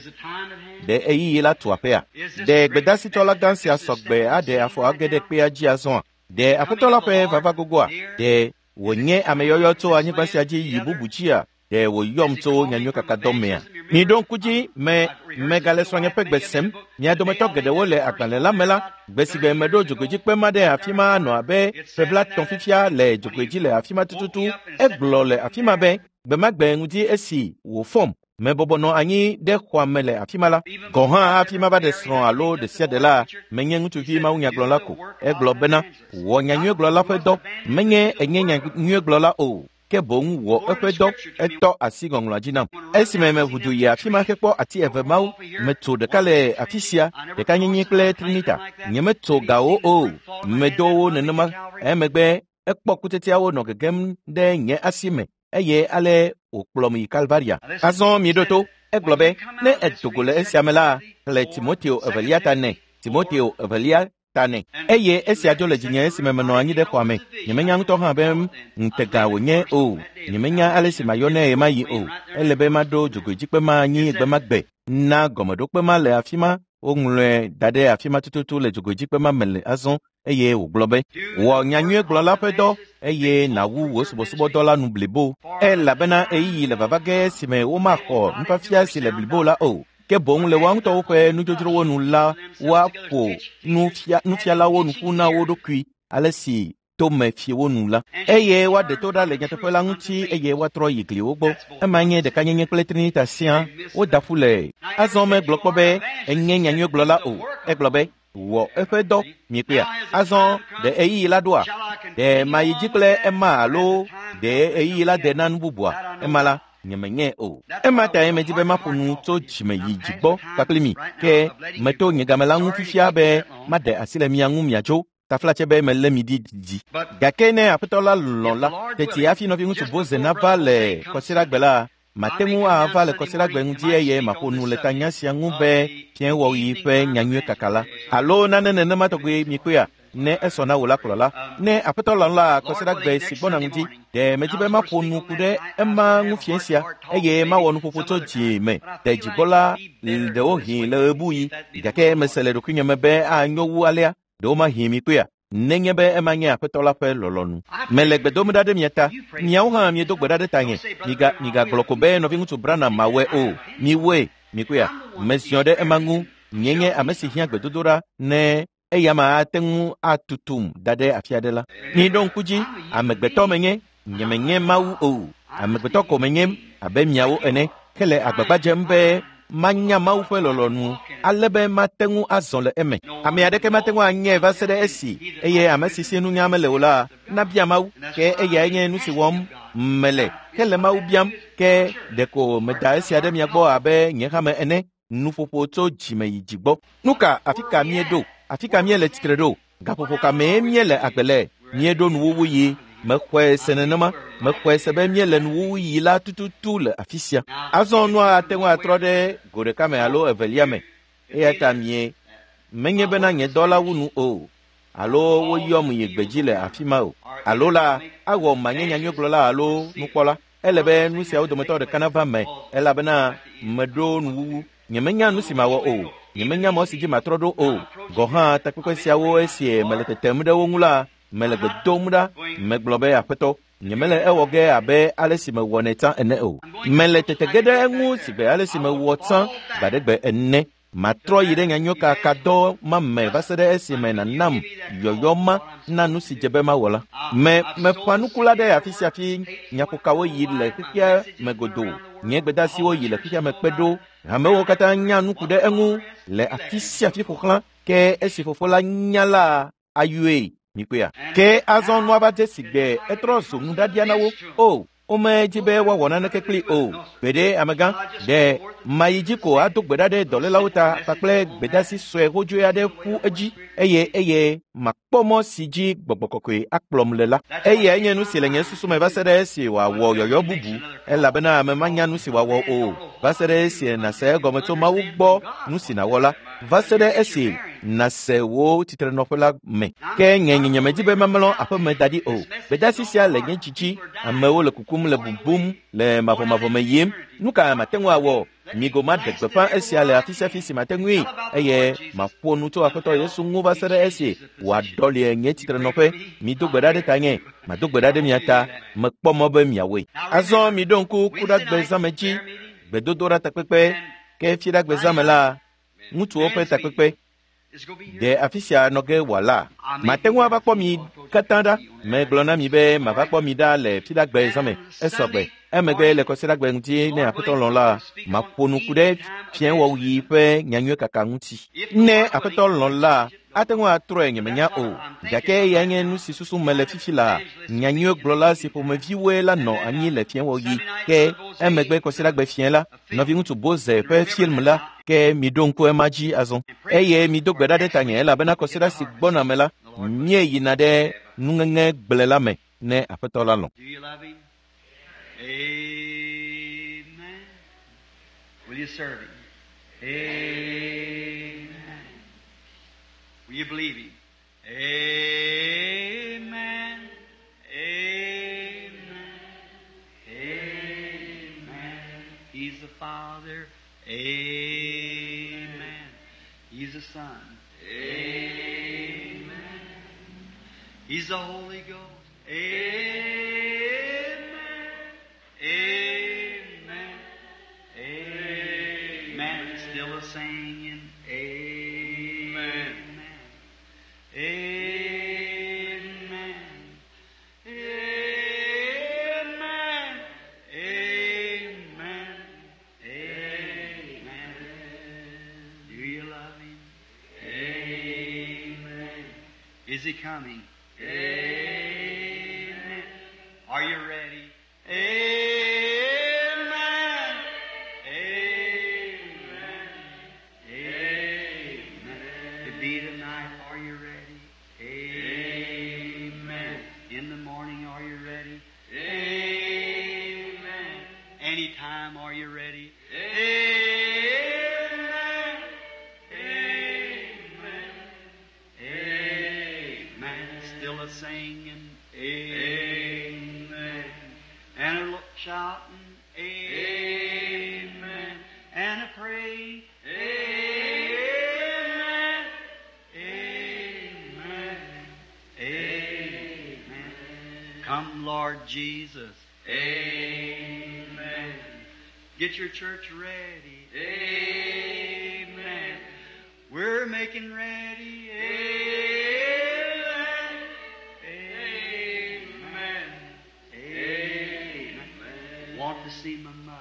Ɖe ɣeyiɣi la tu aƒea? Ɖe gbedasitɔla gã sia sɔgbe aɖe afɔ age ɖe kpea dzi azɔa? Ɖe Aƒetɔ la ƒe vava gogoa? Ɖe wònye ameyɔyɔ tso anyigba sia dzi yi bubu dzia? Ɖe wòyɔm tso nyanyuikakadɔ mea? Miɖo ŋku dzi me megale srɔ̃nye ƒe gbe sem. Mia dometɔ geɖewo le agbalẽ la me la, gbe si gbe meɖo dzogoedzikpe ma ɖe afi ma nɔ abe ƒe blaetɔ̃ fifia le dzogoedzi le afi ma tututu. Egblɔ le afi ma be gbe ma gbe ŋdi esi wòfɔm mebɔbɔ nɔ anyi ɖe xɔa me le afi ma la. Gɔ̃ hã hafi mava ɖe srɔ̃ alo ɖe sia ɖe la, menye ŋutsuvi mawunyagblɔla ko. Egblɔ bena wɔ nyanyuigblɔla ƒe dɔ. Menye enye nyanyuigblɔla o, ke boŋ wɔ eƒe dɔ. Etɔ asi ŋɔŋlɔa dzi nam. Esime meʋu du yi afi ma hekpɔ ati eve mawo, metso ɖeka le afi sia, ɖeka nyenye kple Trinita. Nyemetso gawo o, medo wo nenema. Emegbe ekpɔ kutsetseawo nɔ gegem ɖe nye asi me eye ale wòkplɔm yi Kalvaria. Azɔ miɖo to. Egblɔ be ne edo go le esia me la, xlẽ Timoteo evelia ta nɛ. Timoteo evelia ta nɛ. Eye esia dzo le dzinye esime menɔ anyi ɖe xɔa me. Nyemenya ŋutɔ hã be ŋutega wònye o. Nyemenya ale si mayɔ nɛ ɣemaɣi o. Ele be maɖo dzogoedzikpe ma anyi gbe ma gbe na gɔmeɖokpe ma le afi ma Woŋlɔe da ɖe afi ma tututu le dzogoedzikpe ma me le azɔ eye wògblɔ be, wɔ nyanyuiegblɔla ƒe dɔ eye nàwu wò subɔsubɔdɔ la nu blibo. Elabena ɣeyiɣi le vava ge si me womaxɔ nufiafia si le blibo la o. Ke boŋ le woa ŋutɔwo ƒe nudzodzrowo nu la, woaƒo nufialawo nu ƒu na wo ɖokui ale si tome fiewo nu la. Eye woaɖe to ɖa le nyateƒe la ŋuti eye woatrɔ yi gliwo gbɔ. Ema nye ɖekanyenye kple Trinita sia woda ƒu le. Azɔ megblɔ kpɔ be enye nyanyuiegblɔla o. Egblɔ be wɔ eƒe dɔ miekpea. Azɔ ɖe ɣeyiɣi la ɖoa? Ɖe mayi dzi kple ema alo ɖe ɣeyiɣi la de na nu bubua? Ema la nyemenye o. Ema tae medzi be maƒo nu tso dzime yi dzi gbɔ kpakple mi. Ke meto nye game la ŋu fifia be maɖe asi le mia ŋu miatso. Taflatse be melé mi ɖi didi. Gake ne aƒetɔ la lɔ̃ la, teti hafi nɔviŋutsu Boze nava le kɔsiɖagbe la, mate ŋu ava le kɔsiɖagbe ŋuti eye maƒo nu le tanya sia ŋu be fiẽwɔɣi ƒe nyanyui kaka la. Alo nane nenema tɔgbi mikpɔea, ne esɔ na wò la kplɔla. Ne aƒetɔ lɔ̃ la kɔsiɖagbe si gbɔna ŋuti, ɖe medzi be maƒo nu ku ɖe ema ŋu fiẽ sia eye mawɔ nuƒoƒo tso dzi me de dzigbɔla ɖewohĩ le ɣebuɣi. Gake mese le ɖokuinye me be anyo wu alea. Ɖewo mahi mi kpea nenye be ema nye aƒetɔ la ƒe lɔlɔ̃nu. Mele gbe dom ɖa ɖe mia ta. Miawo hã miedo gbe ɖa ɖe tanye. Miga migagblɔ ko be nɔviŋutsu Branham mawɔe o. Miwoe mikpea. Meziɔ ɖe ema ŋu. Nye nye ame si hiã gbedodoɖa ne eya ma ate ŋu atutum da ɖe afi aɖe la. Miɖo ŋku dzi, amegbetɔ menye, nyemenye Mawu o. Amegbetɔ ko menye abe miawo ene. Ke le agbagba dzem be manya Mawu ƒe lɔlɔ̃nu ale be mate ŋu azɔ le eme. Ame aɖeke mate ŋu anyae va se ɖe esi eye ame si si nunya mele o la nabia Mawu. Ke eyae nye nu si wɔm mele ke le Mawu biam. Ke ɖeko meda esia ɖe mia gbɔ abe nye hame ene. Nuƒoƒo tso dzime yi dzi gbɔ. Nu ka afi ka míeɖo? Afi ka míele tsitre ɖo? Gaƒoƒo ka mee míele agbe le? Míeɖo nuwuwu yi. Mexɔe se nenema. Mexɔe se be míele nuwuwu yi la tututu le afi sia. Azɔ nua ate ŋu atrɔ ɖe go ɖeka me alo evelia me. Eya ta mie menye bena nye dɔ la wu nu o. Alo woyɔm yi gbedzi le afi ma o. Alo la awɔ manye nyanyuiegblɔla alo nukpɔla. Ele be nu siawo dometɔ ɖeka nava me elabena meɖo nuwuwu. Nyemenya nu si mawɔ o. Nyemenya mɔ si dzi matrɔ ɖo o. Gɔ hã takpekpe siawo esie mele tetem ɖe wo ŋu la, mele gbe dom ɖa. Megblɔ be aƒetɔ, nyemele ewɔ ge abe ale si mewɔnɛ tsã ene o. Mele tete ge ɖe eŋu si gbe ale si mewɔ tsã gbaɖegbe ene. Matrɔ yi ɖe nyanyuikakadɔ ma me va se ɖe esime nànam yɔyɔ ma na nu si dze be mawɔ la. Me meƒã nuku la ɖe afi sia fi nyaƒokawo yi le xexea me godoo. Nye gbedeasiwo yi le xexea me kpe ɖo. Hamewo katã nya nu ku ɖe eŋu le afi sia afi ƒo xlã. Ke esi fofo la nya la ayɔe mikpɔea. Ke azɔ nua va dze si gbe etrɔ zu nuɖaɖia na wo. O, womedzi be woawɔ naneke kpli o. Gbeɖe amegã, ɖe mayi dzi ko ado gbe ɖa ɖe dɔlélawo ta kpakple gbedeasi sue hodzoe aɖe ƒu edzi eye eye makpɔ mɔ si dzi gbɔgbɔ kɔkɔe akplɔm le la. Eyae nye nu si le nye susu me va se ɖe esi wòawɔ yɔyɔ bubu elabena ame manya nu si wòawɔ o. Va se ɖe esi nàse egɔme tso Mawu gbɔ nu si nàwɔ la. Va se ɖe esi nàse wò tsitrenɔƒe la me. Ke nye nyemedi be mamlɔ aƒeme da ɖi o. Gbedeasi sia le nye dzidzi. Amewo le kukum le bubum le mavɔmavɔ me yim. Nu ka mate ŋu awɔ? Migo maɖe gbeƒã esia le afi sia afi si mate ŋui eye maƒo nu tso Aƒetɔ Yesu ŋu va se ɖe esi wòaɖɔli nye tsitrenɔƒe. Mido gbe ɖa ɖe tanye, mado gbe ɖa ɖe mia ta. Mekpɔ mɔ be miawɔe. Azɔ miɖo ŋku kuɖagbe zãme dzi, gbedodoɖa takpekpe. Ke fiɖagbe zãme la, ŋutsuwo ƒe takpekpe. Ɖe afi sia nɔ ge wòala. Mate ŋu ava kpɔ mi katã ɖa. Megblɔ na mi be mava kpɔ mi ɖa le fiɖagbe zãme. Esɔgbe. Emegbe le kɔsiɖagbe ŋuti ne aƒetɔ lɔ̃ la, maƒo nu ku ɖe fiẽwɔɣi ƒe nyanyuiekaka ŋuti. Ne aƒetɔ lɔ̃ la, ate ŋu atrɔe nyemenya o. Gake eyae nye nu si susu mele fifi la. Nyanyuiegblɔla si ƒomeviwoe la nɔ anyi le fiẽwɔɣi. Ke emegbe kɔsiɖagbe fiẽ la, nɔviŋutsu Boze ƒe film la, ke miɖo ŋku ema dzi azɔ. Eye mido gbe ɖa ɖe tanye elabena kɔsiɖa si gbɔna me la, míeyina ɖe nuŋeŋe gble la me ne aƒetɔ la lɔ̃. Amen. Will you serve him? Amen. Will you believe him? Amen. Amen. Amen. He's the Father. Amen. He's the Son. Amen. He's the Holy Ghost. Amen. Amen. Amen. Still a singing. Amen. Amen. Amen. Amen. Amen. Do you love him? Amen. Is he coming? Amen. Are you ready? Amen. Amen. Amen. To be tonight, are you ready? Amen. In the morning, are you ready? Amen. Anytime, are you ready? Amen. Amen. Amen. Still a singing. Amen. And a lo- shouting. Amen. And a praying. Amen. Amen. Amen. Come, Lord Jesus. Amen. Get your church ready. Amen. We're making ready. Amen. Amen. Amen. Want to see my mother.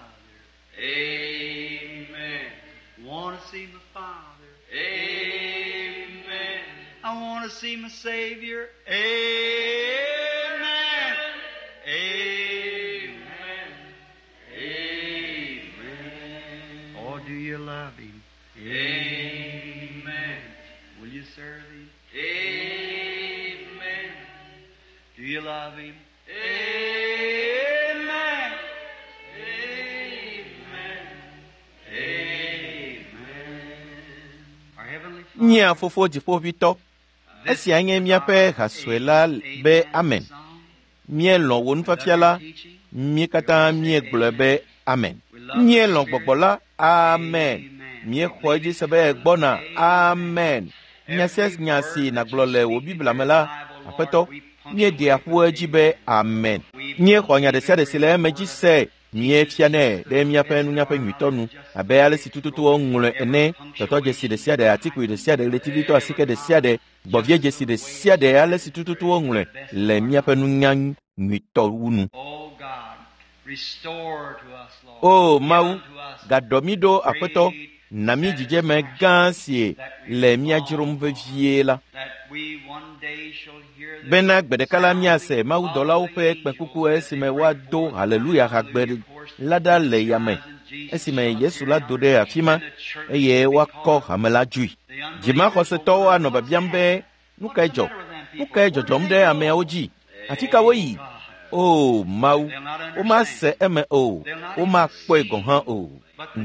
Amen. Want to see my father. Amen. I want to see my Savior. Amen. Amen. Amen. Oh, do you love Him? Amen. Will you serve Him? Amen. Do you love Him? Amen. Amen. Amen. Our Heavenly Father, Mía Fofo Dziƒoʋĩtɔ, esia nye míaƒe ha sue la be amen. Míelɔ̃ wò nufiafia la, mí katã míegblɔe be amen. Míelɔ̃ gbɔgbɔ la, amen. Míexɔ edzi se be egbɔna, amen. Nya sia nya si nàgblɔ le wò Biblia me la, Aƒetɔ, míeɖea ƒu edzi be amen. Míexɔ nya ɖe sia ɖe si le eme dzi se míefianɛ ɖe míaƒe nunyaƒe nyuitɔ nu abe ale si tututu woŋlɔe ene, tɔtɔdzesi ɖe sia ɖe, atikpui ɖe sia ɖe, ɣletivitɔ asike ɖe sia ɖe, gbɔviedzesi ɖe sia ɖe, ale si tututu woŋlɔe le míaƒe nunya nyuitɔ wu nu. Oh God, restore to us, Lord. O Mawu, Give unto us gaɖɔ mí ɖo Aƒetɔ, na mí dzidzeme gã si le mía dzrom vevie la, that we one day shall hear the bena gbe ɖeka la míase mawudɔlawo ƒe kpẽkuku esime woado haleluya hagbe la ɖa le yame esime Yesu la do ɖe afi ma eye woakɔ hame la dzoe. Dzimaxɔsetɔwo anɔ biabiam be nu kae dzɔ? Nu kae dzɔdzɔm ɖe ameawo dzi? Afi ka woyi? O Mawu, womase eme o, womakpɔe gɔ̃ hã o.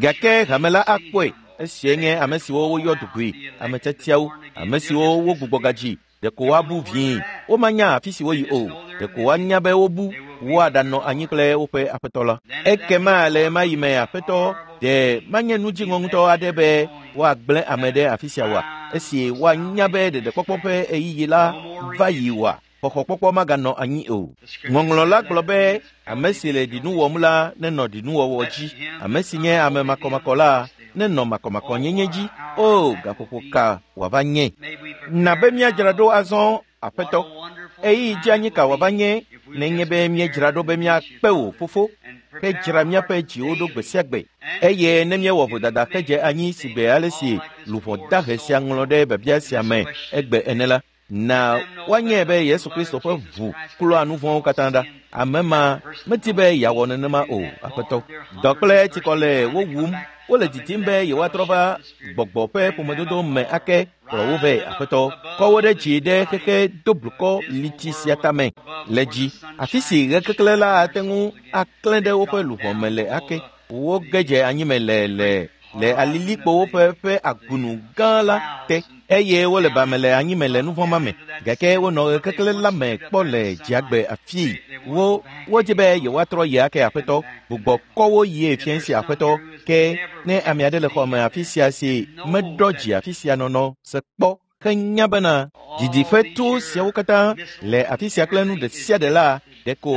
Gake hame la akpɔe. Esie nye ame siwo woyɔ dugui, ame tiatiawo, ame siwo wogbugbɔ gadzi, ɖeko woabu vie. Womanya afi si woyi o, ɖeko woanya be wobu, woaɖanɔ anyi kple woƒe aƒetɔ la. Ekema le ɣe ma ɣi me aƒetɔ, ɖe manye nu dziŋɔ ŋutɔ aɖe be woagblẽ ame ɖe afi sia oa? Esi woanya be ɖeɖekpɔkpɔ ƒe ɣeyiɣi la va yi oa? Xɔxɔkpɔkpɔ maganɔ anyi o. Ŋɔŋlɔ la gblɔ be ame si le ɖinu wɔm la nenɔ ɖinuwɔwɔ dzi, ame si nye ame makɔmakɔ la nenɔ makɔmakɔnyenye dzi. O gaƒoƒo ka wòava nye? May we prepare Na be míadzra ɖo azɔ, Aƒetɔ. What a wonderful Ɣeyiɣi dzi anyi ka wòava nye nenye be míedzra ɖo be míakpe wò fofo ke dzra míaƒe dziwo ɖo gbe sia gbe eye ne míewɔ vodada hedze anyi si gbe ale si luʋɔ dahe sia ŋlɔ ɖe biabia sia me egbe ene la, na woanyae be Yesu Kristo ƒe ʋu klɔa nu vɔ̃wo katã ɖa. Ame ma medi be yeawɔ nenema o, Aƒetɔ. Dɔ kple tsikɔ le wo wum, wole didim be yewoatrɔ va gbɔgbɔ ƒe ƒomedodo me ake kplɔ wo vɛ, Aƒetɔ. Kɔ wo ɖe dzi ɖe xexe doblukɔ liti sia tame le dzi, afi si ɣekeklẽ la ate ŋu aklẽ ɖe woƒe luʋɔ me le ake. Woge dze anyime le le le alilikpowo ƒe ƒe agunu gã la te eye wole bame le anyime le nuvɔ̃ ma me gake wonɔ ɣekeklẽ la me kpɔ le dziagbe afii. Wo wodzi be yewoatrɔ yi ake Aƒetɔ. Gbugbɔ kɔ wo yie fiẽ si Aƒetɔ. Ke ne ame aɖe le xɔme afi sia si meɖɔ dzi afi sia nɔnɔ se kpɔ henya bena didiƒe to siawo katã le afi sia kple nu ɖe sia ɖe la ɖeko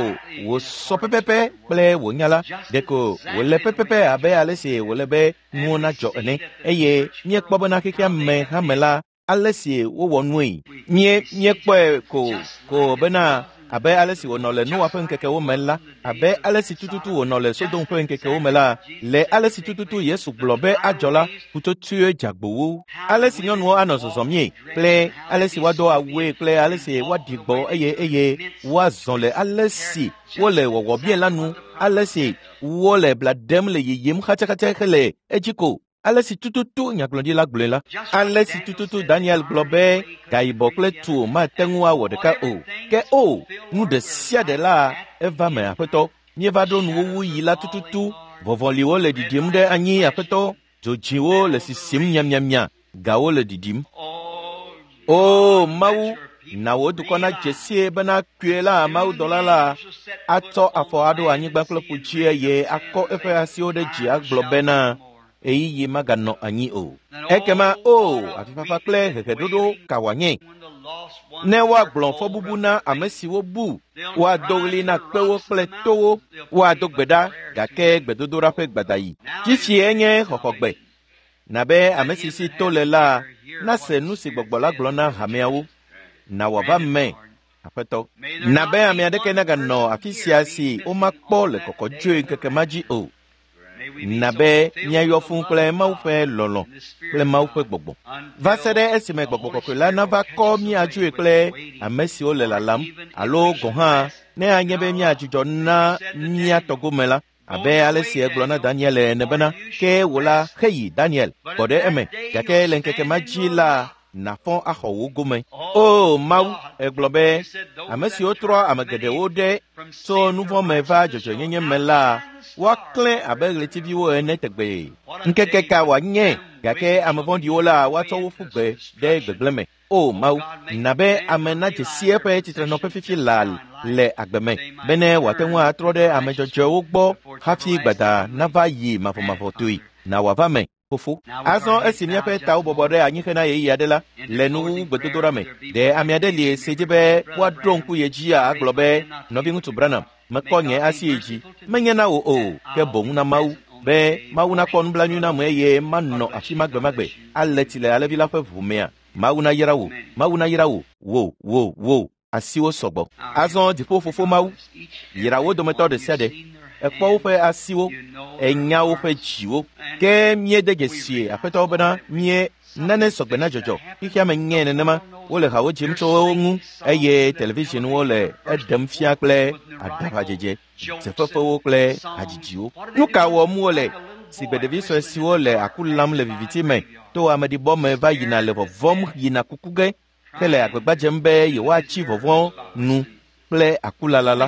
wòsɔ pɛpɛpɛ kple wò nya la ɖeko wòle pɛpɛpɛ abe ale si wòle be nuwo nadzɔ ene eye míekpɔ bena xexea me hame la ale si wowɔ nue mie míekpɔe ko ko bena abe ale si wònɔ le Noa ƒe ŋkekewo me la abe ale si tututu wònɔ le Sodom ƒe ŋkekewo me la le ale si tututu Yesu gblɔ be adzɔ la ƒutsotsoe dzagbowo ale si nyɔnuwo anɔ zɔzɔmie kple ale si woado awue kple ale si woaɖi gbɔ eye eye woazɔ le ale si wole wɔwɔmie la nu ale si wole bla ɖem le yiyim xatsaxatsa hele edzi ko ale si tututu nyagblɔɖi la gblɔe la ale si tututu Daniel gblɔ be gayibɔ kple tu mate ŋu awɔ ɖeka o ke o nu ɖe sia ɖe la eva me aƒetɔ míeva ɖo nuwuwu yi la tututu vɔvɔliwo le ɖiɖim ɖe anyi aƒetɔ dzodziwo le sisim miamiamia gawo le ɖiɖim o Mawu na wò dukɔ nadze sie bena kpuie la mawudɔla la atsɔ afɔ aɖo anyigba kple ƒu dzi eye akɔ eƒe asiwo ɖe dzi agblɔ bena ɣeyiɣi maganɔ anyi o ekema o afifafa kple heheɖoɖo ka wòanye ne woagblɔ fɔbubu na ame siwo bu woado ɣli na kpewo kple towo woado gbe ɖa gake gbedodoɖa ƒe gbadayi fifie nye xɔxɔgbe na be ame si si to le la nase nu si gbɔgbɔ la gblɔ na hameawo na wòava me aƒetɔ na be ame aɖeke naganɔ afi sia si womakpɔ le kɔkɔdzoe ŋkeke ma dzi o na be míayɔ fũu kple Mawu ƒe lɔlɔ̃ kple Mawu ƒe gbɔgbɔ va se ɖe esime gbɔgbɔ kɔkɔe la nava kɔ míadzoe kple ame siwo le lalam alo gɔ̃ hã ne anye be míadzudzɔ na mía tɔgome la abe ale si egblɔ na Daniel ene bena ke wò la heyi Daniel gbɔ ɖe eme gake le ŋkeke ma dzi la nàfɔ axɔ wò gome o Mawu egblɔ be ame siwo trɔ ame geɖewo ɖe tso nu vɔ̃ me va dzɔdzɔenyenye me la woaklẽ abe ɣletiviwo ene tegbee ŋkeke ka wòanye gake ame vɔ̃ɖiwo la woatsɔ wo ƒu gbe ɖe gbegblẽ me o Mawu na be ame nadze si eƒe tsitrenɔƒe fifi laa le agbe me bene wòate ŋu atrɔ ɖe ame dzɔdzɔewo gbɔ hafi gbada nava yi mavɔmavɔtoe na wòava me fofo azɔ esi míaƒe tawo bɔbɔ ɖe anyi hena ɣeyiɣi aɖe la le nuwuwu gbedodoɖa me ɖe ame aɖe li si dzi be woaɖo ŋku ye dzia agblɔ be nɔviŋutsu Branham mekɔ nye asi yi dzi menye na wò o ke boŋ na Mawu be Mawu nakpɔ nublanui nam eye manɔ afi ma gbemagbe ale tsi le alẽvi la ƒe ʋu mea Mawu nayra wò Mawu nayra wò wò wò wò asiwo sɔgbɔ azɔ dziƒo fofo Mawu yra wo dometɔ ɖe sia ɖe ekpɔ woƒe asiwo enya woƒe dziwo ke míede dzesi aƒetɔwo bena mie nane sɔgbe na dzɔdzɔ xexea me nyɛ nenema wole hawo dzim tso wo ŋu eye televisionwo le eɖem fia kple aɖaʋadzedze dzefefewo kple hadzidziwo nu ka wɔm wole si gbe ɖevi sue siwo le aku lam le viviti me to ameɖibɔ me va yina le vɔvɔm yina kuku ge hele agbagba dzem be yewoatsi vɔvɔ̃ nu kple akulala la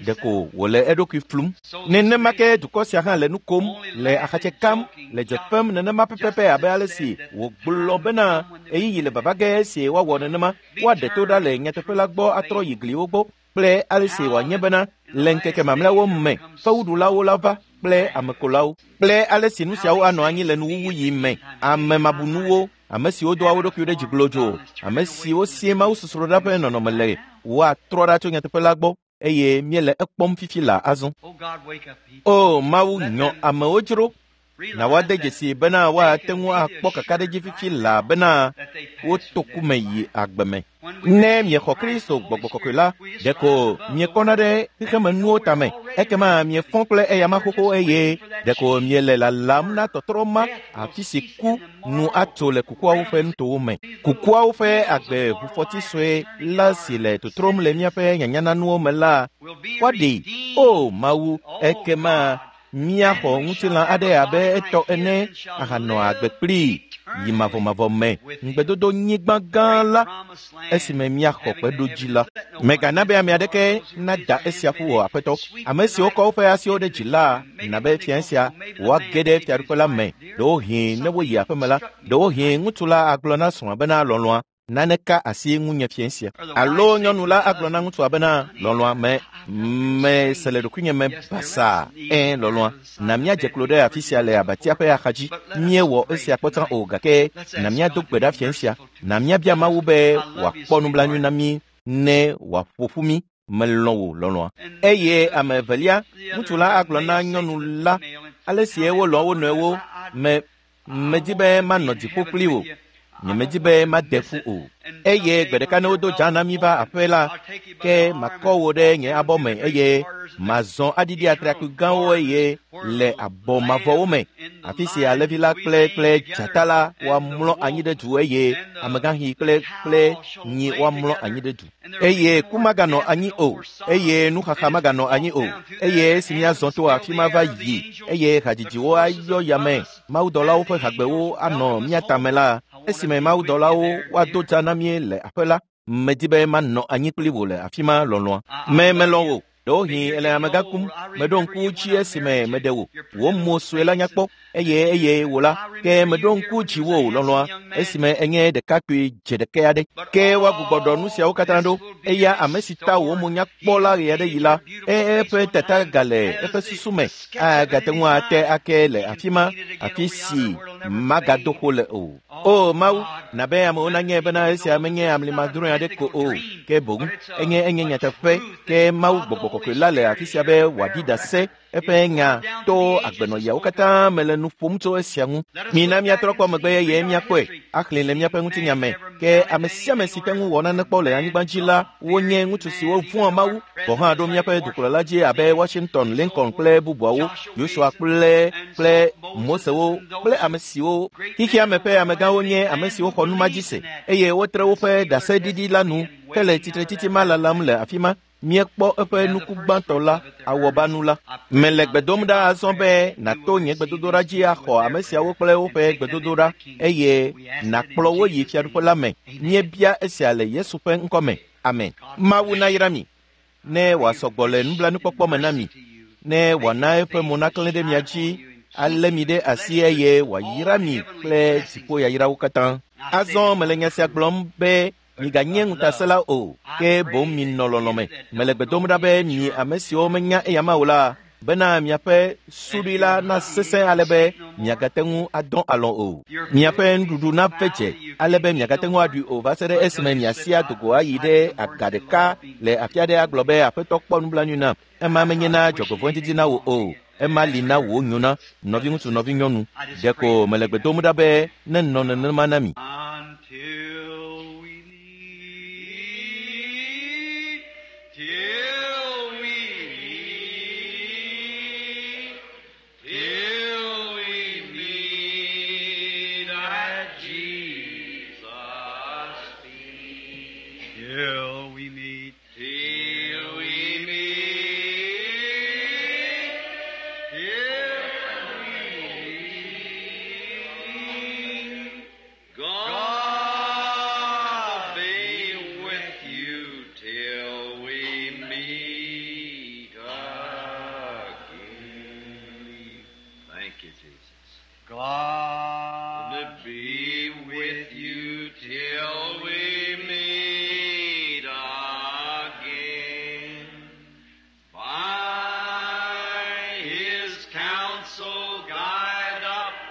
ɖeko wòle eɖokui flum nenema ke dukɔ sia hã le nu kom le axatse kam le dze fem nenema pɛpɛpɛ abe ale si wògblɔ bena ɣeyiɣi le vava ge si woawɔ nenema woaɖe to ɖa le nyateƒe la gbɔ atrɔ yi gliwo gbɔ kple ale si wòanye bena le ŋkeke mamlɛawo me fewuɖulawo la va kple amekolawo kple ale si nu siawo anɔ anyi le nuwuwu yi me ame mabunuwo ame siwo doa wo ɖokuiwo ɖe dzi glodzo ame siwo sie Mawu sosroɖa ƒe nɔnɔme le woatrɔ ɖa tso nyateƒe la gbɔ eye míele ekpɔm fifi la azɔ o Mawu nyɔ amewo dzro na woade dzesi bena woate ŋu akpɔ kakaɖedzi fifi la bena woto ku me yi agbe me ne miexɔ Kristo gbɔgbɔ kɔkɔe la ɖeko miekɔna ɖe xexemenuwo tame ekema miefɔ kple eyama xoxo eye ɖeko miele lalam na tɔtrɔ ma afi si ku nu atso le kukuawo ƒe nutowo me kukuawo ƒe agbe ʋufɔti sue la si le totrom le míaƒe nyanyananuwo me la woaɖee o Mawu ekema míaxɔ ŋutilã aɖe abe etɔ ene ahanɔ agbe kplii yi mavɔmavɔ me ŋugbedodo nyigba gã la esime míaxɔ kpeɖodzi la mègana be ame aɖeke nada esia ƒu o aƒetɔ ame siwo kɔ woƒe asiwo ɖe dzi la na be fia sia woage ɖe fiaɖuƒe la me ɖewohĩ ne woyi aƒeme la ɖewohĩ ŋutsu la agblɔ na srɔ̃a bena lɔlɔ̃a Nane ka asi ŋunye fiẽ sia. Alo nyɔnu la agblɔ na ŋutsua bena lɔlɔ̃a me mese le ɖokuinye me basaa. Ẽ lɔlɔ̃a, na míadze klo ɖe afi sia le abatia ƒe axadzi. Míewɔ esia kpɔtsã o gake na míado gbe ɖa fiẽ sia. Na míabia Mawu be wòakpɔ nublanui na mí ne wòaƒo ƒu mí. Melɔ̃ wò lɔlɔ̃a. Eye ame evelia, ŋutsu la agblɔ na nyɔnu la ale si wolɔ̃ wo nɔewo me medi be manɔ dziƒo kpli wò. Nyemedi be made ƒu o. Eye gbe ɖeka ne wodo dza na mí va aƒe la, ke makɔ wò ɖe nye abɔ me eye mazɔ aɖiɖi atrakpui gãwo eye le abɔ mavɔwo me, afi si alẽvi la kple kple dzata la woamlɔ anyi ɖe du eye amegãxi kple kple nyi woamlɔ anyi ɖe du. Eye ku maganɔ anyi o, eye nuxaxa maganɔ anyi o, eye esi míazɔ to afi ma va yi, eye hadzidziwo ayɔ yame, mawudɔlawo ƒe hagbewo anɔ mía tame la, esime mawudɔlawo woado dza na mí le aƒe la, medi be manɔ anyi kpli wò le afi ma lɔlɔ̃a. Me melɔ̃ wò. Ɖewohĩ ele amegã kum, meɖo ŋku dzi esime meɖe wò. Wò mo sue la nyakpɔ, eye eye wò la, ke meɖo ŋku dziwò lɔlɔ̃a esime enye ɖekakpui dze ɖekɛ aɖe. Ke woagbugbɔ ɖɔ nu siawo katã ɖo. Eya ame si ta wò mo nyakpɔ la ɣe aɖe yi la, eƒe tata gale eƒe susu me, agate ŋu ate ake le afi ma, afi si magado ƒo le o. O Mawu, na be amewo nanye bena esia menye amlimadrɔ̃e aɖe ko o, ke boŋ enye enye nyateƒe. Ke Mawu gbɔgbɔ kɔkɔe la le afi sia be wòaɖi ɖase eƒe nya to agbenɔyawo katã me le nu ƒom tso esia ŋu. Mina míatrɔ kpɔ megbe eye míakpɔe axlẽ le míaƒe ŋutinya me. Ke ame sia ame si te ŋu wɔ nane kpɔ le anyigba dzi la, wonye ŋutsu siwo vɔ̃a Mawu gɔ̃ hã ɖo míaƒe dukplɔla dzi abe Washington, Lincoln kple bubuawo, Joshua kple kple Mosewo kple ame siwo xexea me ƒe amegãwo nye ame siwo xɔ nu ma dzi se eye wotre woƒe ɖaseɖiɖi la nu hele tsitretsitsi ma lalam le afi ma. Míekpɔ eƒe nuku gbãtɔ la, awɔbanu la. Mele gbe dom ɖa azɔ be nàto nye gbedodoɖa dzi axɔ ame siawo kple woƒe gbedodoɖa eye nàkplɔ wo yi fiaɖuƒe la me. Míebia esia le Yesu ƒe ŋkɔ me. Amen. Mawu nayra mi, ne wòasɔ gbɔ le nublanuikpɔkpɔ me na mi, ne wòana eƒe mo naklẽ ɖe mia dzi, alé mi ɖe asi eye wòayra mi kple dziƒoyayrawo katã. Azɔ mele nya sia gblɔm be miganye ŋutasẽla o, ke boŋ minɔ lɔlɔ̃ me. Mele gbe dom ɖa be mi ame siwo menya eyama o la, bena miaƒe suɖui la nasesẽ ale be miagate ŋu adɔ alɔ̃ o. Miaƒe nuɖuɖu nave dze ale be miagate ŋu aɖui o va se ɖe esime miasi adogo ayi ɖe aga ɖeka le afi aɖe agblɔ be Aƒetɔ kpɔ nublanui nam. Ema menye na dzɔgbevɔ̃edzidzi na wò o, ema li na wò nyo na nɔviŋutsu nɔvinyɔnu. Ɖeko mele gbe dom ɖa be nenɔ nenema na mi. Until we meet, till we meet, till we meet at Jesus' feet. Till we meet, till we meet, till we meet. God be with you till we meet again. Thank you, Jesus. God be with you till we meet again. By His counsel guide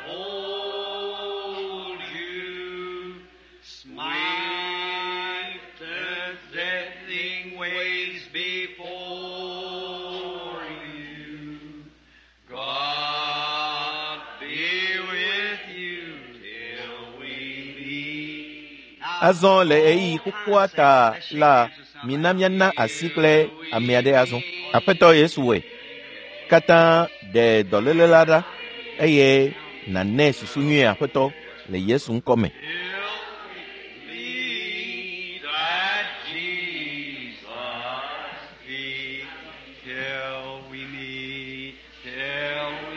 uphold you. Smite the deathing ways before you. God be with you till we meet. Azɔ le ɣeyiɣi xoxoa ta la, mina míana asi kple ame aɖe azɔ. Aƒetɔ Yesu wɔe katã ɖe dɔléle la ɖa eye nànɛ susu nyui Aƒetɔ le Yesu ŋkɔ me. Till we meet at Jesus' feet. Till we meet, till we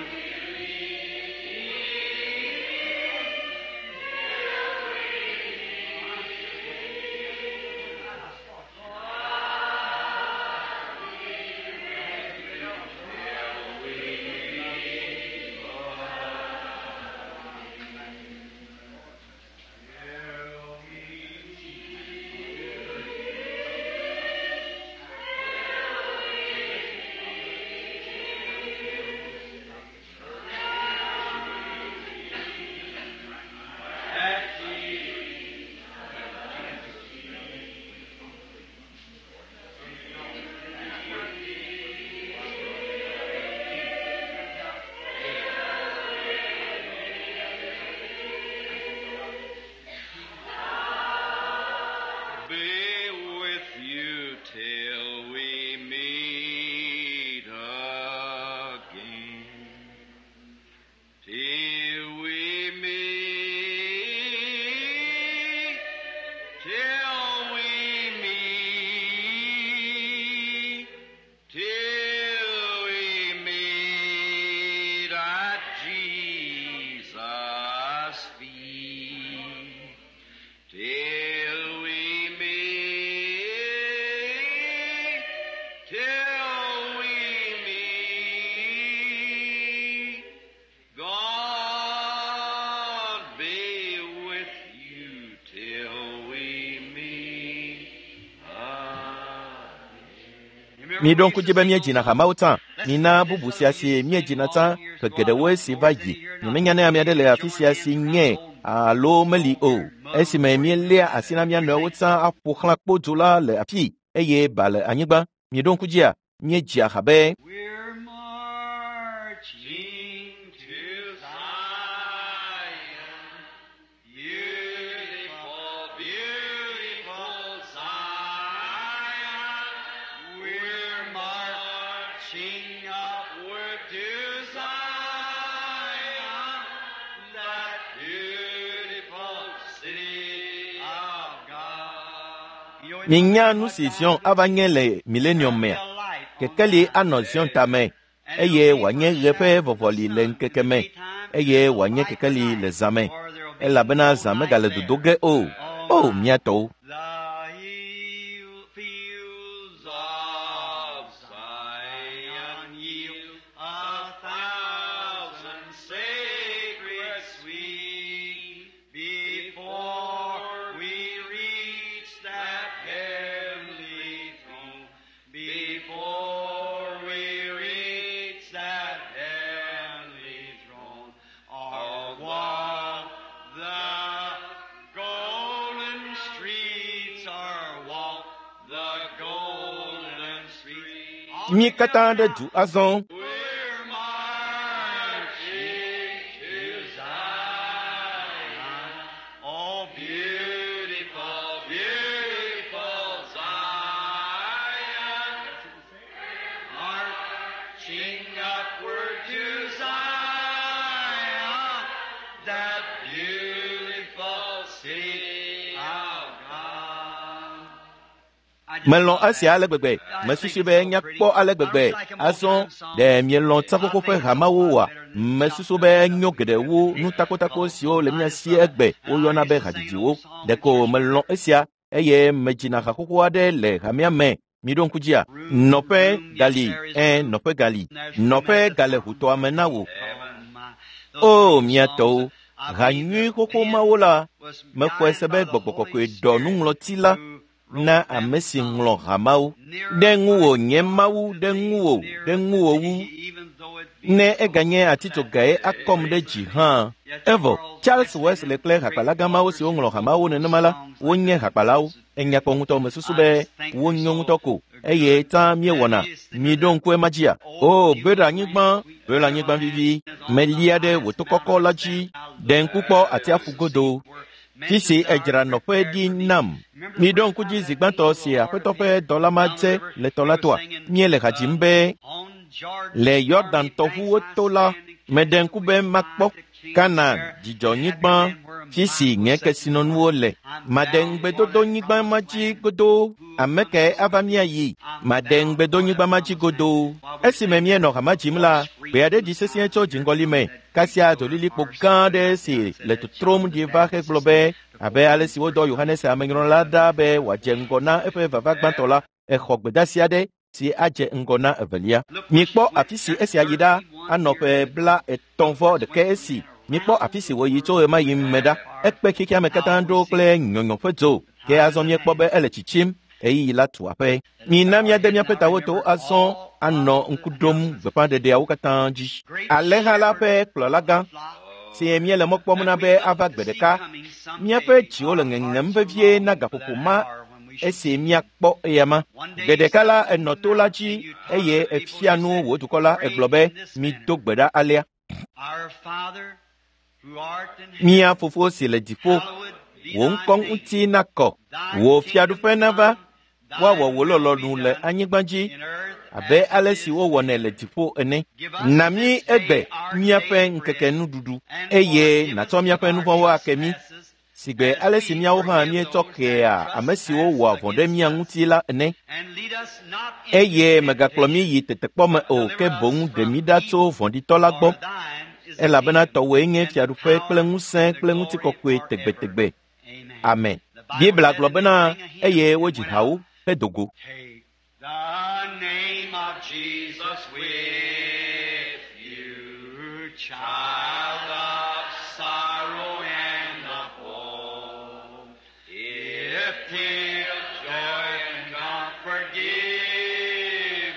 Miɖo ŋku dzi be míedzina hamawo tsã. Mina bubu sia si míedzina tsã ƒe geɖewoe si va yi. Nyemenya ne ame aɖe le afi sia si nye alo meli o. Esime míeléa asi na mía nɔewo tsã aƒo xlã kpodzo la le afii eye ba le anyigba. Miɖo ŋku dzia, míedzia ha be We're marching to Zion, beautiful, beautiful Zion. We're marching upward to Zion, that beautiful city of God. Minya nu si Zion ava nye le millennium mea. Kekeli anɔ Zion tame eye wòanye ɣe ƒe vɔvɔli le ŋkeke me eye wòanye kekeli le zã me elabena zã megale dodo ge o. O mía tɔwo! The hill fields of Zion yield a thousand sacred sweet before we reach that heavenly throne. Before we reach that heavenly throne, or walk the golden streets, or walk the golden streets. Mí katã ɖe du azɔ. We're marching to Zion. Oh, beautiful, beautiful Zion. Marching upward to Zion, that beautiful city of God. Melɔ̃ esia ale gbegbe. Mesusu be nyakpɔ ale gbegbe. Azɔ ɖe mielɔ̃ tsaƒoƒo ƒe hamawo oa? Mesusu be enyo geɖe wu nutakotako siwo le mía si egbe woyɔna be hadzidziwo. Ɖeko melɔ̃ esia eye medzina haxoxo aɖe le hamea me. Miɖo ŋku dzia? Nɔƒe gali, ẽ nɔƒe gali. Nɔƒe gale ʋutɔa me na wò. O mía tɔwo, ha nyui xoxo mawo la, mexɔe se be gbɔgbɔ kɔkɔe ɖɔ nuŋlɔti la na ame si ŋlɔ hamawo. Ɖe ŋuwò nye Mawu, ɖe ŋuwò, ɖe ŋuwò wu. Ne eganye atitsogae akɔm ɖe dzi hã. Evɔ, Charles Wesley kple hakpalagã mawo siwo ŋlɔ hamawo nenema la, wonye hakpalawo. Enya kpɔ ŋutɔ mesusu be wonyo ŋutɔ ko eye tsã míewɔna. Miɖo ŋku ema dzia? O, be ɖe anyigba, be ɖe anyigba vivi. Melia ɖe wò to kɔkɔ la dzi. Ɖe ŋku kpɔ atsiaƒu godo. Fi si edzra nɔƒe ɖi nam. Miɖo ŋku dzi zi gbãtɔ si Aƒetɔ ƒe dɔla ma dze le tɔ la toa. Míele ha dzim be le Yɔdan tɔʋuwo to la, meɖe ŋku be makpɔ Kanaan dzidzɔnyigba fi si nye kesinɔnuwo le. Maɖe ŋugbedodonyigba ma dzi godoo. Ame kae ava míayi? Maɖe ŋugbedonyigba ma dzi godoo. Esime míenɔ hama dzim la, gbe aɖe ɖi sesĩe tso dziŋgɔli me. Kasia dzolilikpo gã aɖe si le totrom ɖi va hegblɔ be abe ale si wodɔ Yohanes Amenyrɔla ɖa be wòadze ŋgɔ na eƒe vava gbãtɔ la, exɔ gbedeasi aɖe si adze ŋgɔ na evelia. Mikpɔ afi si esia yi ɖa anɔ ƒe bla etɔ̃ vɔ ɖeke esi. Mikpɔ afi si wòyi tso ɣemaɣi me ɖa. Ekpe xexeame katã ɖo kple nyɔnyɔ ƒe dzo. Ke azɔ míekpɔ be ele tsitsim ɣeyiɣi la tu aƒe. Mina míade míaƒe tawo to azɔ anɔ ŋku ɖom gbeƒãɖeɖeawo katã dzi. Alẽha la ƒe kplɔlagã si míele mɔ kpɔm na be ava gbe ɖeka. Míaƒe dziwo le ŋeŋem vevie na gaƒoƒo ma esi míakpɔ eyama. Gbe ɖeka la enɔ to la dzi eye efia nu wò dukɔ la egblɔ be mido gbe ɖa alea. Our Father, who art in heaven, Mía fofo si le dziƒo, hallowed be wò thy ŋkɔ name. ŋuti nakɔ, Thy wò fiaɖuƒe kingdom nava, come, thy woawɔ wò will be lɔlɔ̃nu le done anyigba dzi in earth abe as ale it si is wowɔnɛ le dziƒo ene. Give us Na mí this day egbe our míaƒe daily ŋkeke bread, nuɖuɖu and eye forgive us nàtsɔ míaƒe our nu vɔ̃wo ake mí trespasses, sigbe as ale si we míawo hã forgive míetsɔ those that kea ame siwo trespass wɔa vɔ̃ ɖe against mía us. ŋuti la ene. And lead us not into Eye mègakplɔ mí temptation, yi tetekpɔ me but o, ke deliver us boŋ ɖe from mí ɖa tso evil. vɔ̃ɖitɔ la For gbɔ. thine is the Elabena kingdom, tɔwòe nye and the fiaɖuƒe kple power, ŋusẽ and the kple glory ŋutikɔkɔe forever. tegbetegbe. Amen. Amen. The Bible Biblia said, gblɔ and they bena sang a hymn eye and wodzi went hawo out. hedo go. Take the name of Jesus with you, child of sorrow and of woe. If tears, joy, and comfort give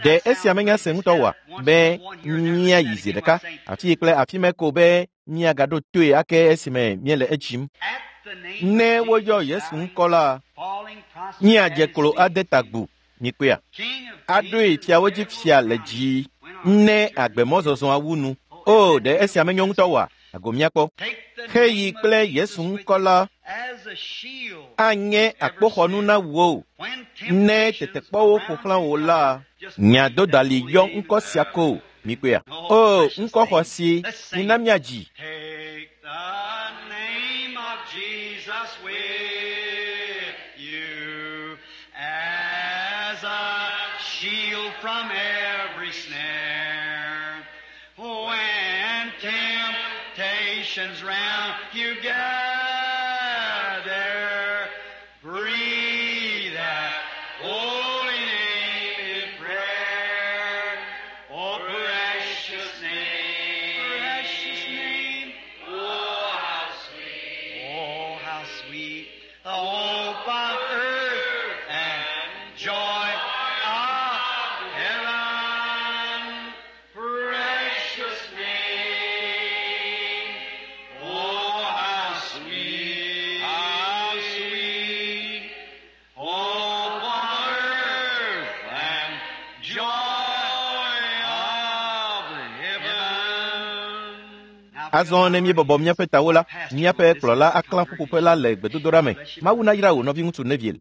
Ɖe esia menya se ŋutɔ oa? Be míayi zi ɖeka afi kple afi me ko be míagaɖo toe ake esime míele edzim. At the name Ne of woyɔ Jesus, Yesu bowing, ŋkɔ la, falling prostrate míadze at his klo feet. ade ta gbu. Mikpɔea? King of Aɖoe kings fiawo and dzi Lord fia le of dzi lords. ne agbemɔzɔzɔa wu nu. O, ɖe esia menyo ŋutɔ oa? Ago míakpɔ. Take the Xeyi name of kple Jesus Yesu with ŋkɔ la as a shield anye akpoxɔnu na wò. when Ne temptations tetekpɔwo ƒo round xlã wò you la, gather. Just nya breathe that dodali holy yɔ name in ŋkɔ sia prayer. ko. Mikpɔea? Oh, O, precious ŋkɔ name. xɔasi, Let's sing mina it. míadzi. Take the name of Jesus with you as a shield from every snare. When temptations round you gather, breathe that holy name in prayer. Oh, precious name, precious name. Oh, how sweet, oh, how sweet the hope of earth and joy of heaven. Precious name, oh, how sweet, how sweet, hope of earth and joy of heaven. Azɔ ne míebɔbɔ míaƒe tawo la, míaƒe kplɔla aklã ƒuƒoƒe la le gbedodoɖa me. Mawu nayra wò nɔviŋutsu Neville.